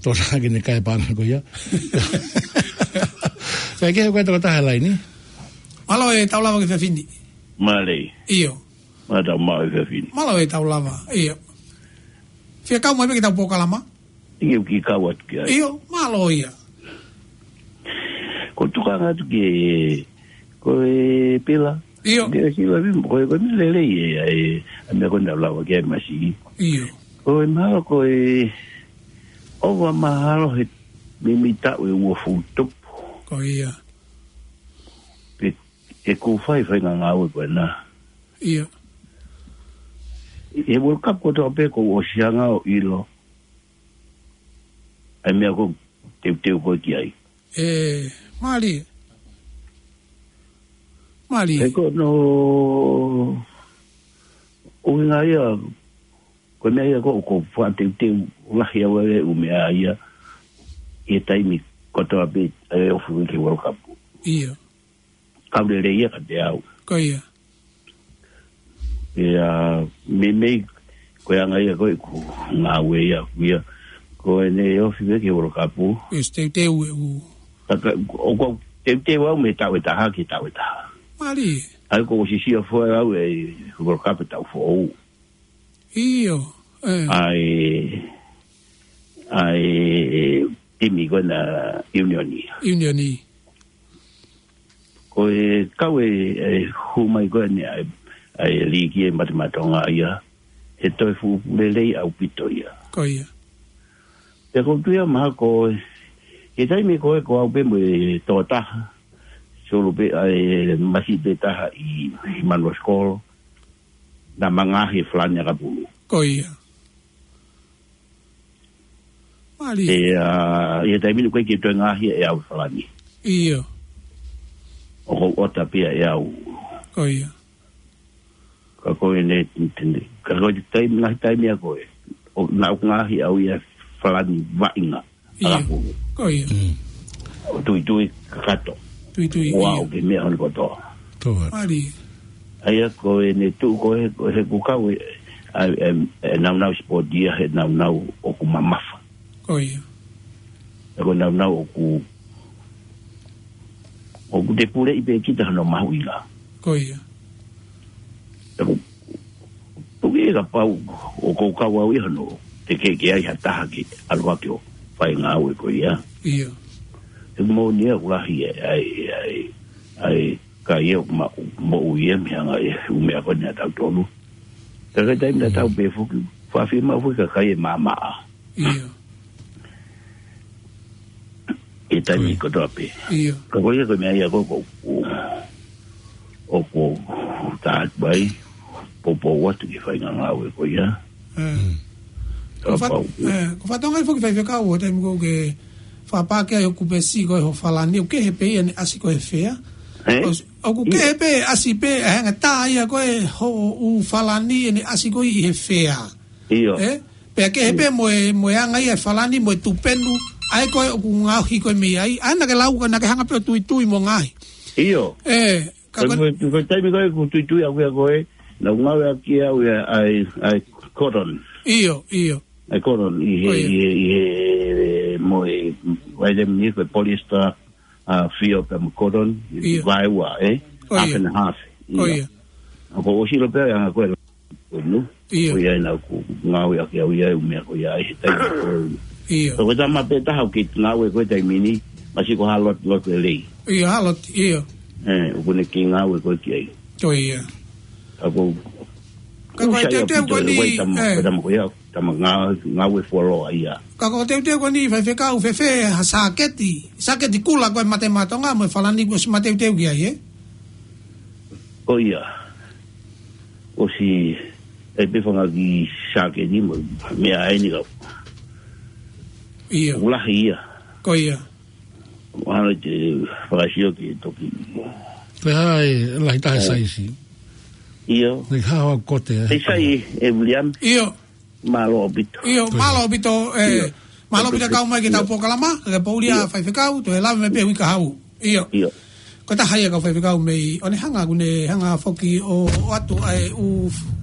tō sa ki ne kai panga ko ia. Kae kehe ko e tokotaha laini. Mālō e tau lava ki he efiafi ni. Mālie. ʻIo. Mālō e tau lava, ʻio. Fie kau mai pē ki heʻetau polokalama. ʻIo, ke kau atu ki ai. ʻIo, mālō ia. Ko e tokanga atu ki he, ko e pila. ʻIo. Ke sila vi, ko e, ko e meʻa lelei ē, ʻa e, ʻa e meʻa ko ena lava ki ai masi. ʻIo. Ko e mahalo, ko e, ʻoua mahalo he, meimei taʻu ʻe uofulu tupu. Ko ia. Pe, ʻe kau fai, fai ngāue ko ena. ʻIo. ʻI he World Cup kotoa pē kuo u ʻosi hanga ʻo ʻilo. ʻA e meʻa ko e teuteu ko ē ki ai. Ē, mālie. Mālie. He ko hono ʻuhinga ia, ko e meʻa ia ko, ko e fakateuteu lahi ʻa e ʻū meʻa ia, ʻi he taimi kotoa pē ʻa e ofi ki he World Cup. ʻIo. Kau lelei ia kiate au. Ko ia. ʻIa, meimei, ko e anga ia ko ē ʻeku ngāue ia, ia. Ko ʻene ofi pē ki he World Cup. ʻIo, teuteu ʻeku. Ka, ka, ʻoku ou teuteu au mei he taʻu ʻe taha ki he taʻu ʻe taha. Mālie. ʻA ia kuo u ʻosi sio fua au ʻi he World Cup ʻi he taʻu foʻou. ʻIo, ē. ʻA e, ʻa e timi ko ena ʻiunioni. ʻIunioni. Ko e kau ē, ʻe hū mai ko eni ʻa e, ʻa e liiki ʻa e Matematonga ia, he toe fuʻu lelei ʻaupito ia. Ko ia. Pea ʻoku ou tui mahalo ko e, he taimi ko ē ko au pē mo e tokotaha, solo pē ʻa e masiʻi pē taha ʻi, ʻi Manuasikolo, naʻa ma ngaohi e falani ʻakapulu. Ko ia. Mālie. ʻIa, ʻi he taimi ni ʻoku ʻikai ke toe ngaohi ʻe au e falani. ʻIo. ʻOku ou ʻota pē ia ʻe au. Ko ia. Ka ko ʻene, ka ko e taimi, ngaahi taimi ʻa ko ē. ʻO, naʻa ku ngaohi au ia e falani vaʻinga. ʻIo. ʻAlaku. Ko ia. Mm. ʻO tuitui kakato. Tuitui, ʻio. Ua o ke meʻa honi kotoa. Tō. Mālie. ʻA ia ko ʻene tuʻu ko ē, ko ē he ku kau ē, ʻa e, ʻe, ʻe naunau sipoti ia he naunau ʻoku mamafa. Ko ia. He ko e naunau ʻoku, ʻoku te puleʻi pē kita hono mahuʻinga. Ko ia. He ko, toki ʻe kapau ʻoku ou kau au ia hono, te ke ke ai ha taha ke ʻalu hake ʻo fai ngāue ko ia. Ia. He moʻoni ia ʻoku lahi ʻa e, ʻa e, ʻa e, ʻa e, ka ia ʻoku ma, moʻui ia mei he anga e ʻū meʻa ko eni ʻa tautolu. Ka ko e taimi tatau pē foki, fakafiemaʻu foki ka kai e maʻamaʻa. Ia. ʻI he taimi kotoa pē. Ia. Ka ko ia ko e meʻa ia ko, ko, ko, ʻoku ou tā atu ai, poupou atu ki he faʻahinga ngāue ko ia. ʻE. Mm. Ko fat-, Kapau. ʻE, ko e fatongia foki faifekau ʻo e taimi ko ē ke fakapā ki ai hoʻo kupesi ko ē ho falani, ʻoku kehe pē ia ʻene ʻasi ko ē he fea. ʻE? ʻOs-, ʻoku Ia. kehe pē ʻasi pē, ʻe hanga tā ia ko ē hoʻo ʻū falani ʻene ʻasi ko ē ʻi he fea. Ia. ʻE? Pea kehe pē mo e, mo e anga ia e falani, mo e tupenu, ʻa ē ko ē ʻoku ngaohi ko ē mei ai, ʻa ē naʻa ke lau ko ē naʻa ke hanga pē ʻo tuitui mo ngaohi. Ia. ʻE, ka Ko ko e, ko e taimi ko ē ʻoku tuitui au ia ko ē, naʻa ku ngāueʻaki au ia ʻa e, ʻa e cotton. Ia, ia. ʻA e cotton, ʻi he, Ko ia. ʻi he, ʻi he, mo e, ʻa e taimi ni ko e polyester, ʻa, fio pea mo e cotton, Ia. vaeua, ʻe? Ko Half ia. and half. Ko Ia. ia. ʻA ko ʻosi lo pea ʻa ko e Inu. Ia. Ko ia ʻena ʻoku ngāueʻaki au ia ʻi he ʻū meʻa ko ia ʻi he taimi ko ē. Ia. Ko e tama pē taha ʻoku ke ngāue ko e taimi ni, masi ko ha lot, lot e lei. Ia, ha lot, ia. ʻE, ʻoku ne kei ngāue ko ē ki ai. Ko ia. Ka ko Ka ko e ʻusa ia teuteu pito ko e ni, ko e tama, ʻe. ko e tama ko ia, tama ngā, ngāue fuoloa ia. Ka ko e teuteu ko e ni, faifekau fēfē, ha sāketi, sāketi kula ko e Mate Maʻa Tonga, mo e falani kuo ʻosi mateuteu ki ai, ʻe? Ko ia. ʻOsi, ʻe pe fanga kiʻi sāketi mo, meʻa ʻeni kau. Ia. ʻOku lahi ia. Ko ia. Mahalo te fakasio ke toki. Ko e hā e lahi taha ʻE. saisi. Ia. Lahi hā hoʻo kote, ʻe. Te sai, ʻe William. Ia. Mālō ʻaupito. Ia, Ko ia. mālō ʻaupito, ʻe. Ia. Mālō ʻaupito kau mai ki he tau Ia. polokalama, ke pouli ʻa Ia. faifekau, toe lave mai pē hui ka hau. Ia. Ia. Ko e taha ia kau faifekau mei, ʻo ne hanga, ʻoku ne hanga foki ʻo, ʻoatu ʻa e ʻū,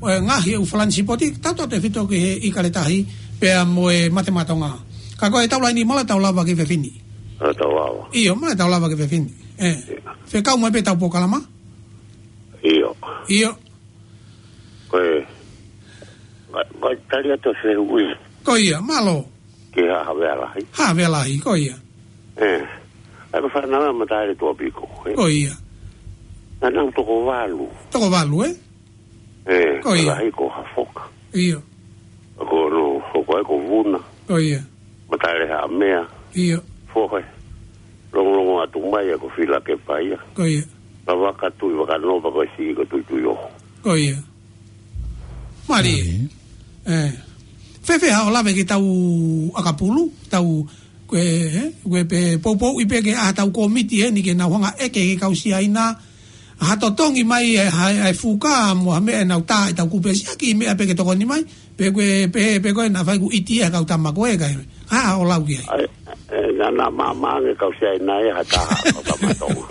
ʻe ngaohi ʻū falani sipoti, tautefito ki he ʻIkale Tahi, pea mo e Mate Maʻa Tonga. Ka ko e tau laini mālō tau lava ki he fefine. ʻA tau lava. Ia, mālō tau lava ki he fefine. ʻE. Ia. Fekau mai pē tau polokalama? Ia. Ia. Ko e, ko e, ko e tali atu e fehuʻi. Ko ia, mālō. Ke ha, Havea Lahi. Havea Lahi, ko ia. ʻE. ʻA e ko e fānau ʻa Mataeletuʻapiko, ʻe. Ko ia. Naʻa nau toko valu. Toko valu, ʻe? ʻE, Ko ia. Lahi ko Hafoka. Ia. Ko no, ko e ko Vuna. Ko ia. Mataelehaʻamea. Ia. Fohe. Longolongo atu mai ʻa ko Filakepa ia. Ko ia. Ka Vakatuʻi Vakanova ko e siʻi ko Tuituioho. Ko ia. Mālie. Mālie. ʻE. Fēfē haʻo lave ki he tau ʻakapulu, tau ko e, ʻe, ko e pē poupouʻi pē ke ʻa e tau kōmiti ʻeni ke nau hanga ʻeke ki he kau Siaina, ha totongi mai ʻe, ha, ʻa e fuka mo ha meʻa ʻe nau tā ʻi he tau kupesi ʻaki meʻa pē ke tokoni mai, pe ko e, pe, pe ko e naʻa fai kuo ʻiti ʻa e kau tama ko ē kai. Hā haʻo lau ki ai? ʻAi, ʻe, naʻa, naʻa maama ange kau Siaina ʻe ha taha, kau tama Tonga.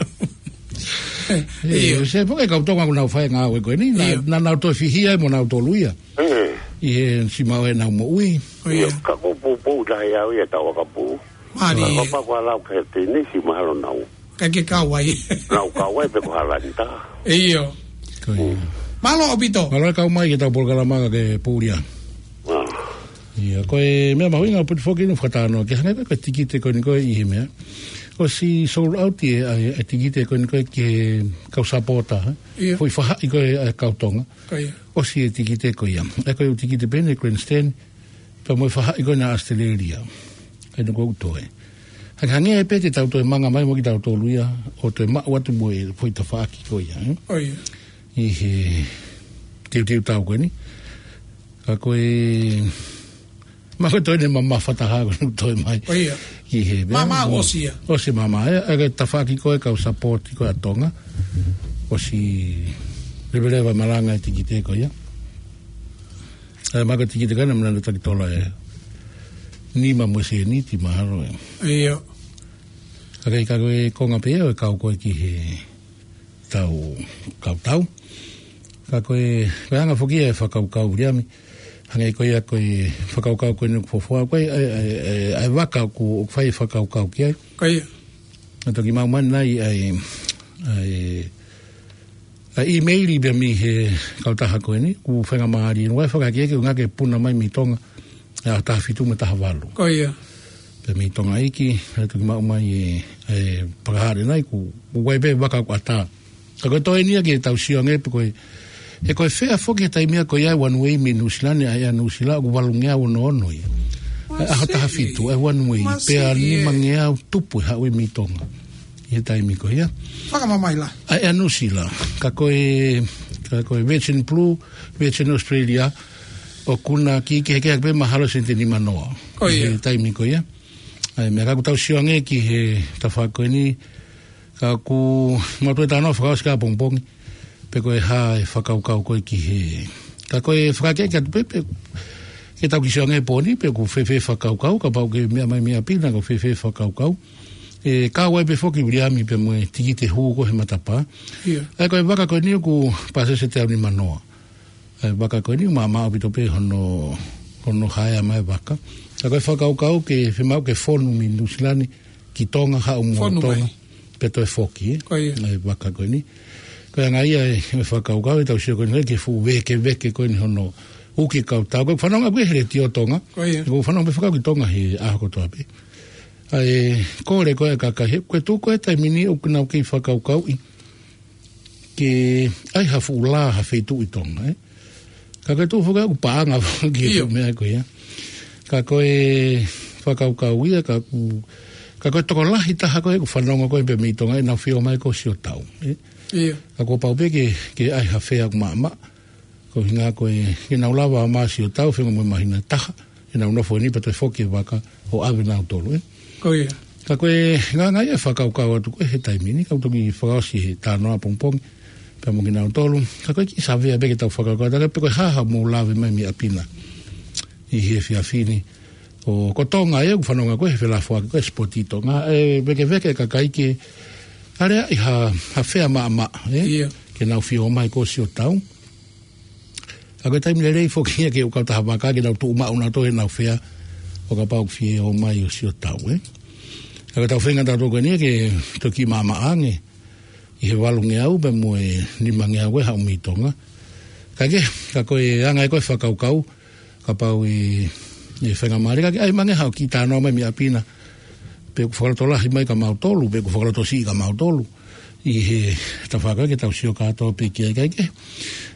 ʻE, Ia. se pē ko e kau Tonga ʻoku nau fai ngāue ko eni, naʻa, Ia. naʻa nau toe fihia mo nau tolu ia. ʻE. ʻI he siʻi maʻu ʻenau moʻui. Ko ia. Ia, ka ko e poupou lahi au ia tau ʻakapulu. Mālie. Ka ko e pā ko e lau ke he tenisi mahalo nau. Ka ke kau ai. Nau kau ai pe ko ha lani taha. ʻIo. Ko ia. Mālō ʻaupito. Mālō e kau mai ki he tau polokalama ka ke pouli ā. ʻA. Ia, ko e meʻa mahuʻinga ʻoku ou poti foki ʻi he fakatātā, ke hangē ko e tikite ko eni ko ē ʻi he meʻa. ʻOsi sold out ʻa e, ʻa e tikite ko eni ko ē ki he kau sapota, ʻe. Ia. Foʻi faʻahi ko ē ʻa e kau Tonga. Ko ia. ʻOsi e tikite ko ia. ʻE ko e ʻū tikite pē ʻeni grandstand, pea mo e faʻahi ko ena ʻAositelēlia. ʻE no ko u toe. Hangehangē pē te tau toe manga mai mo kitautolu ia, ʻo toe maʻu atu mo e foʻi tafaʻaki ko ia, ʻe? Ko ia. ʻI he teuteu tau ko eni. Ka ko e, ma ko e toe ne mamafa taha ko e toe mai. Ko ia. ʻI he, Mama ʻosi ia. ʻOsi mama, ʻe, ʻe ke tafaʻaki ko e kau sapoti ko e ʻa Tonga. ʻOsi leveleva malanga e tikite ko ia. ʻE, ma ko e tikite ko ena mena na taki tola ʻe nima mo e sēniti mahalo ʻe. ʻIo. Ka ke ʻi ka ko e konga pē ʻo e kau ko ē ki he tau, kau tau. Ka ko e, ko e anga foki ia e fakakaukau Viliami. Hangē ko ia ko e fakakaukau ko eni ʻoku fofoa, ko e, ʻa e, ʻa e, ʻa e, ʻa e vaka ʻoku, ʻoku fai e fakakaukau ki ai. Ko ia. ʻA e toki maʻu mai ʻanenai ʻa e, ʻa e, ʻa e ʻīmeili pea mei he kautaha ko eni, ʻoku faingamālie, ʻoku ʻai fakahā ki ai ke ʻuhinga ke puna mai mei Tonga, ʻa e taha fitu mo e taha valu. Ko ia. Pea mei Tonga ʻEiki, ʻa e toki maʻu mai e, e fakahā ʻanenai, ʻoku, ʻoku ʻai pē vaka ʻoku ʻatā. Ka ko e toe eni ia ke tau sio ange pe ko e, he ko e fea foki he taimi ia ko ia e one way mei Nuʻusila ni, ʻa e Nuʻusila ʻoku valungeau ono ono ia. ʻA e ʻaho taha fitu, ʻa e one way, pea nimangeau tupu e haʻu ia mei Tonga. ʻI he taimi ko ia. Fakamamahi lahi. ʻA e Nuʻusila, ka ko e, ka ko e Virgin Blue, Virgin Australia, ʻoku na kiʻi kehekehe pē mahalo sēniti ʻe nima noa. Ko ia. ʻI he taimi ko ia. ʻA e meʻa ka ʻoku tau sio ange ki he tafaʻaki ko eni, ka ʻoku mau toe talanoa fakaʻosi ʻapongipongi, pe ko e hā e fakakaukau ko ē ki he. Ka ko e fakakaukau atu pē, pe ke tau kiʻi sio ange he pō ni, pe ʻoku fēfē e fakakaukau, kapau ʻoku ke meʻa mai mei ʻapi na ʻoku fēfē e fakakaukau. ʻE kau ai pē foki Viliami pea mo e tikite hū ko ē he matapā. Ia. ʻA e ko e vaka ko eni ʻoku pasese teau nima noa. ʻA e vaka ko eni ʻoku maʻamaʻa ʻaupito pē hono, hono haea mai e vaka. Ka ko e fakakaukau ke fiemaʻu ke fonu mei Nuʻusila ni ki Tonga, haʻu mo Tonga. Fonu mai. Pea toe foki, ē? Ko ia. ʻA e vaka ko eni. Ko e anga ia e, e fakakaukau ʻe tau sio ko eni ke fuʻu vekeveke ko eni hono uki e kautau. ʻOku fanongo ʻaupito he letiō Tonga. Ko ia. ʻOku fanongo pē fakakaukau ki Tonga he ʻaho kotoa pē. ʻA e kole ko ē ʻa e kakai he, ko e tuʻu ko ē he taimi ni ʻoku nau kei fakakaukauʻi ke ʻai ha fuʻu lā ha feituʻu ʻi Tonga, ē? Ka ko e tuʻu foki ʻoku paʻanga foki e meʻa ko ia. Ka ko e fakakaukau ia, ka ʻoku, ka ko e tokolahi taha ko ē ʻoku fanongo ko ē pē mei Tonga ʻenau fie ō mai ko Siotau, ē? Ia. Ka kuo pau pē ke, ke ʻai ha fea ʻoku maʻamaʻa. Ko e ʻuhinga ko ē, ke nau lava ʻo ō mai Siotau, fengo mo e māhina ʻe taha, ke nau nofo eni pea toe foki e vaka ʻo ʻave nautolu, ē? Ko ia. Ka ko e ngaahi fakakaukau atu ko ē he taimi ni, ka ʻoku toki fakaʻosi he talanoa ʻapongipongi, pea mo kinautolu, ka ko e kiʻi savea pē ke tau fakakaukau, ka pe ko e hā haʻamou lave mai mei ʻapi na. ʻI he efiafi ni, ʻo ko Tonga ē ʻoku fanongo ko ē he felafoaki ko ē Sport ʻi Tonga, ʻe vekeveke e kakai ke, ʻa e ʻai ha, ha fea maʻamaʻa, ē? Ia. Ke nau fie ō mai ko Siotau. Ka ko e taimi lelei foki ia ke ʻoku kau taha vaka ke nau tuʻu maʻu nautolu ʻenau fea ʻo kapau ʻoku fie ō mai ʻo Siotau, ē. Ka ko e tau feinga tautolu ko eni ke toki maʻamaʻa ange ʻi he valungeau pea mo e nimangeau ʻe haʻu mei Tonga. Ka ke, ka ko e anga ē ko ē fakakaukau, kapau ʻe, ʻe faingamālie ka ke ʻai mai ange haʻo kiʻi talanoa mai mei ʻapi na. Pe ʻoku fakalotolahi mai kia mautolu, pe ʻoku fakalotosiʻi kia mautolu. ʻI he tafaʻaki ke tau sio kātoa pē ki ai kae kehe.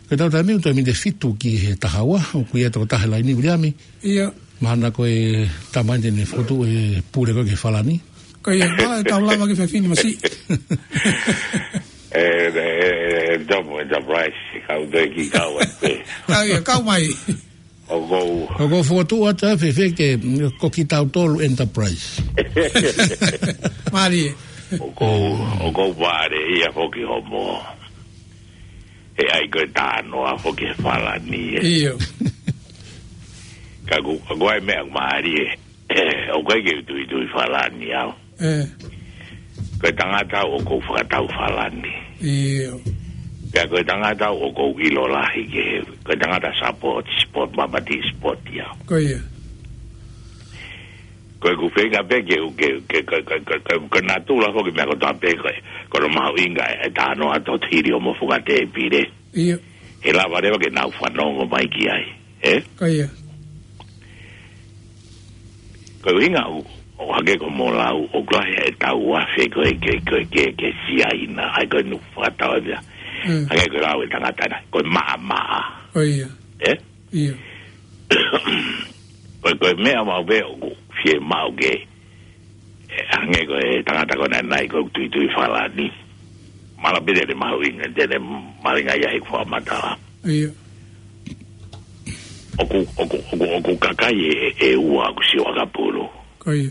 Ko e tau taimi ʻoku toe miniti ʻe fitu ki he taha ua, ʻoku ʻi ai e tokotaha he laini, Viliami. Ia. Mahalo ko e tama eni te ne fokotuʻu e pule ko ē ki he Falani. Ko ia, mahalo ʻe tau lava ki he efiafi ni masiʻi. ʻE, ʻe, ʻe, ʻe, Double Enterprise, kau toe kiʻi kau ai pē. Kau ia, kau mai. ʻOku ou. ʻOku ou fokotuʻu atu ʻa e fefeke, ko kitautolu Enterprise. Mālie. ʻOku ou, ʻoku ou vale ia foki homo. ʻE ʻai ko e talanoa foki he Falani, ē. Ia. Ka ʻoku, ka ʻoku ʻi ai e meʻa mālie. ʻOku ʻikai ke u tuitui Falani au. Ē. Ko e tangata au ʻoku ou fakatau Falani. Ia. Pea ko e tangata au ʻoku ou ʻilo lahi ki he, ko e tangata sport, sport, mamaʻo sport ia. Ko ia. Ko ʻeku feinga pē ke, ke, ke, ke natula foki meʻa kotoa pē ko e, ko hono mahuʻinga e talanoa ʻa Totili ʻo mo Fuka Tēpile. Ia. He lava leva ke nau fanongo mai ki ai, ē? Ko ia. Ko e ʻuhinga ʻoku, ʻoku hangē ko hoʻomo lau, ʻoku lahi e tau afe ko ē ke, ke, ke, ke siaina, ʻa e ko e nuku fakatau ia. Mm. Hangē ko e lau e tangata na, ko e maʻamaʻa. Ko ia. Ē? Ia. Ko e, ko e meʻa maʻu pē ʻoku fiemaʻu ke, ē, hangē ko e tangata ko ena ʻanenai ʻoku tuitui Falani. Mahalo pē te ne mahuʻinga, te ne mahuʻinga ia he fakamatala. Ia. ʻOku, ʻoku, ʻoku, ʻoku kakai ʻe, ʻe ua ʻoku sio ʻakapulu. Ko ia.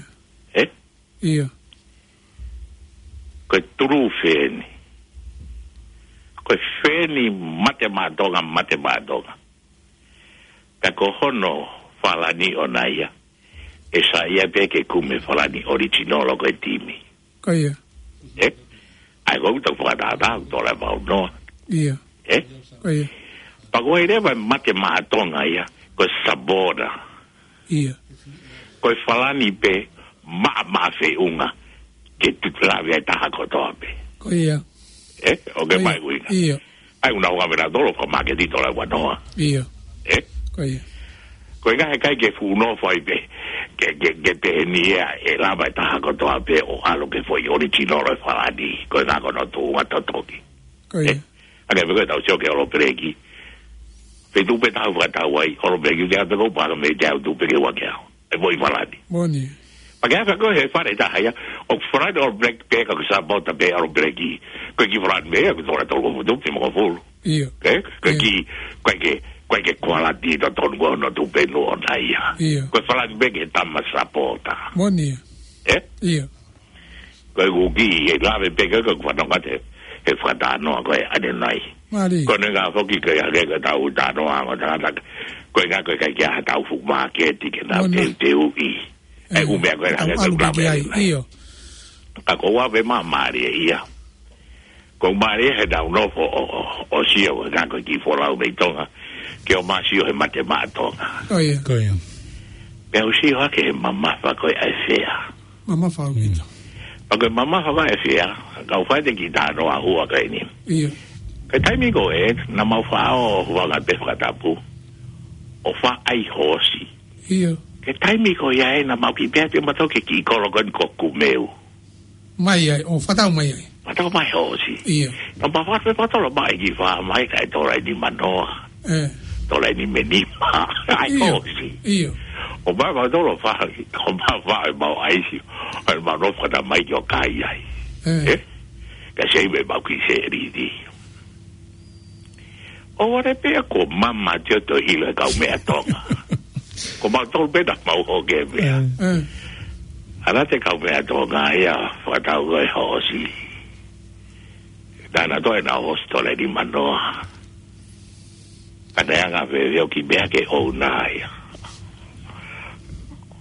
Ē? Ia. Ko e tulu feni. Ko e feni mate maʻa Tonga, mate maʻa Tonga. Pea ko hono Falani ʻoʻona ia. ʻE saiʻia pē ke kumi Falani original ʻo ko e timi. Ko ia. Ē? ʻA ia ko ʻeku tau fakatātā, tō la vau noa. Ia. Ē? Ko ia. Pea ko e leva e mate maʻa Tonga ia, ko e sabota. ʻIo. Ko e Falani pē maʻamaʻa feʻunga ke tuʻu lave ai taha kotoa pē. Ko ia. ʻE, ʻoku ke Ko ia. mai ʻuhinga. ʻIo. ʻAi ʻuhinga ʻoku ʻave nautolu ʻo fakamāketi tolai ua noa. ʻIo. ʻE? Ko ia. Ko e ʻuhinga he ʻikai ke fuʻu nofo ai pē, ke, ke, ke pehē ni ia ʻe lava e taha kotoa pē ʻo ʻalu ki he foʻi original ʻo e Falani. Ko e ʻuhinga ko hono tuʻunga totoki. Ko ia. ʻE? ʻA ia pē ko e tau sio ki he All Black. Feituʻu pē te u fakatau ai, All Black, te u pehē ko e pā ka mei te u tuʻu pē ki he ua ki he ʻaho. ʻE foʻi Falani. Moʻoni. Pea ke ʻai ko e fale taha ia, ʻoku Falani All Black pē ka ko e sabota pē All Black. Ko e kiʻi Falani meʻa, ko e tola tolu ko e futu, pē mo ko fulu. ʻIo. Ke, ko e ʻIo. kiʻi, ko e ke, ko e ke kualati totonu ko hono tuʻu pē nuʻa ʻona ia. ʻIo. Ko e Falani pē ke tama sabota. Moʻoni. ʻE? ʻIo. Ko e kuki, ʻe lave pē ke, ko e fanongo atu he fakatalanoa ko e ʻanenai. Mālie. Ko e ʻuhinga foki ko e hake ko e tau talanoa mo tangata. Ko e ʻuhinga ko e ʻikai ke ʻi ai ha tau fuʻu māketi ke nau Moʻoni. teuteuʻi. ʻE, ʻū meʻa ko e Tau hake ko e ʻalu pē ki ai, lave. ʻIo. Ka ko ʻeku ʻave māmālie ia. Ko mālie he tau nofo ʻo, ʻo, ʻo sio ko e ʻuhinga ko e kiʻi folau mei Tonga. Ke ō mai ʻo sio he mate maʻa Tonga. Ko ia. Ko ia. Pea u sio hake he mamafa ko e ʻai fea. Mamafa au kita. Pea ko e mamafa ko e fea, kau fai ʻete kiʻi talanoa ʻoku ʻai ni. ʻIo. Ko e taimi ko ē, naʻa mau faʻa ō ʻo vanga pē fakatapu. ʻO faʻa ʻai hoosi. ʻIo. Ko e taimi ko ia ē, naʻa mau kiʻi pehē atu mautolu ki he kiʻi kolo ko eni ko Kumeu. Mai ai, ʻo fakatau mai ai. Fakatau mai hoosi. ʻIo. Naʻa mau faʻa pē fakatau mai ki fā mai kae tola eni manoa. ʻE. Tola eni menima. ʻAi ʻIo. hoosi. ʻIo. ʻO mai mautolu faʻa, ʻo mai faʻa ʻemau ʻaisi. ʻAi mau nofo fakatau mai ki ʻo kai ai. ʻE. ʻE? Ka sei me mau kiʻi sēliti. ʻO vale pē ko mama te o to ʻilo e kaumeʻa Tonga. Ko mautolu pē naʻa mau hoke pē. ʻE. ʻE. ʻAlu atu e kaumeʻa Tonga ia fakatau ko e hoosi. Naʻa na toe na hoosi tola eni manoa. Ka naʻe anga fēfē ʻo kiʻi meʻa ke ʻouna ia.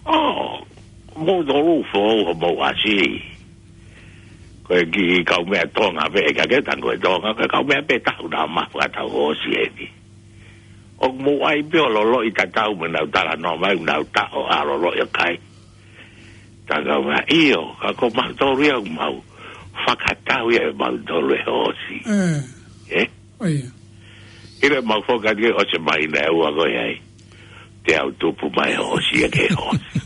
ʻO, mou tolu foʻou homou ʻasi. Ko e kiʻi kaumeʻa Tonga pē, ʻikai ke tango e Tonga, ko e kaumeʻa pē taha naʻa mau fakatau hoosi eni. ʻOku mou ʻai pē ʻo loloʻi tatau mo ʻenau talanoa mai, ʻenau taʻo ʻa loloʻi ʻo kai. Tangau mai, ʻio, ka ko mautolu ia ʻoku mau fakatau ia ʻe mautolu e hoosi. ʻE. ʻE? ʻIo. ʻIlo ʻemau foki atu ke ʻosi mai naʻe ua ko e ai. Te u tupu mai hoosi ia ke hoosi.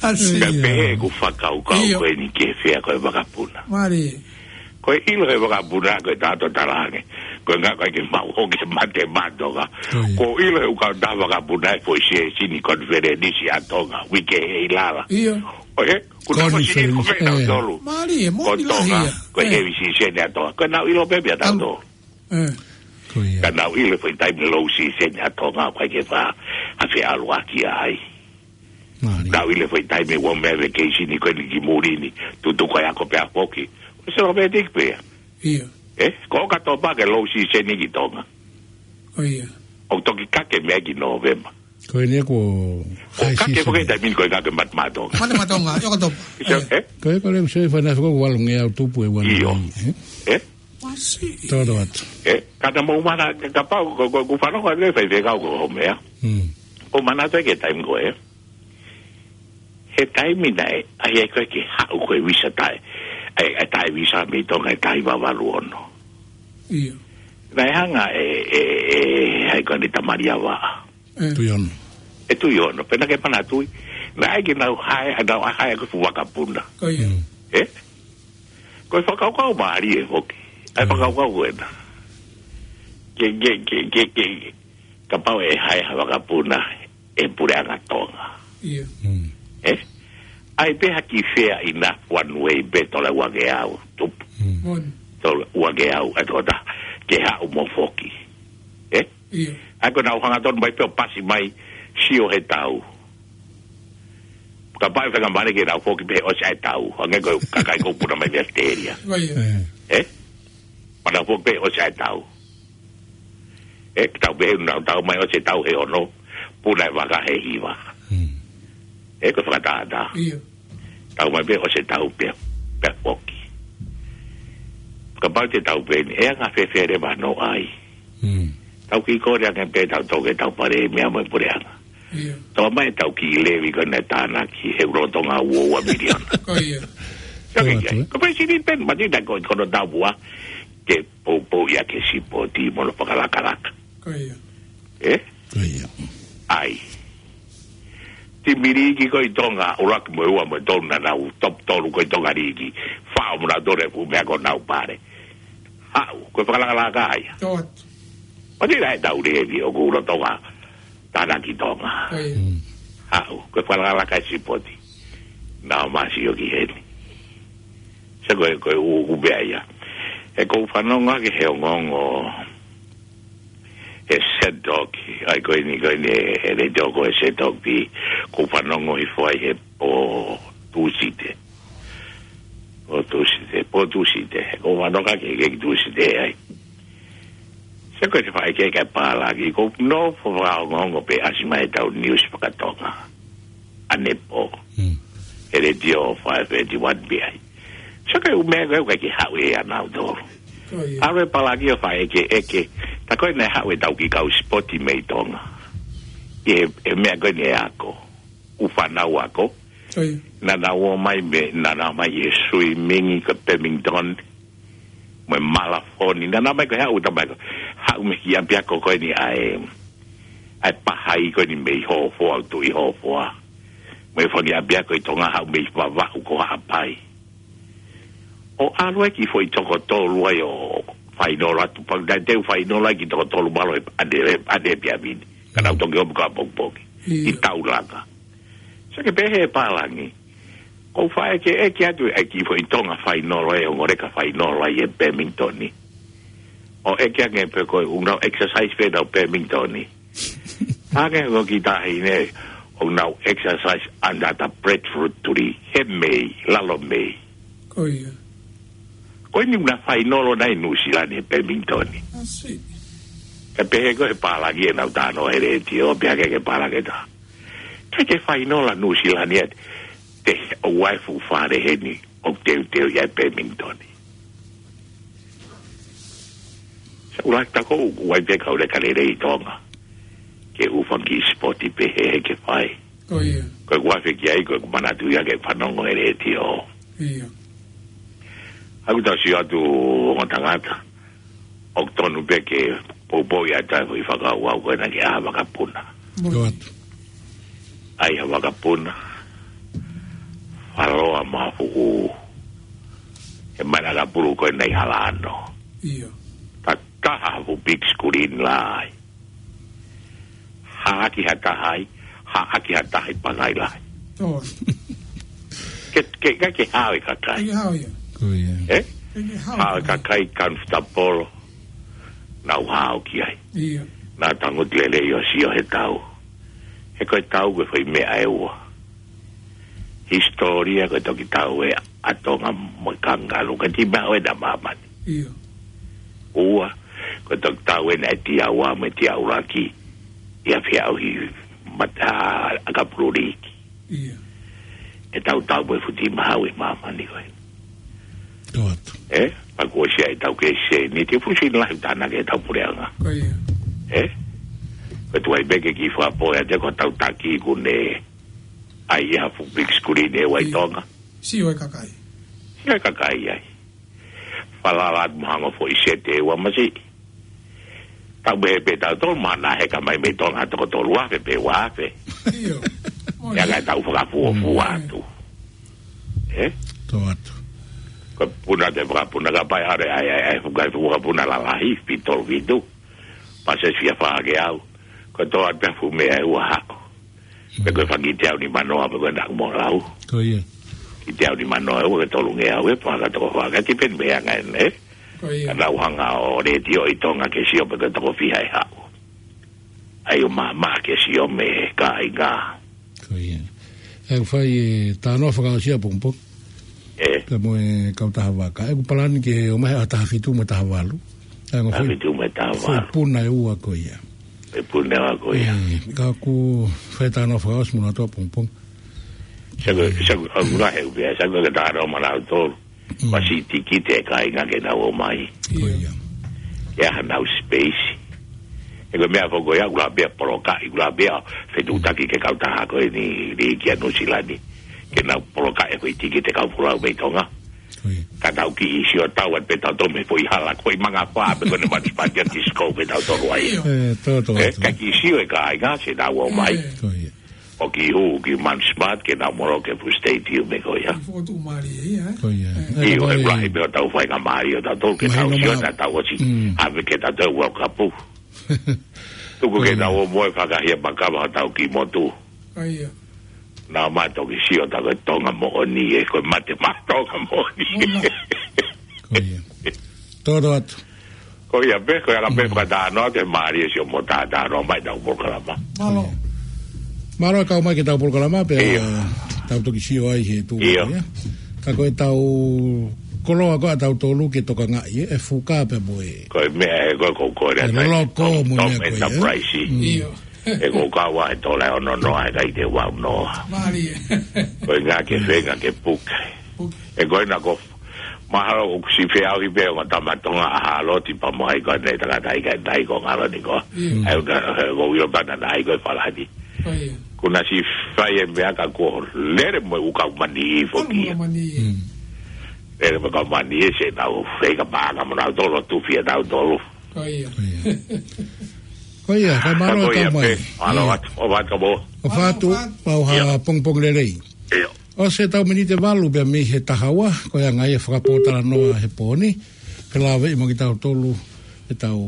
ʻAsi. Ka pehē ʻeku fakakaukau ʻIo. ko eni ki he fea ko e vakapuna. Mālie. Ko e ʻilo he vakapuna ko e tato talaange. Ko e ʻuhinga ko e ke mau hoke mate maʻa Tonga. ʻIo. Ko e ʻilo he ʻū kautaha vakapuna ʻe foʻi sēsini konifelenisi ʻa Tonga. Uike he ʻi lala. ʻIo. ʻO he, ko e tama sini Konifelenisi, ko e ʻe. tautolu. Mālie, Ko moʻoni lahi Tonga, ia. ko e ʻE. hevi siseni ʻa Tonga. Ko e nau ʻilo pē pea Au. tautolu. ʻE. Ko ia. Ka nau ʻilo foʻi taimi low season ʻa Tonga, ʻikai ke fai ha feʻaluʻaki ai. Mālie. Nau ʻilo foʻi taimi ʻoku meʻa vacation ko eni ki muli ni, tutu ko e ako pea foki. ʻO se lo pē tiki pē. ʻIo. ʻE? Ko ka topa ke low season ki Tonga. Ko ia. ʻO toki kake meʻa ki November. Ko eni ko ʻO high kake season. foki taimi ko e kake mate maʻa Tonga. Mate maʻa Tonga, ʻio ka topa. ʻIo, ʻE. ʻe? Ko e ko le se fana fo ko walunge au tupu e wan. ʻIo. ʻE? ʻE? ʻAsi. Toro atu. ʻE, ka ta mau mana, kapau, ko, ko, ko fano ko le fai fekau ko ho meʻa. Hmm. ʻO mana te ke taimi ko ē. He taimi naʻe, ʻai ai ko e ke haʻu ko e visa tai. ʻAi, ʻai tai visa mei Tonga ʻe tai vavalu ono. ʻIo. Naʻe hanga ʻe, ʻe, ʻe, ʻai ko eni Tamalia Vaʻa. ʻE. Tuiono. ʻE Tuiono, pea naʻa ke mana tui. Naʻe ʻai ke nau hae, ʻa nau hae ko e fuʻu vakapuna. Ko ia. Hmm. ʻE? Ko e fakakaukau mālie foki. ʻAi Mm. fakakaukau ko ena. Ke, ke, ke, ke, ke, kapau ʻe hae ha vakapuna ʻe Puleʻanga Tonga. ʻIo. Mm. ʻE? ʻAi pē ha kiʻi fea ʻi na one way pē tola uangeau, tupu. Mm. Moʻoni. Tola uangeau, ʻa tokota, ke haʻu mo foki. ʻE? ʻIo. ʻAi ko ʻenau hangatonu mai pē ʻo pasi mai, sio he tau. Kapau ʻe fenga mane ke nau foki pē ʻosi ʻa e tau. Hangē ko e kakai ko puna mai mei Australia. Ko ia. ʻE. ʻE? Mana foki pē ʻosi ʻa e tau. ʻE, ke tau pehē nau tau mai ʻosi e tau he ono. Puna e vaka he hiva. Mm. ʻE, ko e fakatātā. ʻIo. Tau mai pē ʻosi e tau pē, pē foki. Kapau te tau pē ni, ʻe anga fēfē leva hono ʻai. Mm. Tau kiʻi kole ange pē ʻetau toʻo ke tau palēmia mo e puleʻanga. Ia. Toʻo mai ʻetau kiʻi levy ko ena ʻe tānaki he lolotonga ua ua miliona. Ko ia. Sio ki ai. Ko e President pen, mati na ko, ko hono tapuʻa ke poupou ia ke sipoti mo hono fakalakalaka. Ko ia. Ē? Ko ia. ʻAi. Timi liiki ko ē ʻi Tonga, ʻuluaki mo e ua mo e tolu naʻa nau top tolu ko ē ʻi Tonga liiki. Fao mo nau tole fu mea ko nau pale. Haʻu, ko e fakalakalaka ia. Tō atu. Mati na ʻetau levy ʻoku lolotonga tānaki Tonga. Ko ia. Mm. Haʻu, ko e fakalakalaka e sipoti. Naʻa ma sio ki heni. Sio ko e, ko e ʻū, ʻū meʻa ia. ʻOku ou fanongo ki he ongoongo ʻa e Sedoki, ʻai ko eni, ko eni, ʻe le toko e Sedoki, ʻoku ou fanongo hifo ai he pō Tūsite. Pō Tūsite, pō Tūsite, ʻoku ou fanongo ki he, ki he Tūsite ai. Sio ko e faʻa ke ke pālangi, ʻoku ou nofo fakaongoongo pē ʻasi mai ʻetau news fakatonga. ʻAnepō. Mm. ʻE le tio five eighty-one B I. Sio ko e ʻū meʻa ko ē ʻoku ʻikai ke haʻu ʻe ia nautolu. Ko ia. ʻAlu e pālangi ʻo fai ʻeke, ʻeke. Tā ko ē naʻe haʻu ʻetau kiʻi kau sipoti mei Tonga. ʻI he, he meʻa ko eni ʻe ako. ʻŪ fānau ako. Ko ia. Naʻa nau ō mai mei, naʻa nau ō mai ʻi he swimming ko Bemington. Mo e malafoni. Naʻa nau ō mai ko e haʻu tamai ko. Haʻu mei he kiʻi ʻapiako ko eni ʻa e, ʻa e pahai ko eni mei Hofoa, ʻo Tuʻi Hofoa. Mo e fanga ʻapiako ʻi Tonga haʻu mei Vavaʻu ko Haʻapai. ʻO ʻalu ai ki he foʻi toko tolu ai ʻo fainolo atu pau. Naʻe teu fainolo ai ki he toko tolu mālō ʻe ʻane, ʻane piamini. Ka nau toki ō pē ko ē ʻapongipongi. Ia. ʻI taulanga. Sio ki he pehē pālangi. ʻOku ou faʻa ʻeke, ʻeke atu ʻa e kiʻi foʻi Tonga fainolo ē, ʻo ngore ka fainolo ai ʻi Bemington. ʻO ʻeke ange pē ko ē ʻoku nau exercise pē nau Bemington. Ange ko e kiʻi taʻahine, ʻoku nau exercise under the breadfruit tree. He mei, lalo mei. Ko ia. Ko eni ʻoku na fainolo nai Nuʻusila ni ʻi Bemington. I see. Ka pehē ko e pālangi ʻenau talanoa he letiō, pea ke ke pālangi ta. Ka ke fainolo Nuʻusila ni ʻe te ʻoua ʻe fuʻu fale heni ʻoku teuteu ia ʻi Bemington. Sa ula ta ko ʻoku ʻi ai pē kau leka lelei ʻi Tonga. Ke ʻū fanga kiʻi sipoti pehē he ke fai. Ko ia. Ko ʻeku afe ki ai, ko ʻeku manatu ia ke fanongo he letiō. Ia. ʻOku tau sio atu ongo tangata. ʻOku tonu pē ke poupou ia ta ʻi fakaʻauʻau ko ena ke ʻaha vakapuna. Mo. Tō atu. ʻAi ha vakapuna. Faloa ma fuʻu. He mana ka pulu ko ena ʻi Halano. Ia. Tataha ha fuʻu big screen lahi. Haʻaki ha taha ai, haʻaki ha taha ʻi Pangai Lahi. Tō. Ke, ke, ke, ke hao e kakai. Ke hao ia. Ko ia. Ē? Ke, ke hao. Hao e kakai comfortable. Nau hao ki ai. Ia. Naʻa tangutu lelei ʻo sio he tau. He ko e tau ko e foʻi meʻa ʻe ua. Hisitōlia ko e toki tau ē ʻa Tonga mo e kangaroo, ka ti maʻu ena ʻa māmani. Ia. Ua, ko e toki tau ena ʻa e Tiaua mo e Tiaulaki, ʻi he feʻauhi mata ʻakapulu liiki. Ia. ʻE tau tau mo e futi mahau ʻi māmani ko ē. Tō atu. Ē? Pea kuo ʻosi ʻa e tau ke se, ni te fusi lahi tānaki ʻetau puleʻanga. Ko ia. Ē? Ko e tuai pē ke kiʻi fakapō ia te ko tau taki ku ne ʻai ha fuʻu big screen ʻe ua ʻi Ia. Tonga. Sio e kakai. Sio e kakai ai. Falala atu mo hanga foʻi sete ʻe ua masiʻi. Tau mehe pē tau tolu mana he ka mai mei Tonga toko tolu afe pe ua afe. Ia. Ia ka tau fakafuofua Mm. atu. Ē? Tō atu. Ko e puna te fakapuna ka pai are ai, ai, ai, fukai fuka puna lalahi, fitolu fitu. Pase fia fake au. Ko e tō atu pē fuʻu meʻa ʻe ua haʻu. Pe ko e fanga kiʻi teau ni manoa, pe ko e naku mo lau. Ko ia. Kiʻi teau ni manoa, ua ke tolu ngeau, ʻe faka toko faka, ti pen meʻa ngai ne. Ko ia. Ka nau hanga ʻo letiō ʻi Tonga ke sio, pe ko e toko fiha ʻe haʻu. ʻAi ʻo māmā ke sio mei he kāinga. Ko ia. ʻE fai e talanoa fakaʻosi ʻapongipongi. Ē. Pea mo e kau taha vaka. ʻOku palani ke ō mai ʻa taha fitu mo e taha valu. ʻA e ngaahi Taha foʻi, fitu mo e taha valu. Foʻi puna ʻe ua ko ia. Foʻi puna ʻe ua ko ia. Ē, ka ʻoku fai talanoa fakaʻosi mo na tō ʻapongipongi. Sa ko, sa ko, ʻoku lahi ʻeku pehē, sa ko ke talanoa mo nautolu. Mm. Masiʻi tikite e kāinga ke nau ō mai. Ko ia. Ke ʻaha nau space. He ko e meʻa foki ko ia, ʻoku lava pē ia ʻo polokaʻi, ʻoku lava pē ia ʻo fetuʻutaki ki he kautaha ko eni, liʻaki ʻa Nuʻusila ni. Ke nau polokaʻi e foʻi tikite kau folau mei Tonga. Ko ia. Ka tau kiʻi sio atu pē tautolu mei he foʻi hala, ko e mangafā pē ko eni Manu Smart ia, disco pē tautolu ai. ʻIo. ʻE, tō, tō, ʻE, tō. Ka kiʻi sio e kāinga, siʻi tau ō mai. ʻIo. Ko ia. ʻO kiʻi hū ki Manu Smart ke nau molo ki he fuʻu stadium ko ia. Fokotuʻu mālie ia, ē? Ko ia. ʻE. ʻIo, ʻe, ko e ia. Lahi pē hotau faingamālie ʻo tautolu ke tau sio ʻo tautolu ʻosi. Mm. Hangē ko e tautolu World Cup. Tuku ke tau ō mo e fakahia makava hotau kiʻi motu. Ko ia. Naʻa mau toki sio atu ko e Tonga moʻoni ē, ko e mate maʻa Tonga moʻoni. Ona. Ko ia. Tō, tō atu. Ko ia pē, ko ia la pē, fakatātā atu e mālie siʻomo tātā noa mai ʻetau polokalama. Mālō. Mālō e kau mai ki heʻetau polokalama, pea tau toki sio ai he tuʻu ia. Ka ko ʻetau koloa ko ē ʻatautolu ke tokangaʻi, ē, ʻe fuka pē mo e. Ko e meʻa ē, ko e, ko e, ko e, e loko mo e meʻa ko ē, ē? Enterprise. Mm. ʻIo. ʻE ko e kau ʻa e tola ʻe ono noa, ʻe ʻikai te ua noa. Mālie. Ko e ngā ke fenga ke puke. Puke. ʻE ko e na ko mahalo ʻoku siʻi feʻauhi pē ongo tama Tonga ʻa Haloti pea mo hai ko eni tangata ʻikai nai ko ngalo ni ko. Mm. ʻE ʻoku, ʻe ʻoku ʻilo pē naʻa nai ko e falani. Ko ia. Kuo na siʻi fai e meʻa ka kuo lele mo e ʻū kau mani foki. Kau mani. Mm. Lele mo e kau mani ē siʻenau feinga paʻanga mo nau tolo tufi ʻa tautolu. Ko ia. Ko ia. Ko ia, ka mālō e kau mai. Mālō atu, ʻofa atu mo. ʻOfa atu, pau ha pongipongi lelei. ʻIo. ʻOsi ʻetau miniti ʻe valu pea mei he taha ua, ko e anga ia e fakapōtalanoa he pō ni, ke lave ʻi mo kitautolu ʻetau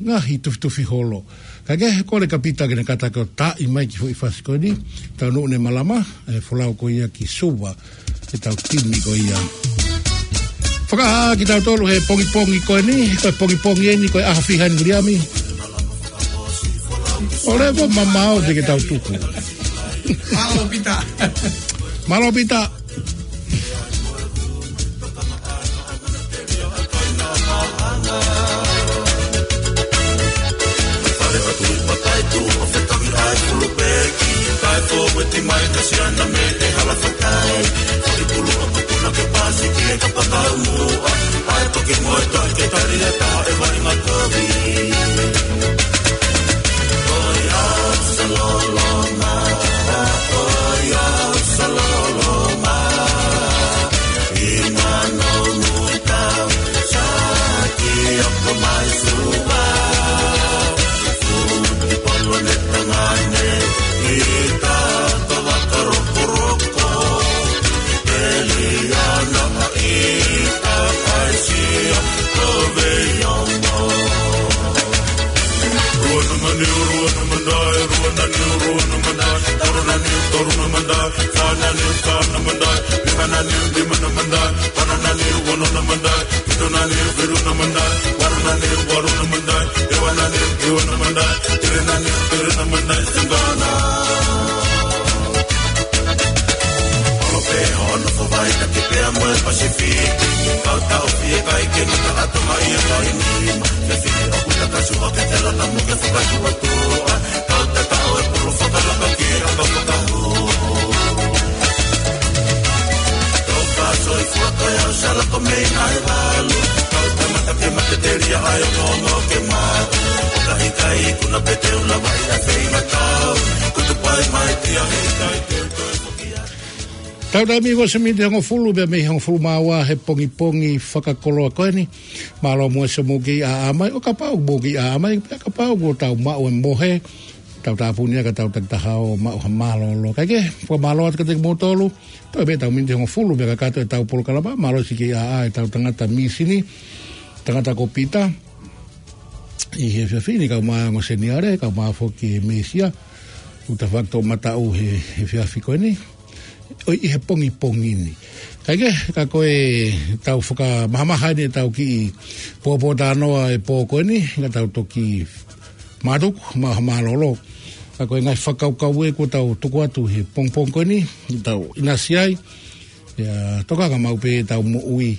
ngaahi tufitufi holo. Ka ke he kole kia Pita ke ne kātaki ʻo taaʻi mai e kiʻi foʻi fasi ko eni, tau nuʻu ne malama, ʻe folau ko ia ki Suva, ʻetau timi ko ia. Fakahā kitautolu he pongipongi ko eni, ko e pongipongi eni, ko e ʻaho fiha eni Viliami. ʻOleva mamao te ke tau tuku. Mālō Pita. Mālō Pita. Tau taimi ʻosi miniti hongofulu pea mei hongofulu mā ua he pongipongi fakakoloa ko eni. Mālō muʻa siʻomou kei ʻaʻa mai, ʻo kapau mou kei ʻaʻa mai, pea kapau kuo tau maʻu e mohe, tau tāpuni ʻa ka tau takitaha ʻo maʻu ha mālōlō. Kae kehe, fakamālō atu kiate kimoutolu, toe pē ʻetau miniti hongofulu pea kakato ʻetau polokalama, mālō siʻi kei ʻaʻa ʻetau tangata mīsini, tangata ko Pita, ʻi he efiafi ni kae ʻumaʻā e ongo seniale, kae ʻumaʻā foki e mēsia, ʻoku ta fakatoʻomataʻu he, he efiafi ko eni. ʻOi ʻi he pongipongi ni. Kae kehe, ka ko e tau fakamahamaha eni ʻetau kiʻi pōpōtalanoa e pō ko eni, ka tau toki mātuku, maʻu ha mālōlō. Ka ko e ngaahi fakakaukau ē kuo tau tuku atu he pongipongi ko eni, ʻetau ʻinasi ai, ʻe tokanga maʻu pē ʻetau moʻui,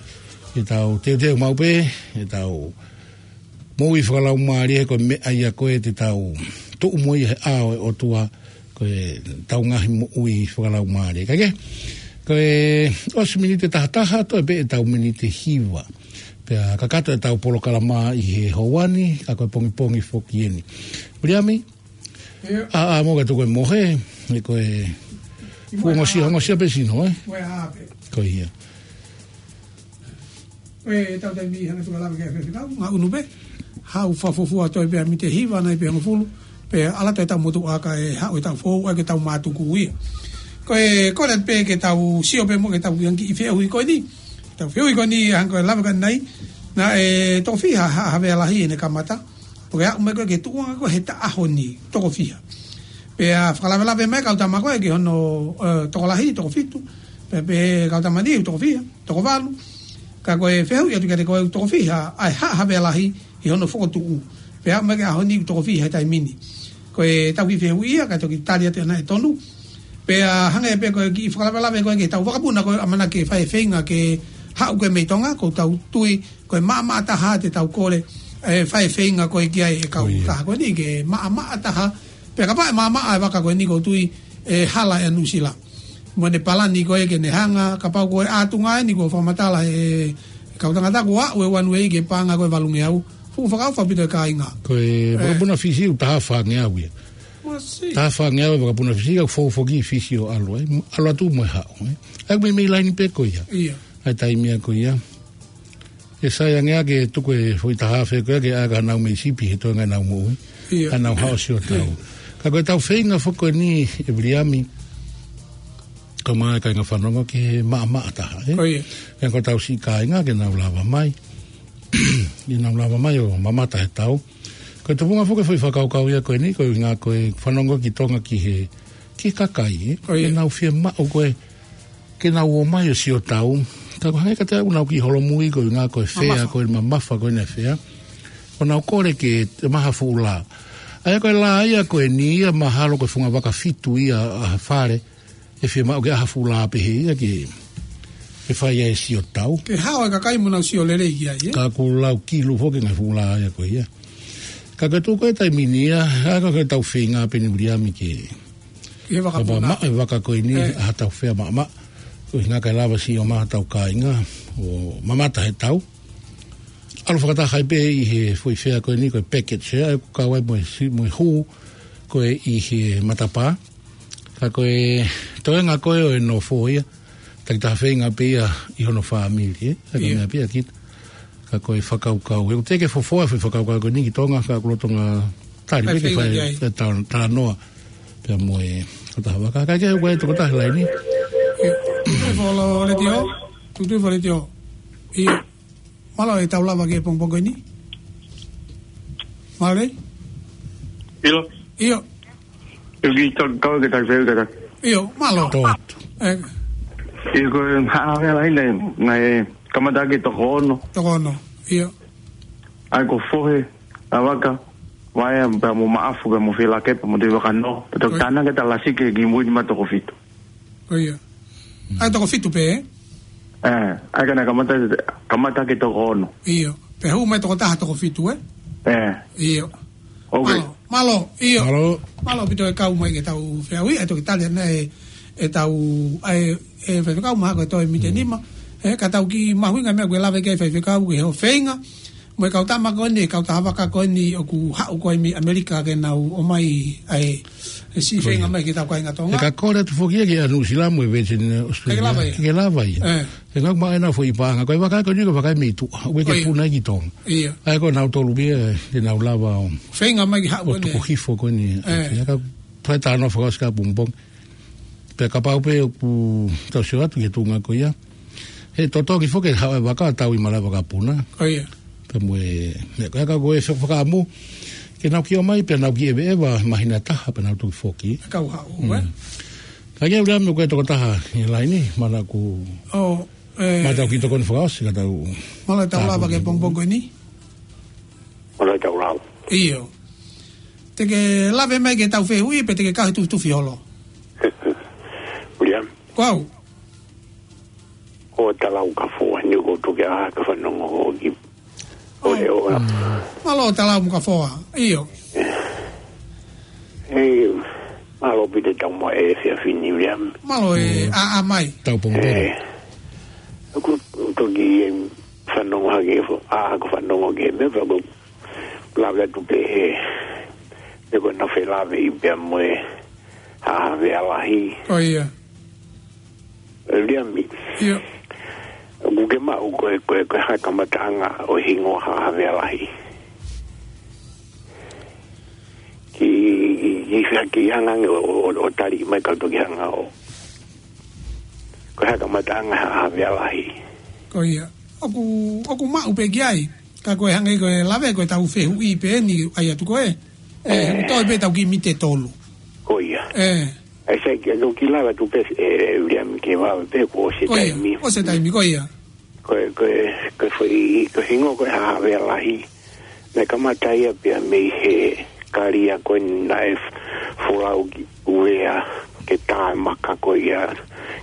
ʻetau teuteu maʻu pē, ʻetau moʻui fakalaumālie he ko e meʻa ia ko ē te tau tuʻu mo ia he ʻao ʻo e ʻOtua, ko ʻetau ngaahi moʻui fakalaumālie. Kae kehe, ko e ʻosi miniti tahataha, toe pē ʻetau miniti hiva. Pea kakato ʻetau polokalama ʻi he houa ni, ka ko e pongipongi foki eni. Viliami, ʻIo. ʻa, ʻa, mo ka tuku e mohe, ʻe ko e Ki fuʻu mohe ngosia, ʻa. ngosia pē sino, ē? Mohe ʻa pē. Ko ia. Ko e tau taimi hanga tuka lava ke fefekau, ngā unu pē. Haʻu fakafuofua toe pē ʻa mite hiva nai pē hongofulu. Pea ʻalu atu ʻetau motuʻa kae haʻu ʻetau fou, ʻa ke tau mātuku ia. Ko e, ko e pē ke tau sio pē mo ke tau kiʻi fehuʻi ko eni. Tau fehuʻi ko eni hanga ko e lava ka nai. Naʻe toko fiha ha, Havea Lahi ʻene kamata. ʻO ke aʻu mai ko e ke tuʻunga ko e he taʻaho ni, toko fiha. Pea fakalavelave mai kau tama ko e ki hono, ē, tokolahi, toko fitu. Pea pehē kau tama ni, toko fiha, toko valu. Ka ko e fehuʻi atu kiate koe, toko fiha, ʻa e ha, Havea Lahi ʻi hono fokotuʻu. Pea aʻu mai ki he ʻaho ni, toko fiha he taimi ni. Ko e tau kiʻi fehuʻi ia, ka toki tali atu ʻe naʻe tonu. Pea hangē pē ko e kiʻi fakalavelave ko e ke tau vakapuna ko e ʻamanaki ke fai feinga ke haʻu ko e mei Tonga, ko e tau tui, ko e maʻamaʻa taha te tau kole, ē, fai feinga ko e ki ai e kau Ko ia. taha ko eni ke maʻamaʻa taha. Pea kapau ʻe maʻamaʻa e vaka ko eni ko e tui ʻe hala ʻe Nuʻusila. Mo ʻene palani ko e ke ne hanga, kapau ko e ʻatunga eni ko e fakamatala e kau tangata ko e aʻu e one way ke paʻanga ko e valungeau. Fuʻu fakaʻofa ʻaupito e kāinga. Ko e Ē. vakapuna Fisi ʻoku taha fāngeau ia. Masi. Taha fāngeau e vakapuna Fisi ka fou foki Fisi ʻo ʻalu, ē. ʻAlu atu mo e haʻu, ē. ʻA ia ko e meimei laini pē ko ia. ʻIo. ʻA e taimi ia ko ia. ʻE sai ange ʻa ke tuku e foʻi taha afe ko e ke ʻai ka nau mei sipi he toenga nau moʻui. ʻIo. Ka nau haʻu ʻo sio tau. Ka ko e tau feinga foki ko eni ʻe Viliami. Ka mai kāinga fanongo ke maʻamaʻa taha, ē? Ko ia. Pea ko e tau siʻi kāinga ke nau lava mai. Ke nau lava mai ʻo mamata he tau. Ko e tupunga foki e foʻi fakakaukau ia ko eni, ko e ʻuhinga ko e fanongo ki Tonga ki he, ki he kakai, ē? Ko ia. Ke nau fiemaʻu ko e ke nau ō mai ʻo sio tau. Ka ko e hangē ka te au nau kiʻi holomui ko e ʻuhinga ko e fea, Mamafa. ko e mamafa ko e ne fea. ʻO nau kole ke te maha fuʻu lā. ʻA ia ko e lā ia ko eni ia mahalo ko e funga vaka fitu ia ʻa ha fale. ʻE fiemaʻu ke ʻaha fuʻu lā pehē ia ke, ke fai ai e sio tau. Ke haʻu e kakai mo nau sio lelei ki ai, ē? Ka ʻoku lau kilu foki ngaahi fuʻu lā ia ko ia. Ka ko e tuku e taimi ni ia, ʻa ia ko e tau feinga pē eni Viliami ke Ki he vaka Ka puna. maʻu e vaka ko eni, Ē. ʻa ha tau fea maʻamaʻa. Ko e ʻuhinga kae lava siʻi ō mai ha tau kāinga, ʻo mamata he tau. ʻAlu fakataha ai pē ʻi he foʻi fea ko eni, ko e package, ē, ʻa ia ʻoku kau ai mo e si-, mo e hū, ko e ʻi he matapā. Ka ko e toenga ko e ʻo e nofo ia, takitaha feinga pē ia ʻi hono fāmili, ē. ʻA ia ko e ʻIo. meʻa pē ia kita. Ka ko e fakakaukau. ʻE ʻikai te ke fofoa e foʻi fakakaukau ko eni ki Tonga, ka ʻoku lolotonga tali Fai pē ke feinga fai ki ai. e tau-, talanoa. Pea mo e tokotaha vaka. Ka ke ʻoku ʻi ai e tokotaha he laini. ʻIo. Tuʻu tuʻu foʻi letiō. Tuʻu tuʻu foʻi letiō. ʻIo. Mālō e tau lava ki he pongipongi ko eni. Mālō e? ʻIo. ʻIo. ʻIo ki tau kau ke tau feu kata. ʻIo, mālō. Tō atu. Ē. ʻIo ko e ha, ha, ha, ha, ha, naʻe kamata ke toko ono. Toko ono. ʻIo. ʻA ia ko e fohe, ʻa e vaka, vaea pea mo Maʻafu pea mo Fielakepa mo Tuʻivakanō. Pea toki Ko ia. tānaki ʻa Talasi ke kimui ni mo e toko fitu. Ko ia. ʻA ia toko fitu pē, ē? Ē, ʻa ia ka naʻe kamata, kamata ke toko ono. ʻIo. Pea hū mai toko taha toko fitu, ē? Ē. ʻIo. Ok. Mālō, mālō, ʻio. Mālō. Mālō ʻaupito e kau mai ke tau fehuʻi, ʻa ia toki tali ʻa e, e tau, ʻa e, e faifekau mahalo ko e toe mite Mm. nima. Ē, ka tau kiʻi mahuʻinga meʻa ʻoku lave ki ai e faifekau, ki hoʻo feinga. Mo e kau tama ko eni, kau taha vaka ko eni ʻoku haʻu ko ē mei ʻAmelika ke nau ō mai, ʻa e, e siʻi Ko feinga ia. mai ki he tau kāinga Tonga. ʻE ka kole atu foki ia ki ʻa Nuʻusila mo e Virgin Australia. Ke lava ia. Ke lava ia. Ē. ʻE ngāueʻaki ʻenau foʻi paʻanga. Ko e vaka ko eni ko e vaka mei tuʻa. ʻOku ʻikai ke ʻIo. puna ki Tonga. ʻIo. ʻA ia ko ʻenau tolu pē ia, ʻenau lava ʻo Feinga mai ki haʻu ʻo ko eni. tuku hifo ko eni. Ē. ʻA ia ka fai talanoa fakaʻosi ka pongipongi. Pea kapau pē ʻoku tau sio atu ki he tuʻunga ko ia. He totongi foki e haʻu e vaka tau ʻi malava ka puna. Ko ia. Pea mo e, meʻa ko ia ka ko e fakaʻamu. Ke nau kiʻi ō mai, pea nau kiʻi ʻeveʻeva, māhina ʻe taha, pea nau toki foki. Kau haʻu, Mm. ē? Ka ke ula me ko e tokotaha ʻi he laini, mana ku ʻO, ē, Mana tau kiʻi tokoni fakaʻosi ka tau Mana tau lava tāpuni. ke pongipongi ko eni? Mana tau lava. ʻIo. Te ke lave mai ke tau fehuʻi, pe te ke kau he tufitufi holo? William. Ko au. Ko Talau Kafoa, ni ko tuke a ka fanongo hoki. ʻO le ʻo la. Mm. Mālō Talau mo Kafoa. ʻIo. Ē, mālō ʻaupito e tau mo e efiafi ni, William. Mālō e Mm. ʻaʻa mai. Tau pongipongi. Ē, ʻoku toki, em, fanongo hake, ʻa, ko e fanongo ki he meʻa, pea ko e lave atu pē he, he ko e naʻe felāveʻi pea mo e Haʻa Havea Lahi. Ko ia. Viliami. Ia. ʻOku ke maʻu ko e, ko e, ko e hā e kamataʻanga ʻo e hingoa Haʻa Havea Lahi? Ki, ki, ki, ki hanga ange ʻo, ʻo, ʻo, ʻo tali mai ka u toki hanga ʻo. Ko e hā e kamataʻanga Haʻa Havea Lahi? Ko ia. ʻOku, ʻoku maʻu pē ki ai. Ka ko e hangē ko e lave ko e tau fehuʻi pē eni ʻai atu ko e. ʻE, ʻe. Toe pē tau kiʻi miniti ʻe tolu. Ko ia. ʻE. ʻAi sai ke no ki lava tu pē, ʻe, Viliami ke vave pē kuo ʻosi e taimi. Ko ia, ʻosi e taimi, ko ia. Ko e, ko e, ko e foʻi, ko e hingoa ko e Haʻa Havea Lahi. Naʻe kamata ia pea mei he kalia ko ē naʻe folau ki Uvea ke tā e maka ko ia,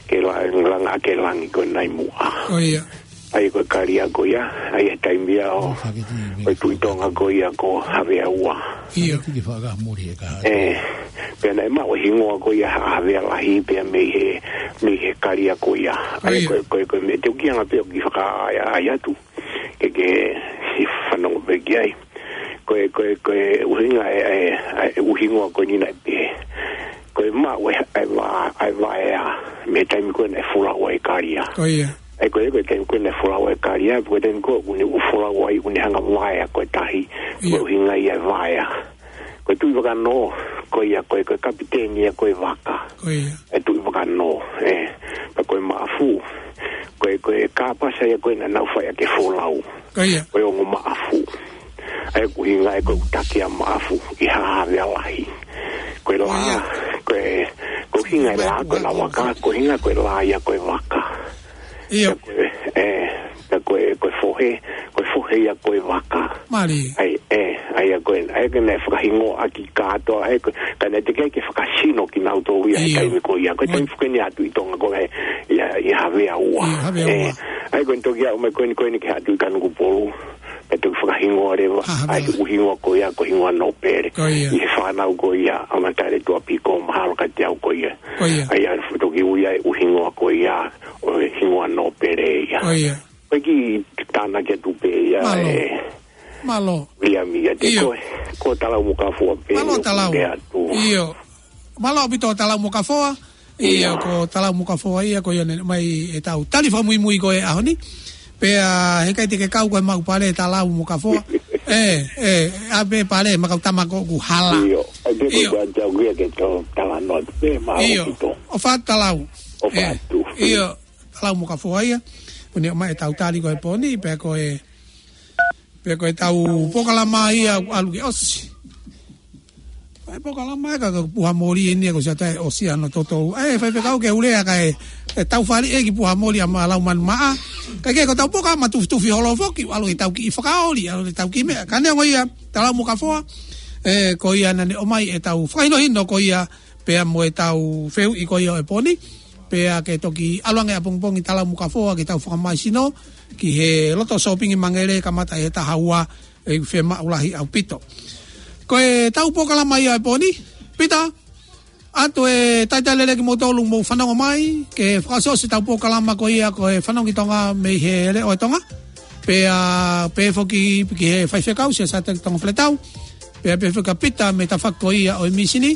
ke la-, langa ke langi ko ē naʻe muʻa. Ko ia. ʻAi ko e kalia ko ia, ʻai e taimi ia ʻo, ʻo e Tuʻi Tonga ko ia ko Havea Ua. Ia. ʻE, pea naʻe maʻu e hingoa ko ia Haʻa Havea Lahi pea mei he, mei he kalia ko ia. ʻAi ko e, ko e, ko e meʻa te u kiʻi anga pē ʻo kiʻi fakaʻaiʻai atu. Ke ke si fanongo pē ki ai. Ko e, ko e, ko e ʻuhinga e, e, e ʻuhinga ko eni naʻe pē. Ko e maʻu e, e va-, e vaea, mei he taimi ko ē naʻe folau ai e kalia. Ko ia. ʻAi ko e, ko e taimi ko ē naʻe folau ai e kalia, ko e taimi ko ē ʻoku ne folau ai, ʻoku ne hanga vaea ko e tahi. Ia. Ko e ʻuhinga ia e vaea. Ko e Tuʻi Vakanō, ko ia, ko e, ko e kapiteni ia ko e vaka. Ko ia. E Tuʻi Vakanō, ʻe. Pea ko e Maʻafu, ko e, ko e kāpasa ia ko ē naʻa nau fai ʻaki e folau. Ko ia. Ko e ongo Maʻafu. ʻAi ko e ʻuhinga e ko e ʻuta ki he Maʻafu, ʻi Haʻa Havea Lahi. Ko e lā, ko ia. Ko e, ko e ʻuhinga e lā, ko e lā vaka, ko e ʻuhinga ko e lā ia ko e vaka. Ia. Pea ko e, ʻe, pea ko e, ko e fohe, ko e fohe ia ko e vaka. Mālie. ʻAi, ʻe, ʻai ia ko e, ʻai ko e naʻe fakahingoa ʻaki kātoa, ʻai ko e, ka naʻe teʻeki ai ke fakasino kinautolu ia he taimi ko ia. Ko e taimi foki eni ʻa e Tuʻi Tonga ko ē, ia, ʻi Havea Ua. ʻI Havea Ua. ʻAi ko e toki aʻu mai ko eni, ko eni ki he Tuʻi Kanokupolu. Pea toki fakahingoa leva, ʻai ko e hingoa ko ia, ko e hingoa nōpele. Ko ia. ʻI he fānau ko ia, ʻa Matale Tuʻapiko, mahalo kiate au ko ia. Ko ia. ʻAi ʻa e toki ui ai ʻa e hingoa ko ia, ʻo e hingoa nōpele ia. Ko ia. Ko e kiʻi tānaki atu pē ia, ʻe. Mālō. Mālō. Viliami ia te ko e, ko Talau mo Kafoa pē. Mālō Talau. Mālō ʻaupito Talau mo Kafoa. Ia, ko Talau mo Kafoa ia, ko ia naʻe ʻomai ʻetau tali fakamuimui ko e ʻaho ni. Pea heʻikai te ke kau ko e maʻu pale Talau mo Kafoa. ʻE, ʻe, ʻa pē pale, makau tama ko ʻoku hala. ʻIo, ʻai pē ko e ʻatau kia ke tau talanoa atu pē, mālō ʻaupito. ʻOfa atu Talau. ʻOfa atu. ʻIo, Talau mo Kafoa ia. Ko eni ʻomai ʻetau tali ko e pō ni, pea ko e, pea ko ʻetau polokalama ia ʻalu ke ʻosi. Ko e polokalama ē ka, ka puha moli eni ko siata e ʻosi ano toto. ʻE, faifekau ke u lea ka e, e tau fali e ki puha moli ʻa ma lau manu maʻa. Ka ke ko ʻetau polokalama tufitufi holo foki, ʻalu ke tau kiʻi fakaoli, ʻalu ke tau kiʻi meʻa. Ka neongo ia, Talau mo Kafoa. ʻE, ko ia naʻa ne ʻomai ʻetau fakahinohino ko ia, pea mo ʻetau fehuʻi ko ia ʻo e pō ni. Pea ke toki ʻalu ange ʻapongipongi Talau mo Kafoa ke tau fakamaisino ki he loto sōpingi Mangele kamata ʻi he taha ua, ʻe fiemaʻu lahi ʻaupito. Ko ʻetau polokalama ia ʻo e pō ni, Pita, ʻoatu e talitali lelei kimoutolu mou fanongo mai, ke fakaʻosiʻosi ʻetau polokalama ko ia ko e Fanongo ki Tonga mei he Leʻo ʻo Tonga. Pea, pea pehē foki ki he faifekau, Siaosi ʻAteki Tonga Faletau. Pea pehē foki kia Pita mei he tafaʻaki ko ia ʻo e mīsini.